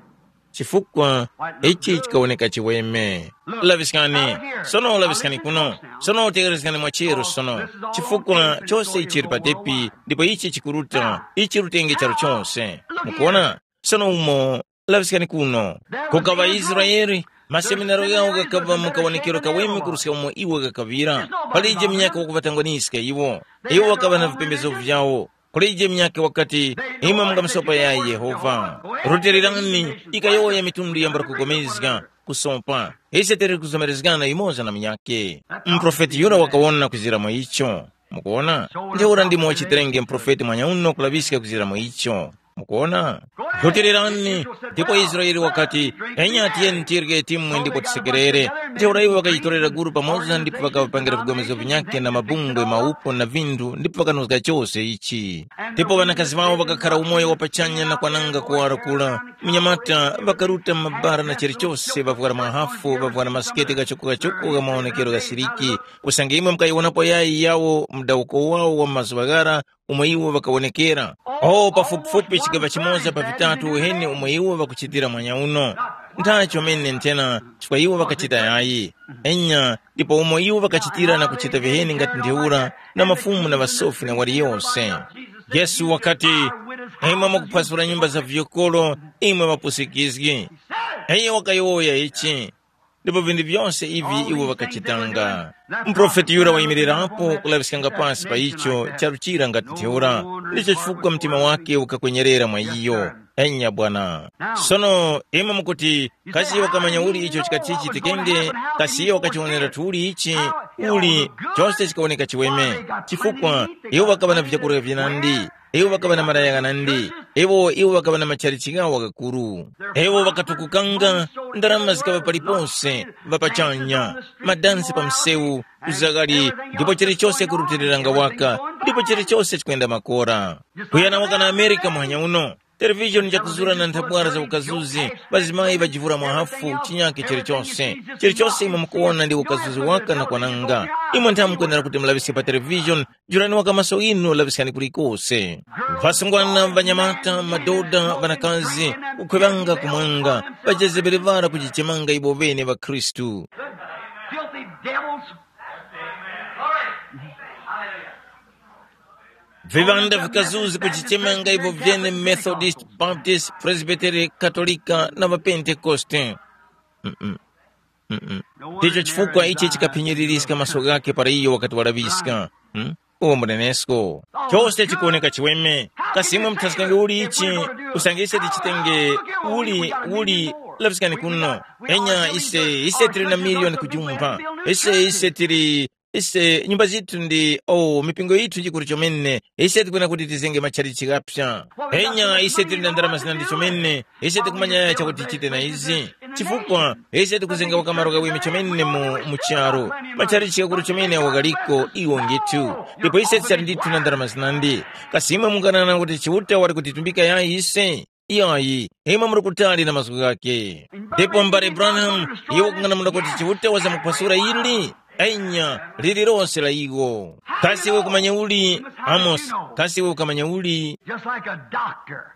Chifukwa ichi chikawoneka chiweme. Laŵiskani, sono laŵiskani kuno, sono tekerezgani mwacheru sono, chifukwa chose ichi chili patepi, ndipo ichi chikuruta, ichi rutenge charu chose. Mukuona? Sono umo, laŵiskani kuno. Kukaŵa Israele, maseminaro ghawo ghakaŵa mu kawonekero kaweme kuruska umo iwo ghakaŵira. Palije munyaka wakuŵatangwaniska iwo. Iwo ŵakaŵa na vipembezo vyawo. Kulije munyaka wakati, imwe mungamusopa yayi Yehova. Rutilirani, ikayowoya mitundu yambula kugomezga, kusopa. Ise tili kuzomerezgana yumoza na munyake. Muprofeti yura wakawona kuzira mwa icho. Mukuwona? Ntheura ndimo chiterenge muprofeti mwanyauno kulaŵiska kuzira mwa icho. Mukuwona? Rutilirani, ndipo Israele wakati, enya tiyeni tirye timwe ndipo tisekerere. Ntheura iwo ŵakajitorera guru pamoza ndipo ŵakaŵapangira vigomezo vinyakhe na mabungwe maupo na vinthu ndipo ŵakanozga chose ichi. Ndipo ŵanakazi ŵawo ŵakakhara umoyo wa pachanya na kwananga kuwara kula. Munyamata ŵakaruta mu mabara na chilichose ŵavwara mahafu ŵavwara masikete kachoko-kachoko gha mawonekero gha siliki. Usange imwe mukayiwonapo yayi yawo mdawuko wawo wa mazuŵa ghara, umo iwo ŵakawonekera. O pafupifupi chigaŵa chimoza pa vitatu uheni umo iwo ŵakuchitira mwanya uno. Nthachi chomene nthena chifukwa iwo ŵakachita yayi. Enya, ndipo umo iwo ŵakachitira na kuchita viheni ngati ntheura na mafumu na ŵasofi na waliyose. Yesu wakati, imwe mukuphwasula nyumba za vyokolo, imwe ŵapusikizgi. Iyo wakayowoya ichi. Ndipo vinthu vyose ivi iwo ŵakachitanga. Muprofeti yura wayimirirapo kulaŵiskanga pasi pa icho charuchira ngati ntheura, ndicho chifukwa mtima wake ukakwenyerera mwa iyo. Enya bwana. Sono imwe mukuti, kasi iyo wakamanya uli icho chikati chichitikenge? Kasi iyo wakachiwonera tuli ichi? Uli, chose chikawoneka chiweme. Chifukwa iwo ŵakaŵa na vyakurya vinandi. Iwo ŵakaŵa na malaya ghanandi. Iwo iwo ŵakaŵa na machalichi ghawo ghakuru. Iwo ŵakatukukanga, ndarama zikaŵa palipose, ŵapachanya, madansi pa msewu, uzaghali, ndipo chilichose kurutiliranga waka, ndipo chilichose chikwenda makora. Kuyana waka na Amerika muhanya uno. Televishoni jakuzura na nthabwara za ukazuzi, ŵazimayi ŵajivura mwahafu, chinyake chilichose. Chilichose imwe mukuwona ndi ukazuzi waka na kwananga. Imwe ntha mukwenera kuti mulaŵiske pa televishoni. Jurani waka maso inu laŵiskani kulikose. Ŵasungwana, ŵanyamata, madoda, ŵanakazi, kukhwevanga kumwanga, ŵajezebere ŵara kujichemanga iwo ŵene ŵa Khristu. Filthy devils. Viŵanda vikazuzi kujichemanga iwo vyene Methodist, Baptist, Presbytery, Katolika na ŵaPentekoste. Mm-mm. Mm-mm. Ndicho chifukwa ichi chikaphinyiririska maso ghakhe para iyo wakati walaŵiska. Hmm? Uwo munenesko. Chose chikuwoneka chiweme. Kasi imwe muthaskenge uli ichi? Usange ise tichitenge uli, uli, laŵiskani kuno. Enya ise, ise tili na miliyoni kujumpha. Ise, ise tili, ise nyumba zithu ndi, oh, mipingo yithu yikuru chomene. Ise tikwena kuti tizenge matchalichi ghapsa. Enya ise tili na ndarama zinandi chomene. Ise tikumanya chakuti tichite na izi. Chifukwa ise tikuzenga wakamaro kaweme chomene mu, mu charu. Matchalichi ghakuru chomene awo ghaliko iwo ngethu. Ndipo ise tisali ndithu na ndarama zinandi. Kasi imwe munganana kuti Chiuta wali kutitumbika yayi ise? Iyayi, imwe muli kutali na mazgu ghakhe. Ndipo mbale Branham, iwe kung'anamula kuti Chiuta wazamuphwasula ili? Enya, lililonse la iwo. Kasi iwe ukumanya uli, Amos, kasi iwe ukamanya uli? Just like a doctor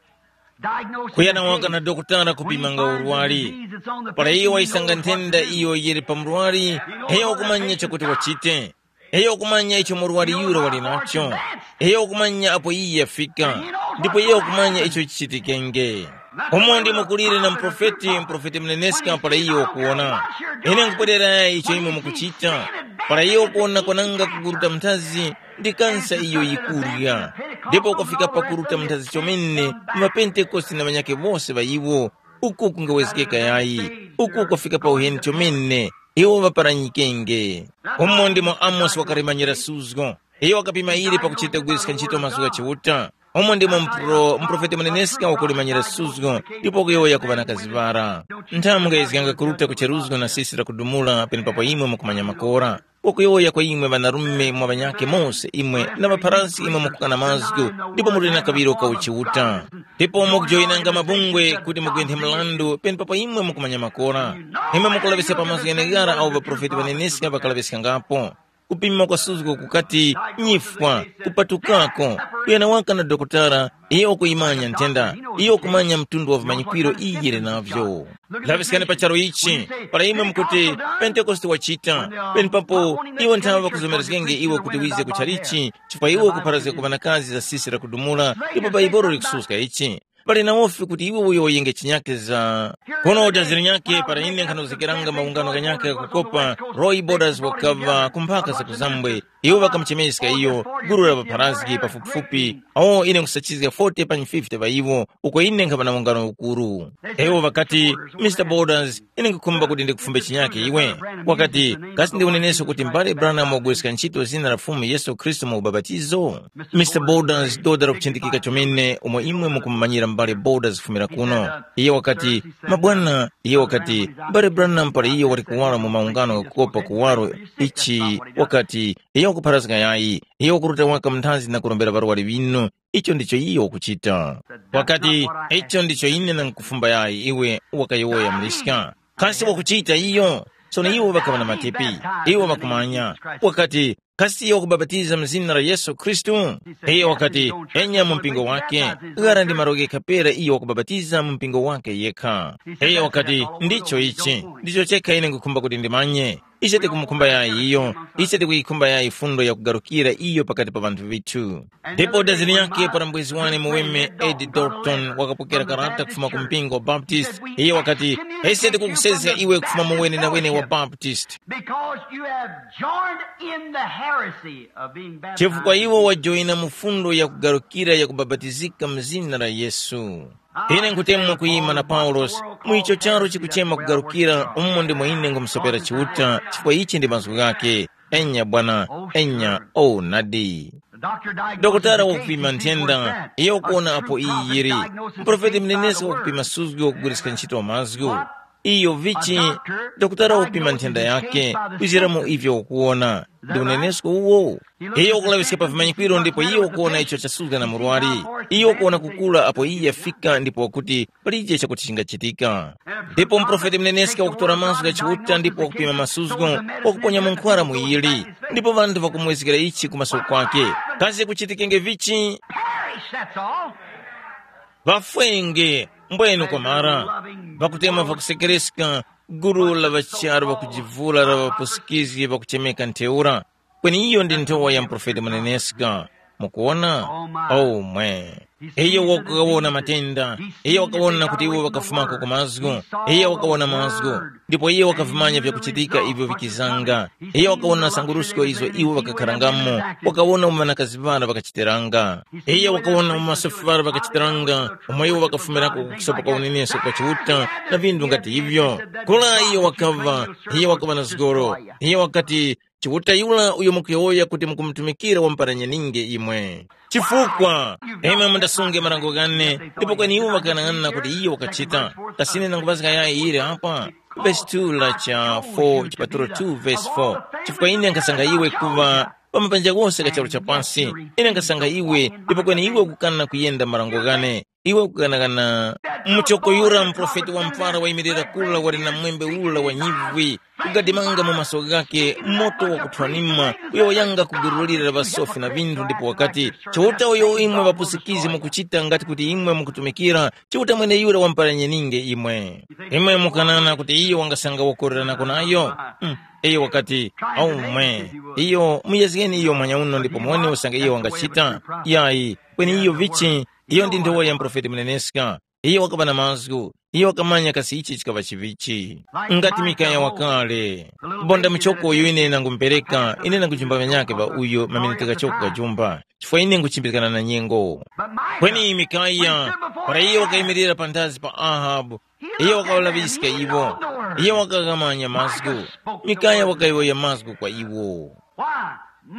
diagnosing Kuyana a waka case. Na dokotala When he kupimanga finds a urwari. Disease that's on the Para patient, iyo he waisanga knows what to nthenda do. Iyo yili pa murwari, iyo wakumanya chakuti wachite. Iyo wakumanya icho murwari yura wali nacho. Iyo wakumanya apo iye yafika. Ndipo iyo wakumanya icho chichitikenge. Umo ndimo kuliri na muprofeti, muprofeti muneneska para iyo wakuwona. Ine nkupwerera icho imwe mukuchita. Para iyo wakuwona kwananga kuguruta mnthazi, ndi kansa iyo yikurya. Ndipo ukafika pakuruta mnthazi chomene, mapentekoste na ŵanyakhe wose ŵa iwo, uku kungawezgeka yayi, uku ukafika pa uheni chomene, iwo ŵaparanyikenge. Umo ndimo Amosi wakalimanyira suzgo. Iyo wakapima ili pakuchita kugwiriska ntchito mazgu gha Chiuta. Umo ndimo mpro-, muprofeti muneneska wakulimanyira suzgo, ndipo kuyowoya ku ŵanakazi ŵara. Nthamu mungayezganga kuruta ku cheruzgo na sisi lakudumula penepapo imwe mukumanya makora. Wakuyowoya kwa imwe ŵanarume mwa ŵanyakhe mose imwe na ŵapharazgi imwe mukukana mazgu, ndipo muli na kaŵiro ka uchiuta. Ndipo mukujoyinanga mabungwe kuti mugwenthe mrandu penepapo imwe mukumanya makora. Imwe mukulaŵiska pa mazgu gheneghara awo ŵaprofeti ŵaneneska ŵakalaŵiskangapo. Kupima kwa suzgo kukati nyifwa, kupatukako, kuyana waka na dokotala, iyo ukuyimanya nthenda, iyo ukumanya mtundu wa vimanyikwiro iyi yili navyo. Laŵiskani pa charu ichi, para imwe mukuti, Pentekoste wachita, penepapo iwo nthawe ŵakuzomerezgenge iwe kuti wize ku chalichi, chifukwa iwe ukupharazga ku ŵanakazi za sisi lakudumula, ndipo Baibolo likususka ichi. Pali na wofi kuti iwe uyo uyenge chinyake za. Kuno uja zili nyake para ine nkhanozgekeranga maungano ghanyakhe ghakukopa, Roy Borders wakaŵa ku mphaka za kuzambwe. Iwo ŵakamuchemeska iyo, gulu la ŵapharazgi pafupifupi, awo ine nkhusachizga forty panyi fifty ŵa iwo, uko ine nkhaŵa na ungano ukuru. Iwo ŵakati, Mister Borders, ine nkhukhumba kuti ndikufumbe chinyake iwe. Wakati, kasi ndi unenesko kuti mbale Branham wagwiriska ntchito zina la Fumu Yesu Khristu mu ubapatizo? Mister Borders, doda lakuchindikika chomene umo imwe mukumumanyira mbale Borders kufumira kuno. Iye wakati, mabwana, iye wakati, mbale Branham pali iyo wali kuwala mu maungano ghakukopa kuwaro ichi, wakati, iyo wakupharazga yayi, iyo wakuruta waka mnthazi na kurombera ŵarwari ŵinu. Icho ndicho iyo wakuchita. Wakati, icho ndicho ine ndangukufumba yayi iwe, wakayowoya muliska. Kasi wakuchita iyo? Sono iwo ŵakaŵa na matepi. Iwo ŵakumanya. Wakati, kasi iyo wakubapatiza mu zina la Yesu Khristu? Iyo wakati, enya mu mpingo wake. Ghara ndi malo ghekha pera iyo wakubapatiza mu mpingo wake yekha. Iyo wakati, ndicho ichi. Ndicho chekha ine nkukhumba kuti ndimanye. Ise tikumukhumba yayi iyo, ise tikuyikhumba yayi fundo yakugarukira iyo pakati pa ŵanthu vithu. Ndipo daziri yake para mbwezi wane muweme Ed Dalton wakapokera karata kufuma ku mpingo wa Baptist, iye wakati, ise tikukusezga iwe kufuma mu wenenawene wa Baptist. Because you have joined in the heresy of being baptized. Chifukwa iwo wajoyina mu fundo yakugarukira yakubapatizika mu zina la Yesu. Ine nkutemwa kuyima na Paulosi mu icho charu chikuchema kugarukira umo ndimo ine ngumusopera Chiuta chifukwa ichi ndi mazgu ghake. Enya bwana, enya, o nadi. Dokotala wakupima nthenda, iyo ukuwona apo iyi yiri. Muprofeti mnenesi wakupima suzgu wakugwiriska ntchito mazgu. Iyo vichi, dokotala wakupima nthenda yake, kuzira mu ivyo ukuwona. Ndi unenesko uwo? Iyo ukulaŵiska pa vimanyikwiro ndipo iyo ukuwona icho chasuzga na murwari. Iyo ukuwona kukula apo iye yafika ndipo wakuti palije chakuti chingachitika. Ndipo muprofeti muneneska wakutora mazgu gha Chiuta ndipo wakupima masuzgo, wakuponya munkhwara muyili. Ndipo ŵanthu ŵakumwezgera ichi ku maso kwake. Kasi kuchitikenge vichi? Perish, that's all. Ŵafwenge, mbwenu kwamara. Ŵakutemwa ŵakusekereska, gulu la ŵacharu ŵakujivula la ŵapusikizgi ŵakuchemeka ntheura. Kweni iyo ndi nthowa ya muprofeti muneneska. Mukuwona? Oh mwe! Iyo wakawona matenda. Iyo wakawona kuti iwo ŵakafumako ku mazgu. Iyo wakawona mazgu. Ndipo iyo wakavimanya vyakuchitika ivyo vikizanga. Iyo wakawona sangurusko izo iwo ŵakakharangamo. Wakawona umo ŵanakazi ŵara ŵakachitiranga. Iyo wakawona umo ŵasofi ŵara ŵakachitiranga, umo iwo ŵakafumirako ku kusopa kwa unenesko kwa Chiuta na vinthu ngati ivyo. Kula iyo wakaŵa, iyo wakaŵa na zgoro. Iyo wakati, Chiuta yura uyo mukuyowoya kuti mukumutumikira wamparanyanininge imwe. Chifukwa imwe mundasunge marango ghane, ndipo kweni iwo ŵakanang'ana kuti iyo wakachita. Kasine nangupaska yayi yili apa. Vesi two la cha four, chipatulo two vesi four. Chifukwa ine nkasanga iwe kuŵa pa mapanja ghose gha charu cha pasi. Ine nkasanga iwe, ndipo kweni iwe ukukana kuyenda marango ghane. Iwe ukukanakana muchoko yura muprofeti wa mpara wayimirira kula wali na mwembe ula wa nyivwi, kugadimanga mu maso ghake moto wakuthwanima, uyo wayanga kugurulira ŵasofi na vinthu ndipo wakati, Chiuta uyo imwe ŵapusikizi mukuchita ngati kuti imwe mukutumikira, Chiuta mweneyura wamparanyeninge imwe. Imwe mukanana kuti iyo wangasanga wakorerana kunayo? Mm. Iyo wakati, aumwe, iyo muyezgeni iyo mwanyauno ndipo muwone usange iyo wangachita. Yayi, kweni iyo vichi, iyo ndi nthowa ya muprofeti muneneska. Iyo wakaŵa na mazgu, iyo wakamanya kasi ichi chikaŵa chivichi. Ngati Mikaya wakale, bonda muchoko uyo ine nangumupereka, ine nangujimba ŵanyakhe ŵa uyo maminiti ghachoko kajumba, chifukwa ine nguchimbikana na nyengo. Kweni Mikaya, para iyo wakayimirira panthazi pa Ahabu, iyo wakawalaŵiska iwo, iyo wakaghamanya mazgu. Mikaya wakayowoya mazgu kwa iwo.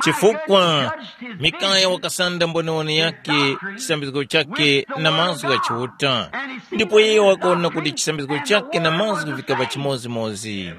Chifukwa Mikaya wakasanda mboniwoni yake, chisambizgo chake na mazgu gha Chiuta, ndipo iye wakaona kuti chisambizgo chake na mazgu vikaŵa chimodzimodzi.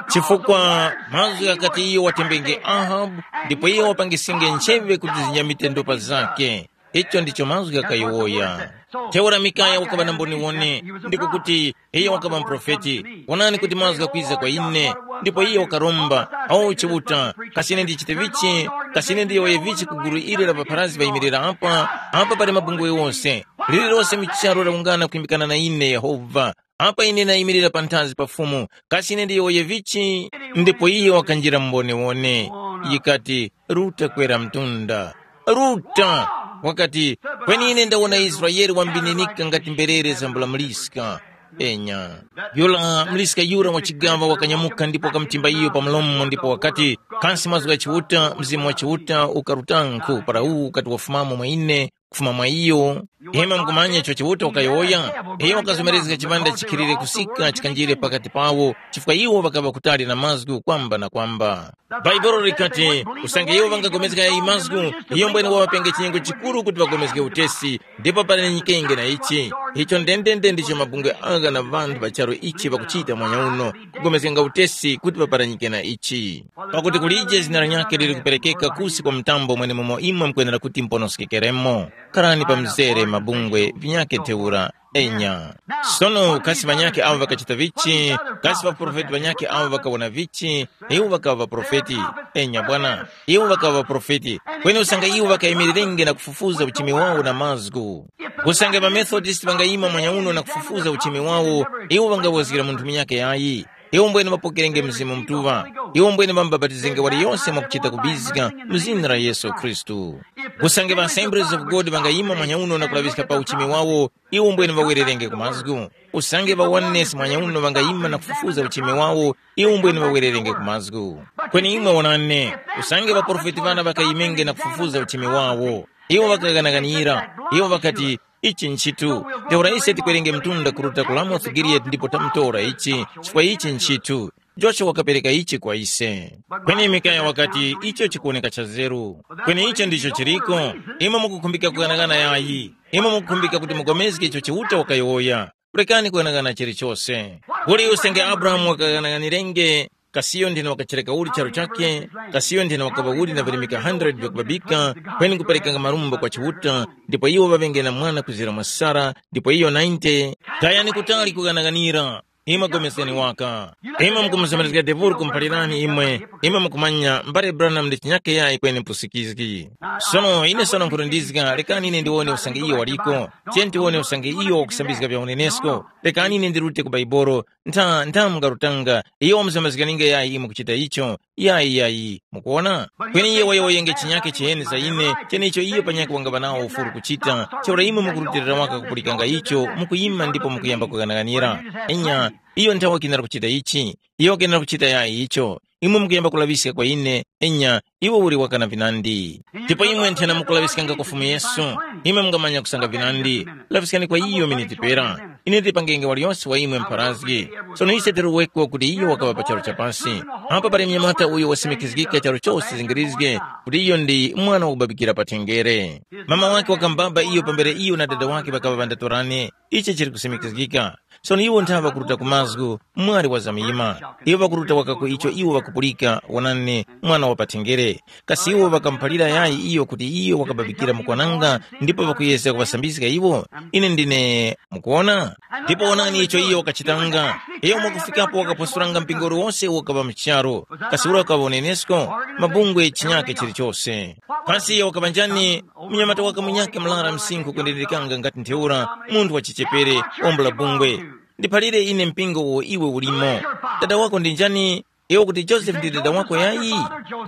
Chifukwa mazgu ghakati iyo watembenge Ahabu, ndipo iye wapangisinge ncheve kuti zinyamite ndopa zake. Icho ndicho mazgu ghakayowoya. Ntheura Mikaya wakaŵa na mboniwoni, ndiko kuti, iyo wakaŵa muprofeti. Wonani kuti mazgu ghakwiza kwa ine, ndipo iyo wakaromba, awo Chiuta, kasi ine ndichite vichi? Kasi ine ndiyowoye vichi ku gulu ili la ŵapharazgi ŵayimirira apa? Apa pali mabungwe ghose, lililose mu charu lawungana kwimbikana na ine Yehova. Apa ine nayimirira panthazi pa Fumu, kasi ine ndiyowoye vichi? Ndipo iyo wakanjira mu mboniwoni, yikati, ruta kwera mtunda. Ruta! Wakati, kweni ine ndawona Israele wambininika ngati mberere zambula muliska. Enya. Yura muliska yura wa chigaŵa wakanyamuka ndipo wakamtimba iyo pa mlomo ndipo wakati, kasi mazgu gha Chiuta, Mzimu wa Chiuta ukarutankhu para uwu ukati wafumamo mwa ine, kufuma mwa iyo. Imwe mukumanya icho Chiuta wakayowoya? Iyo wakazomerezga chipanda chikhilire kusika chikanjire pakati pawo, chifukwa iwo ŵakaŵa kutali na mazgu kwamba na kwamba. Bhaibuli likati, usange iwo ŵangapulikana yayi mazgu, iyo mbwene waŵapenge chinyengo chikuru kuti ŵapulikane utesi, ndipo pali nyikenge na ichi. Icho ndendende ndicho mabungwe agha na ŵanthu ŵa charu ichi ŵakuchita mwanyauno, kupulikana utesi kuti ŵapulikane na ichi. Pakuti kulije zina lanyakhe lili kuperekeka kusi kwa mtambo mwenemumo imwe mukwenera kuti muponoskekemo. Kharani pa mzere mabungwe vinyakhe ntheura. Enya. Sono kasi ŵanyakhe awo ŵakachita vichi? Kasi ŵaprofeti ŵanyakhe awo ŵakawona vichi? Iwo ŵakaŵa ŵaprofeti. Enya bwana, iwo ŵakaŵa ŵaprofeti. Kweni usange iwo ŵakayimirenge na kufufuza uchimi wawo na mazgu, usange ŵamethodist ŵangayima mwanyauno na kufufuza uchimi wawo, iwo ŵangawozgira munthu munyakhe yayi. Iwo mbwene ŵapokerenge Mzimu Mutuŵa. Iwo mbwene ŵamubapatizenge waliyose mwakuchita kubizga mu zina la Yesu Khristu. Usange ŵa Assemblies of God ŵangayima mwanyauno na kulaŵiska pa uchimi wawo, iwo mbwene ŵawererenge ku mazgu. Usange ŵa Oneness mwanyauno ŵangayima na kufufuza uchimi wawo, iwo mbwene ŵawererenge ku mazgu. Kweni imwe wonani, usange ŵaprofeti ŵana ŵakayimenge na kufufuza uchimi wawo, iwo ŵakaghanaghanira. Iwo ŵakati, ichi nchitu. Ntheura ise tikwerenge mtunda kuruta ku Ramoth Giliyadi ndipo tamutora ichi, chifukwa ichi nchitu. Joshua wakapereka ichi kwa ise. Kweni Mikaya wakati, icho chikuwoneka chazeru. Kweni icho ndicho chiriko. Imwe mukukhumbika kughanagana yayi. Imwe mukukhumbika kuti mupulikane icho Chiuta wakayowoya. Pulikani kughanagana chilichose. Uli usange Abrahamu wakaghanaghanirenge, kasiyo nthena wakachereka uli charu chakhe, kasiyo nthena wakaŵa uli na virimika hundred vyakubabika, kweni kuperekanga marumbo kwa Chiuta, ndipo iwo ŵaŵenge na mwana kuzira mwa Sara, ndipo iyo ninety. Tayani kutali kughanaghanira. Imwe pulikani waka. Imwe mukumuzomerezga Deburu kumphalirani imwe, imwe mukumanya mbale Branham ndi chinyake yayi kweni mpusikizgi. Sono ine sono nkhutundizga, lekani ine ndiwone usange iyo waliko. Tiye tiwone usange iyo wakusambizga vya unenesko. Lekani ine ndirute ku Baibolo, ntha ntha mungarutanga, iyo wamuzamazganinge yayi imwe kuchita icho. Yayi yayi, mukuona? Kweni iye wayowoyenge chinyake chiheni za ine, cheneicho iyo panyakhe wangaŵa nawo ufulu kuchita. Ntheura imwe mukurutilira waka kupulikanga icho, mukuyima ndipo mukuyamba kughanaghanira. Enya, iyo nthawe wakenera kuchita ichi, iyo wakenera kuchita yayi icho. Imwe mukuyamba kulaŵiska kwa ine, enya, iwe uli wakana vinandi. Ndipo imwe nthena mukulaŵiskanga kwa Fumu Yesu, imwe mungamanya kusanga vinandi. Laŵiskani kwa iyo miniti pera. Ine ndipangenge waliyose wa imwe mpharazgi. Sono ise tiruweko kuti iyo wakaŵa pa charu cha pasi. Apa pali mnyamata uyo wasimikizgika charu chose zingirizge kuti iyo ndi mwana wakubabikira pa thengere. Mama wake wakambaba iyo pambere iyo na dada wake ŵakaŵa ŵandatorane. Ichi chili kusimikizgika. Sono iwo nthawe ŵakuruta ku mazgu, mwali wazamyima. Iwo ŵakuruta waka ku icho iwo ŵakupulika, wonani, mwana wa pathengere. Kasi iwo ŵakamuphalira yayi iyo kuti iyo wakababikira mukwananga ndipo ŵakuyezga kuŵasambizga iwo? Ine ndine, mukuona? Ndipo wonani icho iyo wakachitanga. Iyo mwakufikapo wakaphwasuranga mpingo uliwose uwo wakaŵa mu charu. Kasi ura wakaŵa unenesko? Mabungwe chinyake chilichose. Pasi iyo wakaŵa njani? Munyamata waka munyakhe mlara msinkhu kwendererekanga ngati ntheura, munthu wa chichepere, ombula bungwe. Ndiphalire ine mpingo uwo iwe ulimo. Dada wako ndi njani? Iwe kuti Josefe ndi dada wako yayi?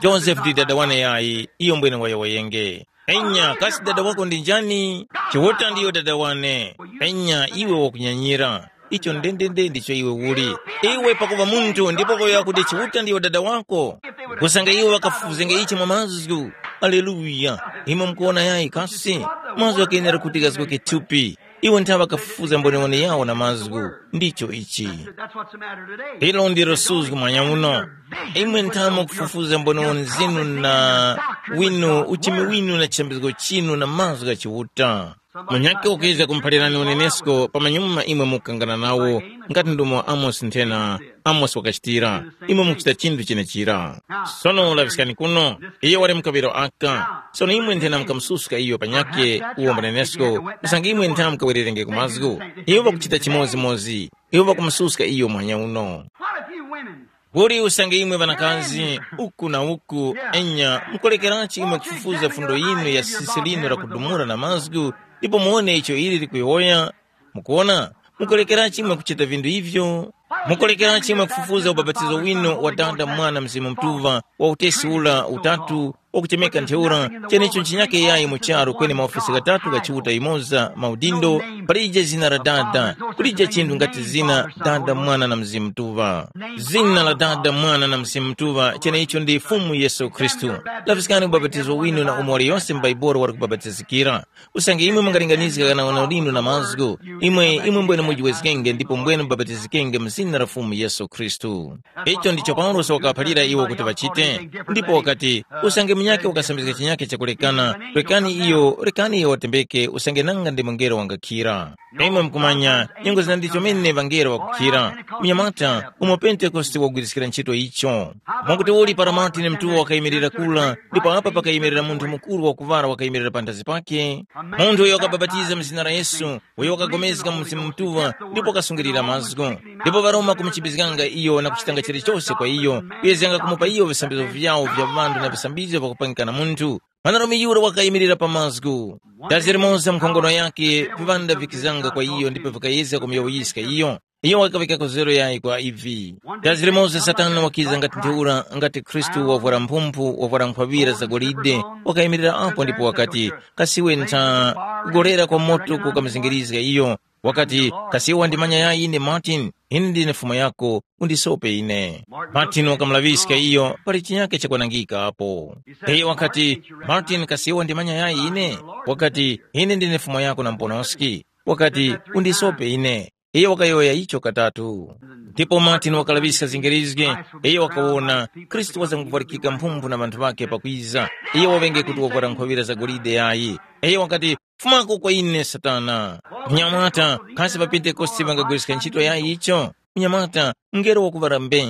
Josefe ndi dada wane yayi, iyo mbwene wayowoyenge. Enya, kasi dada wako ndi njani? Chiuta ndiyo dada wane. Penya iwe wakunyanyira. Icho ndendende ndicho iwe uli. Iwe pakuva munthu ndipo kuyowoya kuti Chiuta ndiyo dada wako. Kusanga iwo ŵakafufuzenge ichi mwa mazgu. Aleluya. Imwe mukuwona yayi kasi? Mazgu ghakenera kuti ghazgoke thupi. Iwo nthawe ŵakafufuza mboniwoni yawo na mazgu. Ndicho ichi. That's what's the matter today. Ilo ndilo suzgu mwanya uno. Imwe nthawe mukufufuza mboniwoni zinu na winu uchimi winu na chishambizgo chinu na mazgu gha Chiuta. Munyakhe ukiza kumphalirani unenesko pamanyuma imwe mukukangana nawo, ngati ndumo Amosi nthena Amosi wakachitira. Imwe mukuchita chinthu chenechira. Sono laŵiskani kuno, iyo wali mkaŵiro aka. Sono imwe nthena mukamususka iyo panyakhe uwo mwenenesko, kusanga imwe nthena mukawererenge ku mazgu. Iwo ŵakuchita chimodzimodzi. Iwo ŵakumususka iyo muhanya uno. What if you women? Kuli usange imwe ŵanakazi, uku na uku, enya, mukulekerachi imwe kufufuza fundo yinu ya sisi linu la kudumula na mazgu, ndipo muwone icho ili likuyowoya? Mukuwona? Mukulekerachi imwe kuchita vinthu ivyo? Mukulekerachi imwe kufufuza ubapatizo winu wa Dada, Mwana, Mzimu Mutuŵa, wa utesi ula utatu, wakuchemeka ntheura, chenecho nchinyake yayi mu charu kweni maofesi ghatatu gha Chiuta yimoza maudindo, palije zina la Dada, kulije chinthu ngati zina Dada, Mwana na Mzimu Mutuŵa. Zina la Dada, Mwana na Mzimu Mutuŵa, chenecho ndi Fumu Yesu Khristu. Laviskani ubapatizo winu na umo waliyose m'Baibuli wali kubapatizikira. Usange imwe mungalinganizga kana uno linu na mazgu, imwe imwe mbwene mujiwezgenge ndipo mbwene mubapatizikenge mu zina la Fumu Yesu Khristu. Icho ndicho Paulosi wakaphalira iwo kuti ŵachite, ndipo wakati, usange munyakhe ukasambizga chinyakhe chakulekana, rekani iyo, rekani iyo watembeke, usange nanga ndi mungelo wangakhira. Imwe mukumanya, nyengo zina ndicho mene ŵangelo ŵakukhira. Munyamata, umo Pentekoste wagwiriskira ntchito icho. Mwakuti uli para Martin Mtuwa wakayimirira kula, ndipo apa pakayimirira munthu mukuru wakuŵala wakayimirira panthazi pake? Munthu uyo wakabapatiza mu zina la Yesu, uyo wakapulikana mu Mzimu Mutuŵa ndipo wakasungilira mazgu. Ndipo ŵaRoma kumuchipizganga iyo na kuchitanga chilichose kwa iyo, kuyezganga kumupa iyo visambizgo vyawo vya ŵanthu na visambizgo vyakupangika na munthu. Mwanarume yura wakayimirira pa mazgu. Dazi limoza mu nkhongono yake, viŵanda vikizanga kwa iyo ndipo vikayezga kumuyawuyiska iyo. Iyo wakaŵika kozero yayi kwa ivi. Dazi limoza Satana wakiza ngati ntheura, ngati Khristu wavwara mphumphu, wavwara nkhwaŵira za golide, wakayimirira apo ndipo wakati, kasiwe ntha, kugorera kwa moto kukamuzingilizga iyo. Wakati, kasiwe wandimanya yayi ine Martin, ine ndine fumu yako, undisope ine. Martin wakamulaŵiska iyo pali chinyake chakwanangika apo. Iyo wakati, Martin, kasiwe wandimanya yayi ine? Wakati, ine ndine fumu yako na muponoski. Wakati, undisope ine. Iyo wakayowoya icho katatu. Ndipo Martin wakalaŵiska zingerizge, iyo wakawona Khristu wazamkuphalikika mphumphu na ŵanthu ŵakhe pakwiza. Iyo waŵenge kuti wavwara nkhowera za golide yayi. Iyo wakati, fumako kwa ine Satana. Munyamata, kasi pa Pentekoste ŵangagwiriska ntchito yayi icho? Munyamata, mngelo wakuŵala mbe.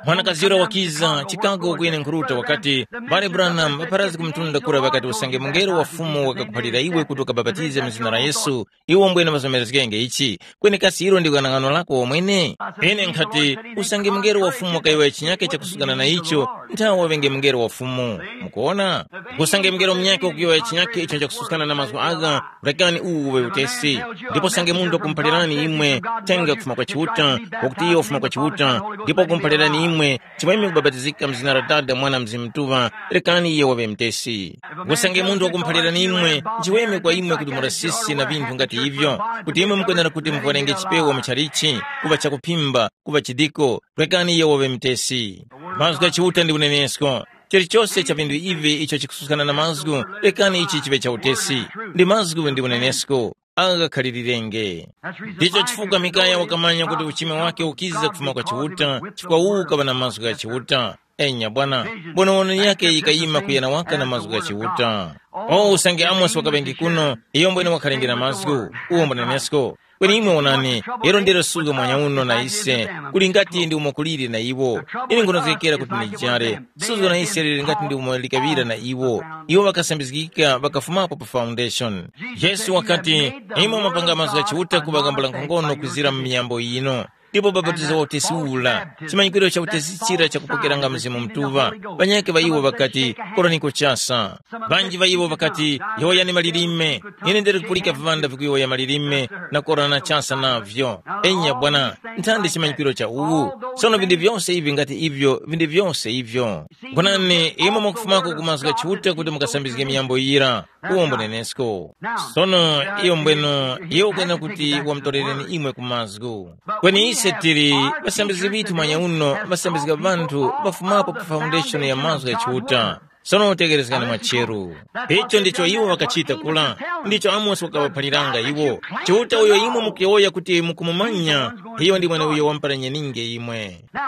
Mwanakazi yura wakiza, Chicago kwenekura wakati, Mbale Branham, ŵapharazgi ku mtunda kura ŵakati usange mungelo wa Fumu wakakuphalira iwe kuti ukabapatize mu zina la Yesu, iwe umbwene mazomerezgenge ichi, kweni kasi ilo ndi ghanag'ano lako wamwene? Ine nkhati, usange mungelo wa Fumu wakayowoya chinyake chakusukana na icho, nthawe waŵenge mungelo wa Fumu. Mukuona? Usange mungelo munyakhe wakuyowoya chinyake icho chakusukana na mazgu agha, rekani uwu uŵe utesi. Ndipo usange munthu wakumuphalirani imwe, thenga kufuma kwa Chiuta, wakuti iyo wafuma kwa Chiuta, ndipo wakumuphalirani imwe, chimwemwe kubapatizika mu zina la Dada, Mwana, Mzimu Mutuŵa, rekani iyo waŵe mutesi. Usange munthu wakumuphalirani imwe, nchiweme kwa imwe kuti murasisi na vinthu ngati ivyo, kuti imwe mukwenera kuti muvwarenge chipewa muchalichi, kuŵa chakuphimba, kuŵa chidiko, rekani iyo waŵe mutesi. Mazgu gha Chiuta ndi unenesko. Chilichose cha vinthu ivi icho chikususkana na mazgu, rekani ichi chiŵe cha utesi. Ndi mazgu ndi unenesko. Agha khalilirenge. Ndicho chifukwa Mikaya wakamanya kuti uchime wake ukiza kufuma kwa Chiuta, chifukwa uwu ukaŵa na mazgu gha Chiuta. Enya bwana, mbonewano yake yikayima kuyana waka na mazgu gha Chiuta. O usange Amosi wakaŵenge kuno, iyo mbwene wakhalenge na mazgu, uwo mbunenesko. Kweni imwe wonani, lero ndilo suga mwanya uno na ise, kuli ngati ndi umo kuliri na iwo. Ine nkhunozgekera kuti ndijare, suga na ise lili ngati ndi umo likaŵira na iwo. Iwo ŵakasambizgika ŵakafumapo pa foundation. Yesu wakati, imwe mwapanga mazgu gha Chiuta kuŵa gambula nkhongono kwizira mu miyambo yino. Ndipo bapatizo wa utesi ula, chimanyikiro cha utesi chira chakupokeranga Mzimu Mutuŵa. Ŵanyakhe ŵa iwo ŵakati, koraniko chasa. Ŵanji ŵa iwo ŵakati, yowoyani malilime. Ine ndili kupulika viŵanda vikuyowoya malilime na korana chasa navyo. Enya bwana, nthandi chimanyikiro cha uwu. Sono vinthu vyose ivi ngati ivyo, vinthu vyose ivyo. Gonani, imwe mukufumako ku mazgu gha Chiuta kuti mukasambizge miyambo yira. uwo mbunenesko. Sono iyo mbweno, iyo ukwena kuti wamutorereni imwe ku mazgu. Kweni ise tili ŵasambizgi ŵithu manyauno, ŵasambizga ŵanthu ŵafumapo pa foundation ya mazgu ya Chiuta. Sono tegerezgani mwa cheru. Icho ndicho iwo ŵakachita kula. Ndicho Amosi wakaŵaphaliranga iwo. Chiuta uyo imwe mukuyowoya kuti mukumumanya, iyo ndi mweneuyo wamupara nyeninge imwe. Now,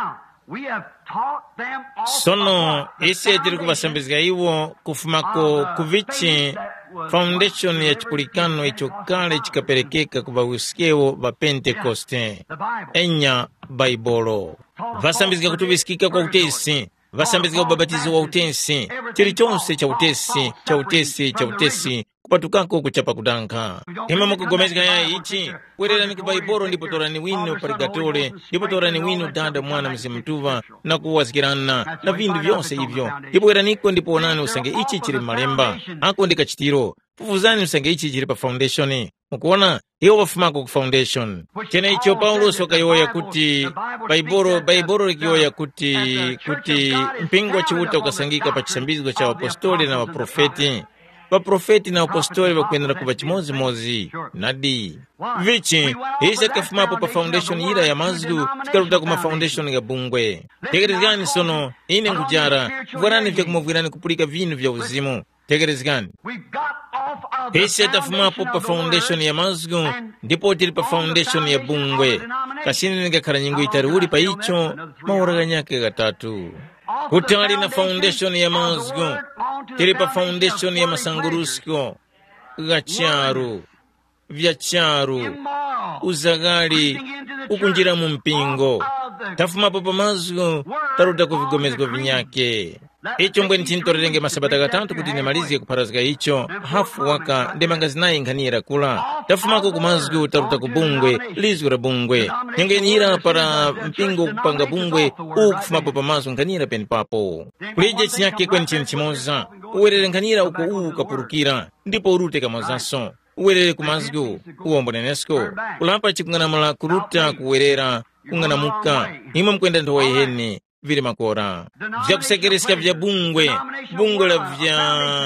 we have taught them also. Sono ise tili kuvasambizga iwo kufumako ku vichi foundation ya chipulikano icho kale chikaperekeka ku ŵawisikewo ŵa Pentekoste. Enya Baibolo. Vasambizga kutuŵiskika kwa utesi, vasambizga ubapatizo wa utesi, chilichonse cha utesi, cha utesi, cha utesi, kupatukako kuchapa kudankha. Imwe mukugomezga yayi ichi? Wererani ku Baibolo ndipo torani wino purigatore, ndipo torani wino Dada, Mwana, Mzimu Mutuŵa, na kuwazgirana na vindu vyose ivyo. Ndipo weraniko ndipo wonani usange ichi chili m'malemba. Ako ndi kachitiro. Fufuzani usange ichi chili pa foundation. Mukuona, iwo wafumako ku foundation. Cheneicho Paulosi wakayowoya kuti, Baibolo, Baibolo likiyowoya kuti, kuti mpingo wa Chiuta ukasangika pa chisambizgo cha ŵapostoli na ŵaprofeti. Ŵaprofeti na ŵapostoli ŵakwenera kuŵa chimodzimodzi. Nadi. Vichi, ise tikafumapo pa foundation yira ya mazgu, tikaruta ku ma foundation gha bungwe. Tekerezgani sono, ine nkujara, vwarani vyakumuvwirani kupulika vinu vya uzimu. Tekerezgani. Ise tafumapo pa foundation ya mazgu, ndipo tili pa foundation ya bungwe. Kasini ndingakhala nyengo yitali uli pa icho, maora ghanyakhe ghatatu. Kutali na foundation ya mazgu, tili pa foundation ya masangurusko gha charu, vya charu, uzaghali, ukunjira mu mpingo. Tafumapo pa mazgu, taruta ku vigomezgo vinyakhe. Icho mbweni chintorerenge masabata ghatatu kuti ndimalizge kupharazga icho, hafu waka ndemanga zinayi nkhani yira kula. Tafumako ku mazgu taruta ku bungwe, lizgu la bungwe. Nyengo yeniyira para mpingo kupanga bungwe, uwu kufumapo pa mazgu nkhani yira penepapo. Kulije chinyakhe kweni chinthu chimoza, uwerere nkhani yira uko uwu ukapurukira, ndipo urute kamozanso. Uwerere ku mazgu, uwombo nenesko. Kulapa chikung'anamula kuruta kuwerera, kung'anamuka, imwe mukwenda nthowa yiheni, vili makora. Vyakusekereska vya bungwe, bungwe la vya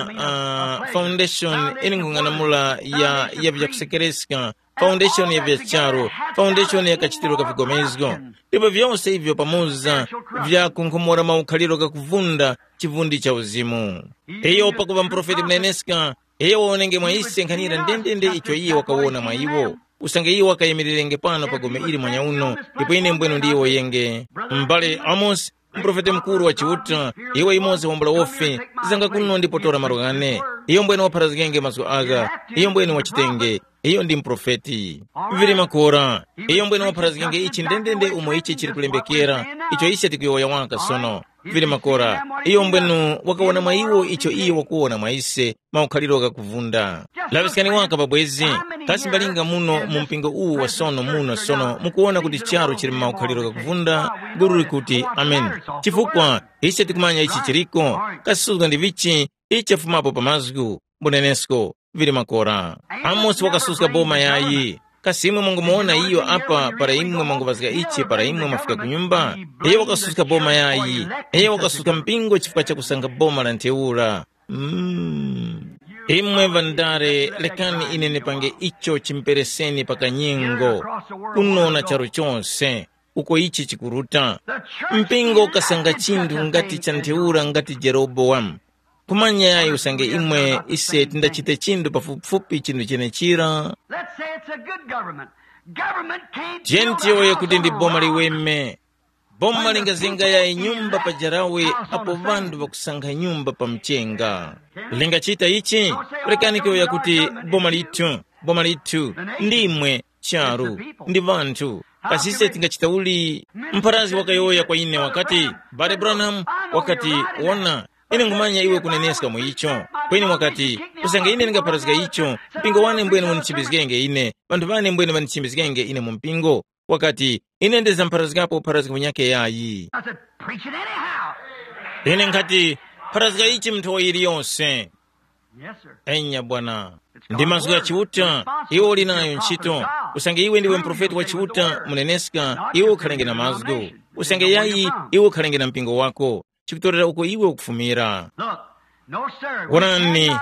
uh, foundation, ine nkung'anamula ya, ya vyakusekereska, foundation ya vya charu, foundation ya kachitiro ka vigomezgo. Ndipo vyose ivyo pamoza vyakunkhomora maukhaliro gakuvunda chivundi cha uzimu. Iyo pakuva muprofeti muneneska, iyo waonenge mwa ise nkhanira ndendende icho iye wakawona mwa iwo. Usange iwo wakayimirerenge pano pa gome ili mwanyauno, ndipo ine mbwenu ndiyowoyenge. M'bale Amosi, muprofeti mukuru wa Chiuta, iwe imoza wambula wofe, zanga kuno ndipo tora malo ghane. Iyo mbwenu wapharazgenge mazgu agha, iyo mbwenu wachitenge, iyo ndi muprofeti. Vili makora, iyo mbwenu wapharazgenge ichi ndendende umo ichi chili kulembekera, icho ise tikuyowoya waka sono. Vili makora, iyo mbwenu wakawona mwa iwo icho iyo wakuwona mwa ise, maukhaliro ghakuvunda. Laŵiskani waka pabwezi, kasi mbalinga muno mu mpingo uwu wa sono muno sono mukuwona kuti charu chili mu maukhaliro ghakuvunda? Guru likuti, Ameni. Chifukwa ise tikumanya ichi chiliko, kasuzga ndi vichi, ichi chafumapo pa mazgu, mbunenesko, vili makora. Amosi wakasuska boma yayi. Kasi imwe mwangomuwona iyo apa para imwe mwangoŵazga ichi para imwe mwafika ku nyumba? Iyo wakasuska boma yayi. Iyo wakasuska mpingo chifukwa chakusanga boma la ntheura. Mm. Imwe ŵandale, lekani ine ndipange icho chimpereseni pa kanyengo. Kuno na charu chonse, uko ichi chikuruta. Mpingo ukasanga chinthu ngati cha ntheura ngati Jerobowamu. Kumanya yayi usange imwe ise tindachite chinthu pafupifupi chinthu chenechira. Let's say it's a good government. Government can't build a Jentiyoye house kuti ndi on a boma rock. Liweme. Boma lingazinga yayi nyumba pa jarawe apo ŵanthu ŵakusankha nyumba pa mchenga. Lingachita ichi? Lekani kuyowoya kuti boma lithu, boma lithu, ndimwe, charu, ndi ŵanthu. Kasi ise tingachita uli? Mpharazi wakayowoya kwa ine wakati, Bale Branham, wakati, wona, ine nkhumanya iwe kuneneska mu icho. Kweni wakati, usange ine ndingapharazga icho, mpingo wane mbwene unichimbizgenge ine, ŵanthu ŵane mbwene ŵanichimbizgenge ine mu mpingo. Wakati, ine ndizamupharazgapo upharazgi munyakhe yayi. I said, preach it anyhow. Ine nkhati, pharazga ichi mu nthowa yiliyonse. Yes, sir. Enya bwana. Ndi mazgu gha Chiuta, iwe uli nayo ntchito. Usange iwe ndiwe muprofeti wa Chiuta, muneneska, iwe ukhalenge na mazgu. Usange yayi, iwe ukhalenge na mpingo wako. Chikutorera uko iwe ukufumira. Look, no, sir. We Wonani, cannot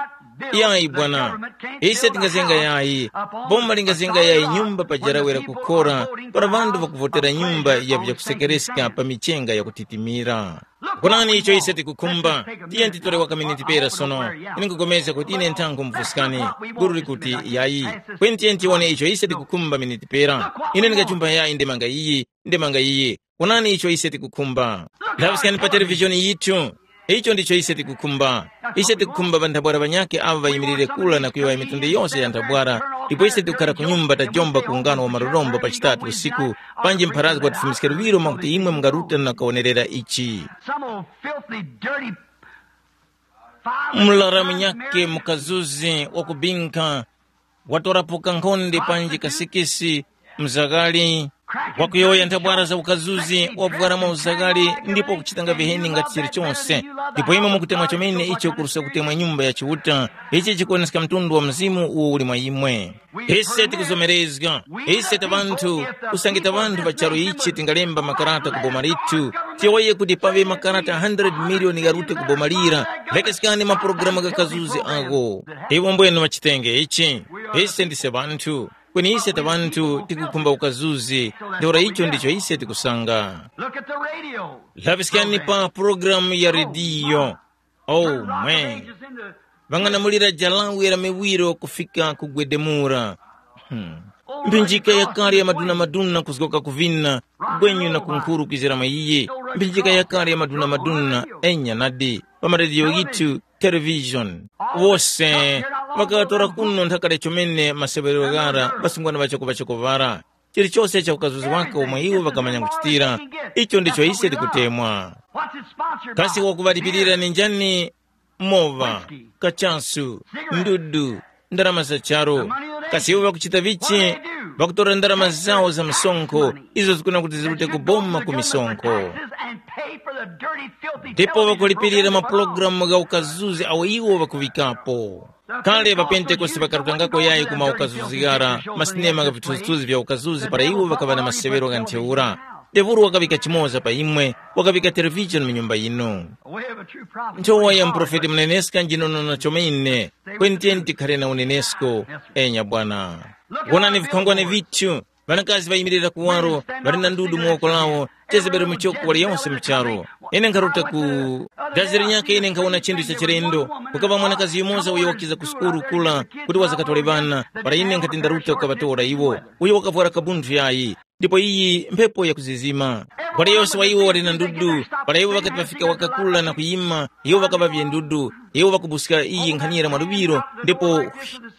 Yayi bwana, ise tingazenga yayi. Boma lingazenga yayi nyumba pajarawera kukhora para ŵanthu ŵakuvotera nyumba ya vyakusekereska pa michenga yakutitimira. Kunani icho ise tikukhumba? Tiye titore waka miniti pera sono. Ine nkupulikana kuti ine nthango mvuskani. Guru likuti yayi. Kweni tiye tiwone icho ise tikukhumba miniti pera. Ine ndingachumba yayi ndemanga iyi, ndemanga iyi. Onani icho ise tikukhumba. Laŵiskani pa televishoni yithu. Icho ndicho ise tikukhumba. Ise tikukhumba ŵanthabwala ŵanyakhe awo ŵayimirire kula na kuyowoya mitundu yose ya nthabwala, ndipo ise tikukhara ku nyumba tajomba ku ungano wa malorombo pa chitatu usiku, panji mpharazgo watifumiske luŵiro mwakuti imwe mungaruta na kawonerera ichi. Some old filthy, dirty, foul Mlara munyakhe mukazuzi wakubinkha, watorapo kankhonde panji kasikisi, mzakali, wakuyowoya nthabwara za ukazuzi, wavwara mwa uzakali, ndipo kuchitanga viheni ngati chilichonse. Ndipo imwe mukutemwa chomene icho kuruska kutemwa nyumba ya Chiuta, ichi chikuwoneska mtundu wa mzimu uwo uli mwa imwe. Ise tikuzomerezga, ise ta ŵanthu, usange ta ŵanthu ŵa charu ichi tingalemba makarata ku boma lithu, tiyowoye kuti paŵe makarata hundred miliyoni gharute ku boma lira. Lekeskani mapulogalamu gha kazuzi agho. Iwo mbwenu ŵachitenge ichi. Ise ndise ŵanthu, kweni ise ta ŵanthu tikukhumba ukazuzi, ntheura icho ndicho ise tikusanga. Look at the radio. Laŵiskani pa pulogalamu ya rediyo. Oh, mwe. Ŵang'anamulira jalawi la miwiro kufika kugwedemura. Hmm. Mphinjika yakale ya maduna-maduna kuzgoka ku vina, kugwenyu na kunkhuru kwizira mwa iye. Mphinjika yakale ya maduna-maduna, enya nadi, pa marediyo ghithu, television. Wose ŵakatora kuno nthakale chomene maseŵerero ghara ŵasungwana ŵachoko-ŵachoko ŵara. Chilichose cha ukazuzi wake omwe iwo ŵakamanya kuchitira, icho ndicho ise tikutemwa. Kasi wakuŵalipirira ni njani? Mowa, kachasu, ndudu, ndarama za charu. Kasi iwo ŵakuchita vichi? Ŵakutora ndarama zawo za misonkho, izo zikuna kuti zirute kuboma ku misonkho. Ndipo ŵakulipirira mapulogalamu gha ukazuzi awo iwo ŵakuŵikapo. Kale ŵapentekoste ŵakarutangako yayi ku maukazuzi ghara, masinema gha vithunzithunzi vya ukazuzi para iwo ŵakaŵa na maseŵero gha ntheura. Tevuru wakaŵika chimoza pa imwe, wakaŵika televishoni mu nyumba yinu. Nthowa ya muprofeti muneneska njinono na chomene, kweni tiyeni tikhare na unenesko. Enya bwana. Wonani vikhongwane vithu, ŵanakazi ŵayimirira kuwaro, ŵali na ndudu mu woko lawo, Jezebeli muchoko wali yonse mu charu. Ine nkharuta ku dazi linyakhe ine nkhawona chinthu cha chilendo. Kukaŵa mwanakazi yumoza uyo wakiza ku sukulu kula kuti wazakatole ŵana, para ine nkhati ndaruta kukaŵatora iwo. Uyo wakavwara kabunthu yayi, ndipo iyi mphepo yakuzizima. Wali yonse wa iwo wali na ndudu, para iwo ŵakati ŵafika wakakula na kuyima, iwo ŵakaŵavye ndudu, iwo ŵakubuska iyi nkhanira mwa luŵiro, ndipo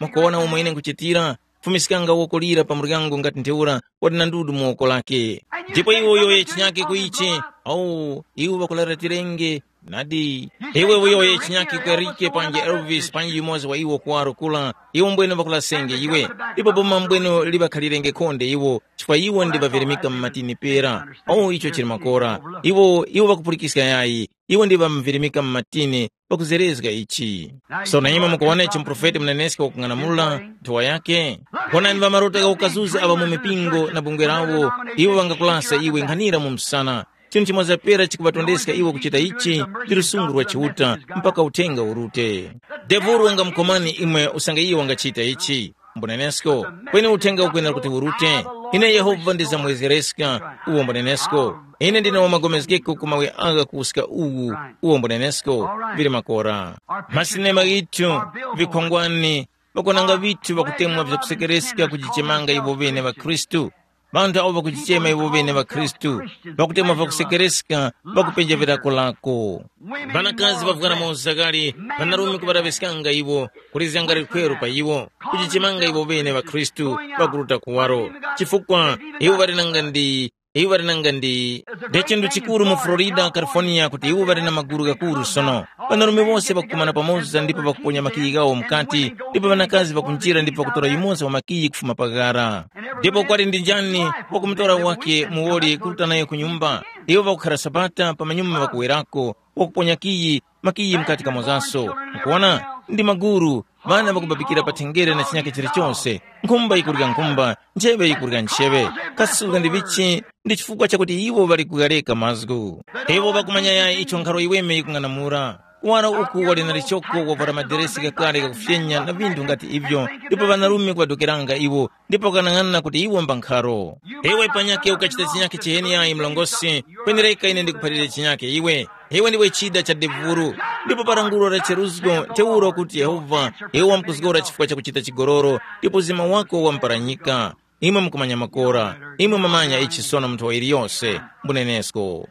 mwakuwona umo ine nkuchitira, fumiskanga woko lira pa muryango ngati ntheura wali na ndudu mu woko lake. Ndipo iwe uyowoye chinyake ku ichi, awu, iwe ŵakularatirenge, nadi. Iwe uyowoye chinyake ku Erike panji Elvis panji yumoza wa iwo kuwaro kula, iwo mbwene ŵakulasenge iwe. Ndipo boma mbwene liŵakhalirenge khonde iwo, chifukwa iwo ndi ŵavirimika mu matini pera. Awu, icho chili makora. Iwo, iwo ŵakupulikiska yayi, iwo ndi ŵamvirimika mu matini, pakuzerezga ichi. Sono imwe mukuwona ichi muprofeti muneneski wakung'anamula nthowa yake? Wonani ŵamarota gha ukazuzi aŵa mu mipingo na bungwe lawo, iwo ŵangakulasa iwe nkhanira mu msana. Chinthu chimoza pera chikuŵatondeska iwo kuchita ichi, ndi lusungu lwa Chiuta, mpaka uthenga urute. Devulu wangamukomani imwe usange iye wangachita ichi. Mbunenesko, kweni uthenga ukwenera kuti urute. Ine Yehova ndizamwezereska, uwo mbunenesko. Ine ndine wamagomezgeko ku mawe agha kuwuska uwu, uwo mbunenesko, vili makora. Masinema ghithu, vikhongwani, ŵakonanga vithu ŵakutemwa vyakusekereska kujichemanga iwo ŵene ŵakhristu. Ŵanthu awo ŵakujichema iwo ŵene ŵakhristu, ŵakutemwa vyakusekereska, ŵakupenja vilako-lako. Ŵanakazi ŵavwara mauzakali, ŵanarume kuŵalaŵiskanga iwo, kulizganga likhweru pa iwo, kujichemanga iwo ŵene ŵakhristu, ŵakuruta kuwaro. Chifukwa iwo ŵali nanga ndi, iwo ŵali nanga ndi, nde chinthu chikuru mu Florida, California, kuti iwo ŵali na magulu ghakuru sono. Ŵanarume wose ŵakukumana pamoza ndipo ŵakuponya makiyi ghawo mukati, ndipo ŵanakazi ŵakunjira ndipo ŵakutora yumoza wa makiyi kufuma pa ghara. Ndipo kwali ndi njani wakumutora wake muwoli kuruta nayo ku nyumba? Iwo ŵakukhara Sabata pa manyuma ŵakuwerako, wakuponya kiyi, makiyi mukati kamozaso. Mukuwona? Ndi maguru, ŵana ŵakubabikira pa thengere na chinyake chilichonse. Nkhumba yikurya nkhumba, ncheŵe yikurya ncheŵe. Kasi suzga ndi vichi? Ndi chifukwa chakuti iwo ŵali kughareka mazgu. Iwo ŵakumanya yayi icho nkharo yiweme yikung'anamula. Kuwaro uku wali na lichoko wavwara maderesi ghakale ghakufyenya na vinthu ngati ivyo, ndipo ŵanarume kuŵadokeranga iwo, ndipo ŵakanang'ana kuti iwo mbankharo. Iwe panyakhe ukachita chinyakhe chiheni yayi mlongosi, kwenereka ine ndikuphalire chinyakhe iwe. Iwe ndiwe chida cha devuru, ndipo pa lankhulo la cheruzgo ntheura kuti Yehova, iwe wamkuzgora chifukwa chakuchita chigoloro, ndipo uzima wako wamparanyika. Imwe mukumanya makora, imwe mwamanya ichi sono munthu wa iliyose, mbunenesko.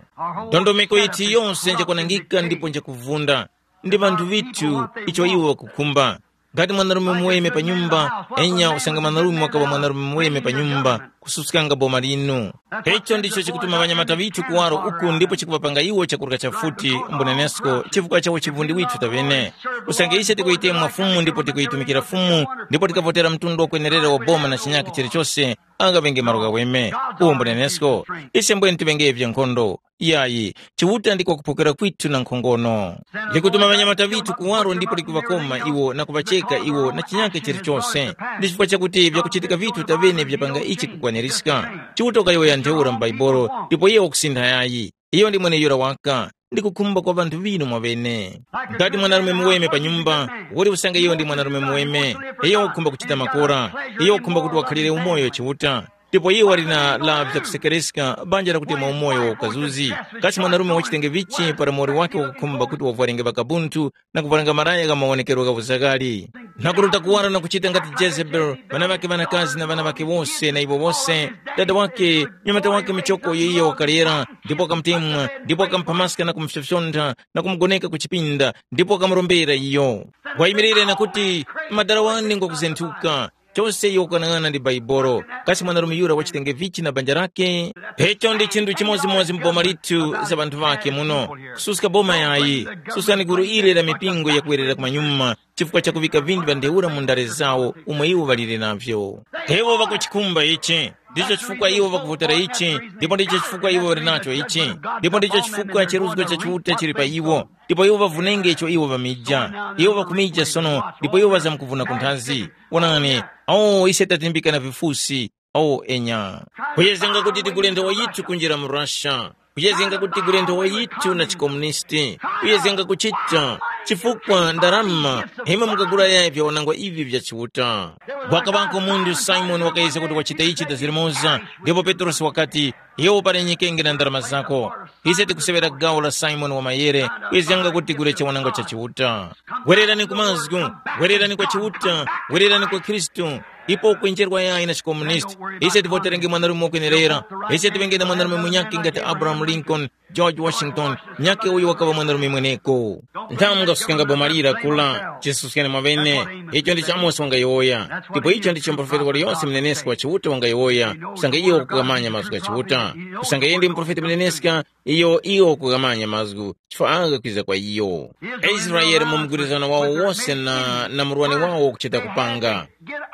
Ndondomeko yithu yose njakwanangika ndipo njakuvunda, ndi ŵanthu ŵithu icho iwo ŵakukhumba. Ngati mwanarume muweme pa nyumba, enya usange mwanarume wakaŵa mwanarume muweme pa nyumba, kususkanga boma linu. Icho ndicho chikutuma ŵanyamata ŵithu kuwaro uku ndipo chikuŵapanga iwo chakurya chafuti mbunenesko chifukwa cha uchivundi withu taŵene. Usange ise tikuyitemwa Fumu ndipo tikuyitumikira Fumu, ndipo tikavotera mtundu wakwenerera wa boma na chinyakhe chilichose, angaŵenge malo ghaweme. Uwo mbunenesko, ise mbwene tiŵengevye nkhondo. Yayi, Chiuta ndiko kuphokera kwithu na nkhongono. Likutuma ŵanyamata ŵithu kuwaro ndipo likuŵakoma iwo na kuŵacheka iwo na chinyakhe chilichose. Ndi chifukwa chakuti vyakuchitika vithu taŵene vyapanga ichi kukwanirizika. Chiuta ukayowoya ntheura mu Bhaibuli, ndipo iye wakusintha yayi. Iyo ndi mweneyura waka, ndi kukhumba kwa ŵanthu ŵinu mwaŵene. Ngati mwanarume muweme pa nyumba, woli usange iyo ndi mwanarume muweme, iyo wakukhumba kuchita makora, iyo wakukhumba kuti wakhalire umoyo Chiuta. Ndipo iye wali na la vyakusekereska banja lakuti mwa umoyo wa ukazuzi. Kasi mwanarume wachitenge vichi para muwoli wake wakukhumba kuti wavwarenge vakabunthu na kuvwaranga malaya gha mawonekero gha uzakali? Nhakuruta kuwara na kuchita ngati Jezebeli, ŵana ŵake ŵanakazi na ŵana ŵake wose na iwo wose, dada wake, nyamata wake michoko iyo iyo wakalera, ndipo wakamutemwa, ndipo wakamupha maska na kumufyofyontha na kumugoneka ku chipinda, ndipo wakamurombera iyo. Wayimirire na kuti, madara wane ngwakuzenthuka. Chose iyo ukanang'ana ndi Baibolo. Kasi mwanarume yura wachitenge vichi na banja lake? Icho ndi chinthu chimodzimodzi mu boma lithu za ŵanthu ŵakhe muno. Kususka boma yayi. Suskani gulu ile la mipingo yakuwerera kumanyuma chifukwa cha kuvika vinthu vya ntheura mu ndale zawo umo iwo ŵalire navyo. Iwo ŵakuchikhumba ichi. Ndicho chifukwa iwo ŵakuvotera ichi, ndipo ndicho chifukwa iwo ŵali nacho ichi, ndipo ndicho chifukwa cheruzgo cha Chiuta chili pa iwo. Ndipo iwo ŵavunenge icho iwo ŵamija. Iwo ŵakumija sono, ndipo iwo ŵazamkuvuna ku nthazi. Wonani, awo ise tatimbika na vifusi. Awo enya. Kuyezenga kuti tigule nthowa yithu kunjira mu Russia. Kuyezenga kuti tigule nthowa yithu na chikomunisti. Kuyezenga kuchita. Chifukwa ndarama, imwe mukagula yayi vyawanangwa ivi vya Chiuta. Wakaŵako munthu Simoni wakayezga kuti wachita ichi dazirimoza, ndipo Petrosi wakati, iwe uparenyekenge na ndarama zako. Ise tikuseŵera gawo la Simoni wa mayere, kuyezganga kuti tigule chiwananga cha Chiuta. Wererani ku mazgu, wererani kwa Chiuta, wererani kwa Khristu. Ipo ukwenjerwa yayi na chikomunisti. Ise tivoterenge mwanarume wakwenerera. Ise tivenge na mwanarume munyakhe ngati Abraham Lincoln, George Washington, nyakhe uyo wakaŵa mwanarume mweneko. Nthamu ngakusukengapo malira kula, chisuskene mwaŵene. Icho ndicho Amosi wangayowoya. Ndipo icho ndicho muprofeti waliyonse munenesko wa Chiuta wangayowoya, kusanga iyo wakukamanya mazgu gha Chiuta. Kusanga iye ndi muprofeti muneneska, iyo iyo wakukamanya mazgu, chifukwa agha kwiza kwa iyo. Aisraele mu mgwirizano wawo wose na, na murwani wawo kuchita kupanga.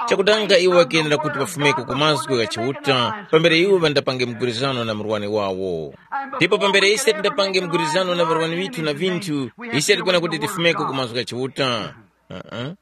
Chakudanga iwo ŵakenera kuti ŵafumeko ku mazgu gha Chiuta, pambere iwo ŵandapange mgwirizano na murwani wawo. Ndipo pambere ise tindapange mgwirizano na ŵarwani ŵithu na vinthu, ise tikwena kuti tifumeko ku mazgu gha Chiuta. Uh-uh.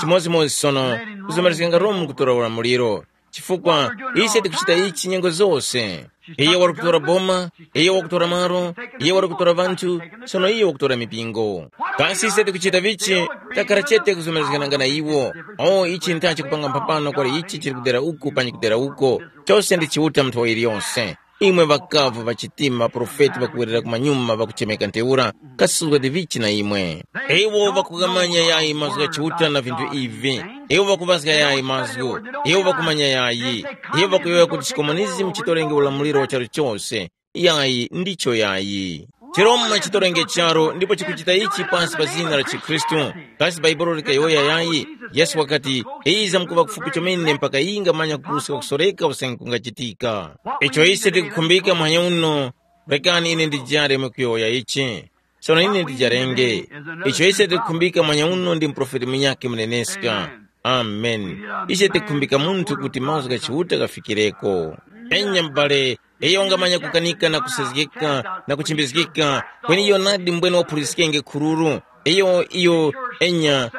Chimodzimodzi sono, kuzamalizganga Romu kutora ulamuliro. Chifukwa ise tikuchita ichi nyengo zose. Iye wali kutora boma, iye wakutora malo, iye wali kutora ŵanthu, sono iye wakutora mipingo. Kasi ise tikuchita vichi? Takhala chete kuzomerezgananga na iwo. O, ichi nthachi kupanga mphambano kwali ichi chili kudera uku panyi kudera uko. Chose ndi Chiuta mu nthowa iliyonse. Imwe ŵakavu ŵachitima, maprofeti ŵakuwerera kumanyuma ŵakuchemeka ntheura, kasuzgani vichi na imwe. Iwo ŵakukamanya yayi mazgu gha Chiuta na vinthu ivi. Iwo ŵakuŵazga yayi mazgu. Iwo ŵakumanya yayi. Iwo ŵakuyowoya kuti chikomunizimu chitorenge ulamuliro wa charu chose. Yayi, ndicho yayi. Chiroma chitorenge charu ndipo chikuchita ichi pansi pa zina la chikhristu. Kasi Bhaibuli likayowoya yayi? Yesu wakati, iza mkuŵa kufupi chomene mpaka yingamanya kuruska kusoreka usange kungachitika. Icho ise tikukhumbika muhanya uno, rekani ine ndijare mwe kuyowoya ichi. Sono ine ndijarenge. Icho ise tikukhumbika muhanya uno ndi muprofeti munyakhe muneneska. Amen. Ise tikukhumbika munthu kuti mazgu gha Chiuta ghafikireko. Enya m'bale, iyo wangamanya kukanika na kusezgeka na kuchimbizgika, kweni iyo nadi mbwene waphuliskenge khururu. Iyo, iyo, enya,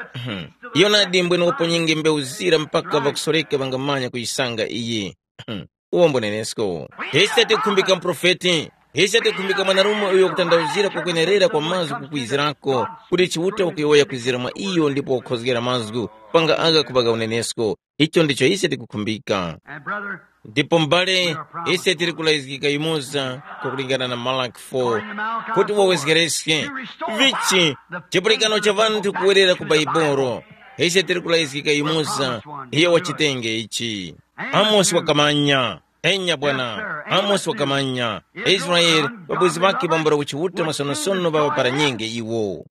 iyo nadi mbwene waponyenge mbewu zira mpaka ŵakusoreka ŵangamanya kuyisanga iyi. Uwo mbunenesko. Ise tikukhumbika muprofeti. Ise tikukhumbika mwanarume uyo wakutanthauzira kwakwenerera kwa mazgu kukwizirako, kuti Chiuta wakuyowoya kwizira mwa iyo ndipo wakukhozgera mazgu, panga agha kuŵaka unenesko. Icho ndicho ise tikukhumbika. And brother, ndipo m'bale, ise tili kulayizgika yumoza, kukulingana na Malaki four, kuti wawezgereske vichi chipulikano cha ŵanthu kuwerera ku Baibolo. Ise tili kulayizgika yumoza, iyo wachitenge ichi. Amosi wakamanya. Enya bwana, Amosi wakamanya. Israeli, ŵabwezi ŵakhe bambula kuchiuta masonosono ŵaŵaparanyenge iwo.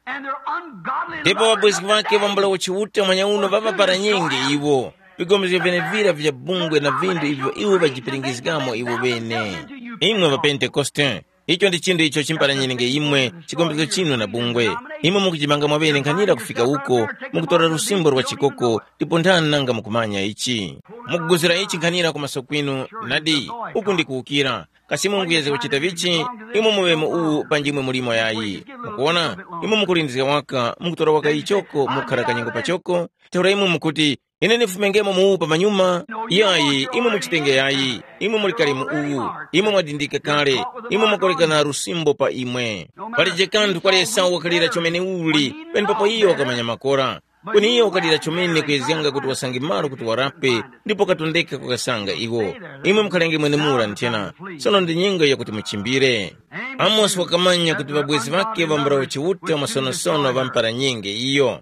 Ndipo ŵabwezi ŵakhe bambula kuchiuta mwanyauno ŵaŵaparanyenge iwo. Vigombezgo vyenevira vya bungwe na vindu ivyo iwo ŵajipiringizgamo iwo ŵene. Imwe ŵapentekoste, icho ndi chinthu icho chimparanyirenge imwe, chigombezgo chinu na bungwe. Imwe mukujimanga mwaŵene nkhanira kufika uko, mukutora lusimbo lwa chikoko, ndipo nthani nanga mukumanya ichi? Mukuguzira ichi nkhanira kumaso kwinu, nadi, uku ndi kuwukira. Kasi munguyezga kuchita vichi? Imwe muŵemo uwu panjimwe mulimo yayi. Mukuona, imwe mukulindizga waka, mukutora waka ichoko, mukhara kanyengo pachoko, ntheura imwe mukuti, ine ndifumengemo mu uwu pamanyuma. Yayi, imwe muchitenge yayi. Imwe muli kale mu uwu. Imwe mwadindika kale. Imwe mwakolekana lusimbo pa imwe. Palije kanthu kwa Esau wakalira chomene uli, penepapo iyo wakamanya makora. Kweni iyo wakalira chomene kuyezganga kuti wasange malo kuti warape, ndipo katondeka kukasanga iwo. Imwe mukhalenge mwenemura nthena. Sono ndi nyengo yakuti muchimbire. Amosi wakamanya kuti ŵabwezi ŵakhe ŵambula Chiuta masonosono ŵampara nyenge iyo.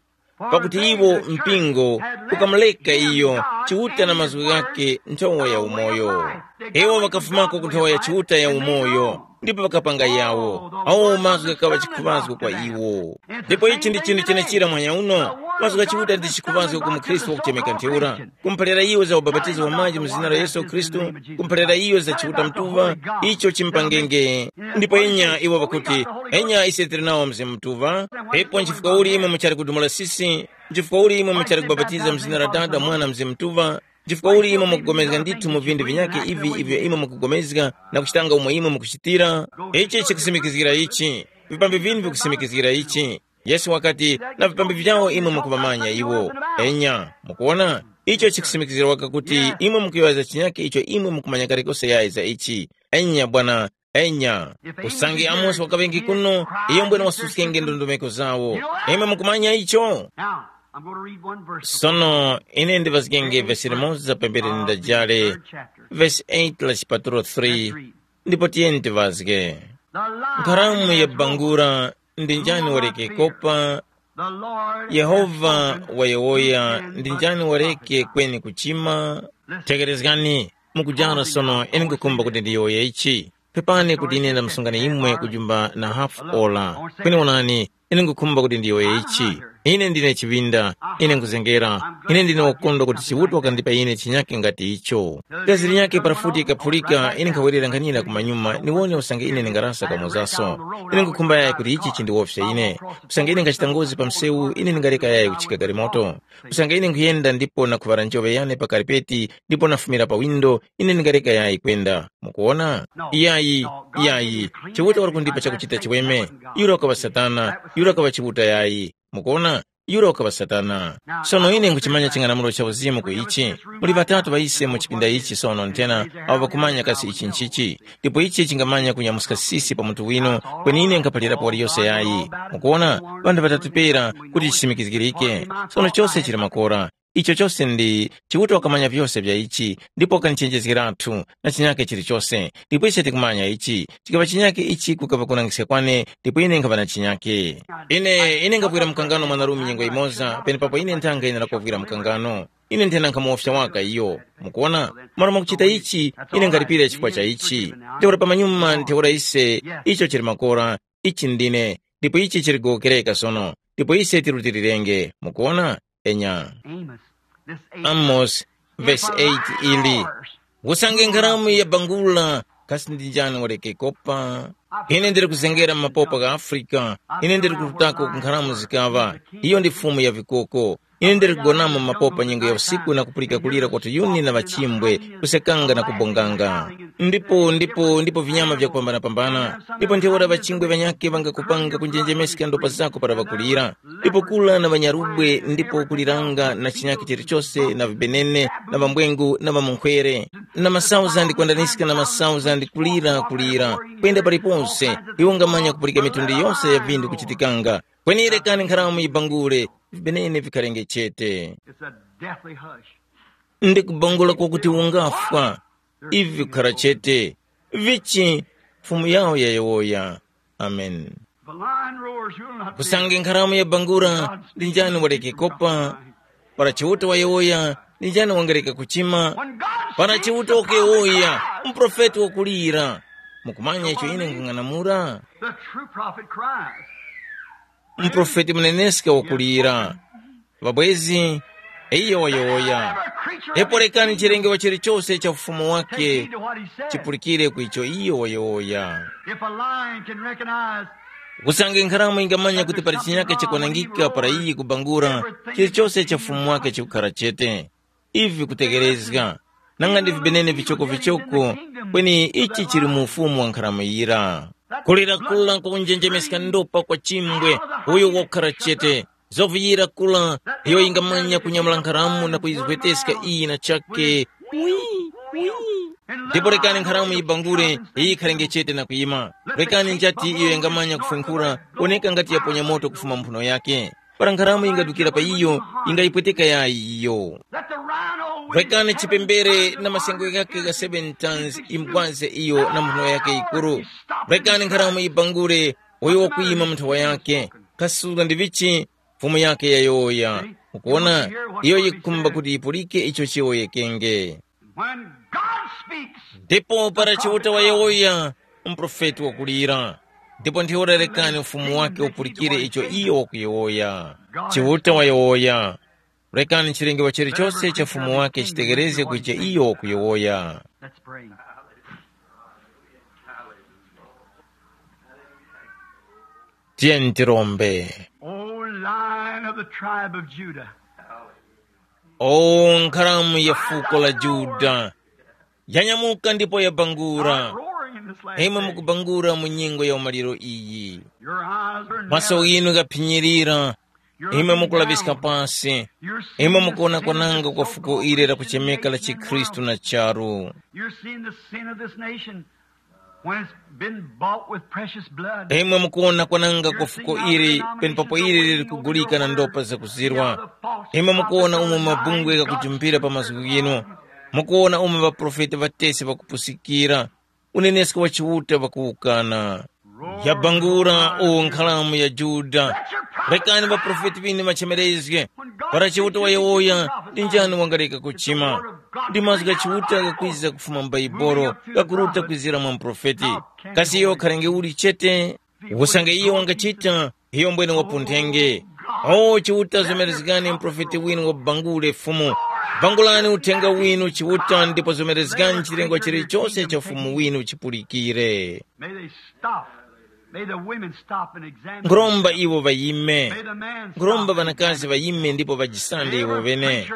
Pakuti iwo mpingo ukamuleka iyo, Chiuta na mazgu ghakhe nthowa ya umoyo. Iwo ŵakafumako ku nthowa ya Chiuta ya umoyo, ndipo ŵakapanga yawo. Awo mazgu ghakaŵa chikhuŵazgo kwa iwo. Ndipo ichi ndi chinthu chenechira mwanya uno, mazgu gha Chiuta ndi chikhuŵazgo ku mukhristu wakuchemeka ntheura. Kumuphalira iyo za ubapatizo wa maji mu zina la Yesu Khristu, kumuphalira iyo za Chiuta Mutuŵa, icho chimpangenge. Ndipo enya iwo ŵakuti, enya ise tili nawo Mzimu Mutuŵa, pepo nchifukwa uli imwe muchali kudumula sisi, nchifukwa uli imwe muchali kubapatiza mu zina la Dada, Mwana, Mzimu Mutuŵa, nchifukwa uli imwe mukugomezga ndithu mu vindu vinyakhe ivi ivyo imwe mukugomezga na kuchitanga umo imwe mukuchitira? Ichi chikusimikizgira ichi, vipambi vinu vikusimikizgira ichi. Yesu wakati, na vipambi vyawo imwe mukumamanya iwo. Enya, mukuona? Icho chikusimikizira waka kuti imwe mukuyowoya za chinyakhe icho imwe mukumanya kalikose yayi za ichi. Enya bwana, enya. Usange Amosi wakaŵenge kuno, iyo mbwene wasuskenge ndondomeko zawo. Imwe mukumanya icho? Now, I'm going to read one verse. Sono ine ndivazgenge vesi limoza pambere ndajale, vesi eight la chipatulo three, ndipo tiyeni tivazge. Nkharamu ya bangura, ndi njani waleke kopa? Yehova wayowoya, ndi njani waleke kweni kuchima? Tekerezgani, mukujara sono, ine nkukhumba kuti ndiyowoye ichi. Pepani kuti ine ndamusungani imwe kujumba na hafu ola. Kweni onani, ine nkukhumba kuti ndiyowoye ichi. Ine ndine chiŵinda, ine nkuzengera, ine ndine wokondwa kuti Chiuta wakandipa ine chinyakhe ngati icho. Gazi linyakhe parafuti ikaphulika, ine nkhawerera nkhanira kumanyuma, niwone usange ine ndingarasa kamozaso. Ine nkukhumba yayi kuti ichi chindiwofya ine. Usange ine nkhachita ngozi pa msewu, ine ndingareka yayi kuchika galimoto. Usange ine nkhuyenda ndipo nakhuŵala njoŵe yane pa karipeti, ndipo nafumira pa windo, ine ndingareka yayi kwenda. Mukuona? Iyayi, iyayi. Chiuta wali kundipa chakuchita chiweme. Yura wakaŵa Satana, yura wakaŵa Chiuta yayi. Mukuona? Yura wakaŵa Satana. Sono ine nkuchimanya ching'anamulo cha uzimu ku ichi. Muli ŵatatu ŵa ise mu chipinda ichi sono nthena, awo ŵakumanya kasi ichi nchichi. Ndipo ichi chingamanya kunyamuska sisi pa munthu winu, kweni ine nkhaphalirapo waliyose yayi. Mukuona? Ŵanthu ŵatatu pera kuti chisimikizgirike. Sono chose chili makora. Icho chose ndi, Chiuta wakamanya vyose vya ichi, ndipo wakanichenjezgeratu na chinyakhe chilichose. Ndipo ise tikumanya ichi, chikaŵa chinyakhe ichi kukaŵa kunangiska kwane, ndipo ine nkhaŵa na chinyakhe. Ine, ine ngavwira mkangano mwanarume nyengo imoza, penepapo ine nthanga ine ndakuvwira mkangano. Ine nthena nkhamuwofya waka iyo. Mukuona? Malo mwakuchita ichi, ine nkhalipira chifukwa cha ichi. Ntheura pamanyuma, ntheura ise, icho chili makora, ichi ndine, ndipo ichi chili kugowokereka sono, ndipo ise tirutilirenge. Mukuona? Enya. Amos, this eight. Amos, verse eight ili. Usange nkharamu yabangula, kasi ndi njani waleke kopa? Ine ndiri kuzengera mu mapopa gha Afrika, ine ndiri kurutako ku nkharamu zikaŵa, iyo ndi fumu ya vikoko. Ine ndiri kugonamo mu mapopa nyengo ya usiku na kupulika kulira kwa tuyuni na ŵachimbwe, kusekanga na kubonganga. Ndipo, ndipo, ndipo vinyama vyakupambana-pambana. Ndipo ntheura ŵachingwe ŵanyakhe ŵangakupanga kunjenjemeska ndopa zako para ŵakulira. Ndipo kula na ŵanyarubwe, ndipo kuliranga na chinyakhe chilichose na vibenene na ŵambwengu na ŵamunkhwere. na masauzandi kwandaniska na masauzandi kulira kulira, kwenda paliponse. Iwo ngamanya kupulika mitundu yose ya vindu kuchitikanga. Kweni rekani nkharamu yibangule, vibenene vikharenge chete. It's a deathly hush. Ndi kubangula kwakuti ungafwa. Ivi kukhara chete. Vichi? Fumu yawo yayowoya. Amen. The lion roars, you'll not fear. Kusange nkharamu yabangura, ndi njani waleke kopa? Para Chiuta wayowoya, ndi njani wangareka kuchima? Para Chiuta wakuyowoya, mprofeti wakulira. Mukumanya icho ine nkung'anamura? The true prophet cries. Mprofeti muneneska wakulira. Ŵabwezi, iyo wayowoya. Ndipo rekani chilengewa chilichose cha ufumu wake chipulikire ku icho iyo wayowoya. If a lion can recognize, kusange nkharamu ingamanya kuti pali chinyaka chikwanangika para iyi kubangura, chilichose cha ufumu wake chikukhara chete. Ivi kutekerezga, nanga ndi vibenene vichokovichoko, kweni ichi chili mu ufumu wa nkharamu yira. Kulira kula kukunjenjemeska ndopa kwa chimbwe, uyo wakukhara chete. Zoviyira kula, iyo ingamanya kunyamula nkharamu na kuyizweteska iyi na chake. Wi, wi. Ndipo rekani nkharamu yibangure, iyi ikharenge chete na kuyima. Rekani njati iyo yangamanya kufunkhura, woneka ngati yaponya moto kufuma mphuno yake. Para nkharamu yingadukira pa iyo, yingayipweteka yayi iyo. Rekani chipembere na masengo ghakhe gha seven tons imugwaze iyo na mphuno yakhe yikuru. Rekani nkharamu yibangure, uyo wakuyima mu nthawa yakhe. Kasuzga ndi vichi? Fumu yakhe yayowoya. Mukuona, iyo yikhumba kuti yipulike icho chiyowoyekenge. When God speaks, ndipo para Chiuta wayowoya, mprofeti wakulira. Ndipo ntheura rekani ufumu wake upulikire icho iyo wakuyowoya. Chiuta wayowoya. Rekani chilengewa chilichose cha ufumu wake chitegerezge kucha iyo wakuyowoya. Let's pray. Tiyeni tirombe. O lion of the tribe of Judah, o nkharamu ya fuko la Juda, yanyamuka ndipo yabangura. Roaring in this last imwe day. Mukubangura mu nyengo ya umaliro iyi. Your eyes are maso narrowed. Inu ghaphinyirira. Imwe mukulaŵiska pasi. Imwe mukuwona kwananga kwa fuko ili lakuchemeka la chikhristu na charu. You're seeing the sin of this nation when it's been bought with precious blood. Imwe mukuwona kwananga kwa fuko ili penepapo ili lili kugulika na ndopa zakuzirwa. Imwe mukuwona umo mabungwe ghakujumpira pa mazgu ghinu. Mukuwona umo ŵaprofeti ŵatesi ŵakupusikira. Unenesko wa Chiuta ŵakuwukana. Yabangula o nkhalamu ya Juda. Rekani ŵaprofeti ŵinu ŵachemerezge. Para Chiuta wayowoya, ndi njani wangareka kuchima? Ndi mazgu gha Chiuta ghakwiza kufuma m'Baibolo, ghakuruta kwizira mwa muprofeti. Kasi iyo wakharenge uli chete? Usange iyo wangachita, iyo mbwene wapunthenge. O Chiuta, zomerezgani muprofeti winu wabangule Fumu. Bangulani uthenga winu Chiuta ndipo zomerezgani chilengwa chilichose cha Fumu winu chipulikire. May they stop. May the women stop and examine. Nkhuromba themselves. Iwo ŵayime. May the man stop. Nkhuromba and ŵanakazi examine. Ŵayime ndipo ŵajisande iwo ŵene.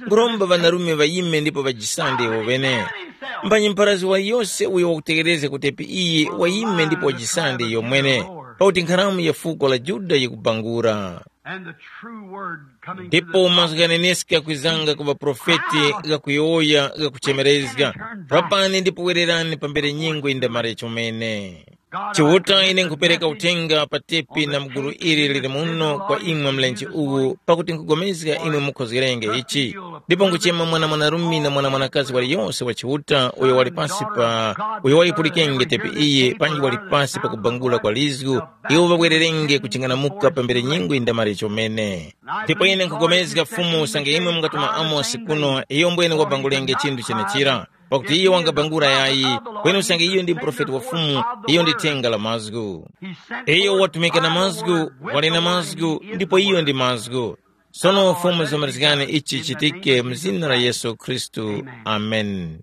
Nkhuromba ŵanarume ŵayime ndipo ŵajisande iwo ŵene. Mbanyi mparazi waliyose uyo wakutekerezga kutepi iyi wayime ndipo wajisande iyo mwene. Pakuti nkharamu ya fuko la Juda yikubangura. And the true word coming to the ndipo mazgu ghaneneska kwizanga ku ŵaprofeti ghakuyowoya ghakuchemerezga. Rapani ndipo wererani pambere nyengo yindamare chomene. Chiuta, ine nkhupereka uthenga pa tepi na mgulu ili lili muno kwa imwe mlenje uwu, pakuti nkhugomezga imwe mukhozgerenge ichi. Ndipo nkuchema mwana mwanarume na mwana mwanakazi waliyonse wa Chiuta uyo wali pasi pa, uyo wayipulikenge tepi iyi panji wali pasi pa kubangula kwa lizgu, iwo ŵabwererenge kuching'anamuka pambere nyengo yindamare chomene. Ndipo ine nkhugomezga Fumu usange imwe mungatuma Amosi kuno, iyo mbwene wabangulenge chinthu chenechira. Pakuti iyo wangabangula yayi, kweni usange iyo ndi muprofeti wa Fumu, iyo ndi thenga la mazgu. Iyo watumika na mazgu, wali na mazgu, ndipo iyo ndi mazgu. Sono Fumu, zomerezgani ichi chichitike mu zina la Yesu Khristu. Amen.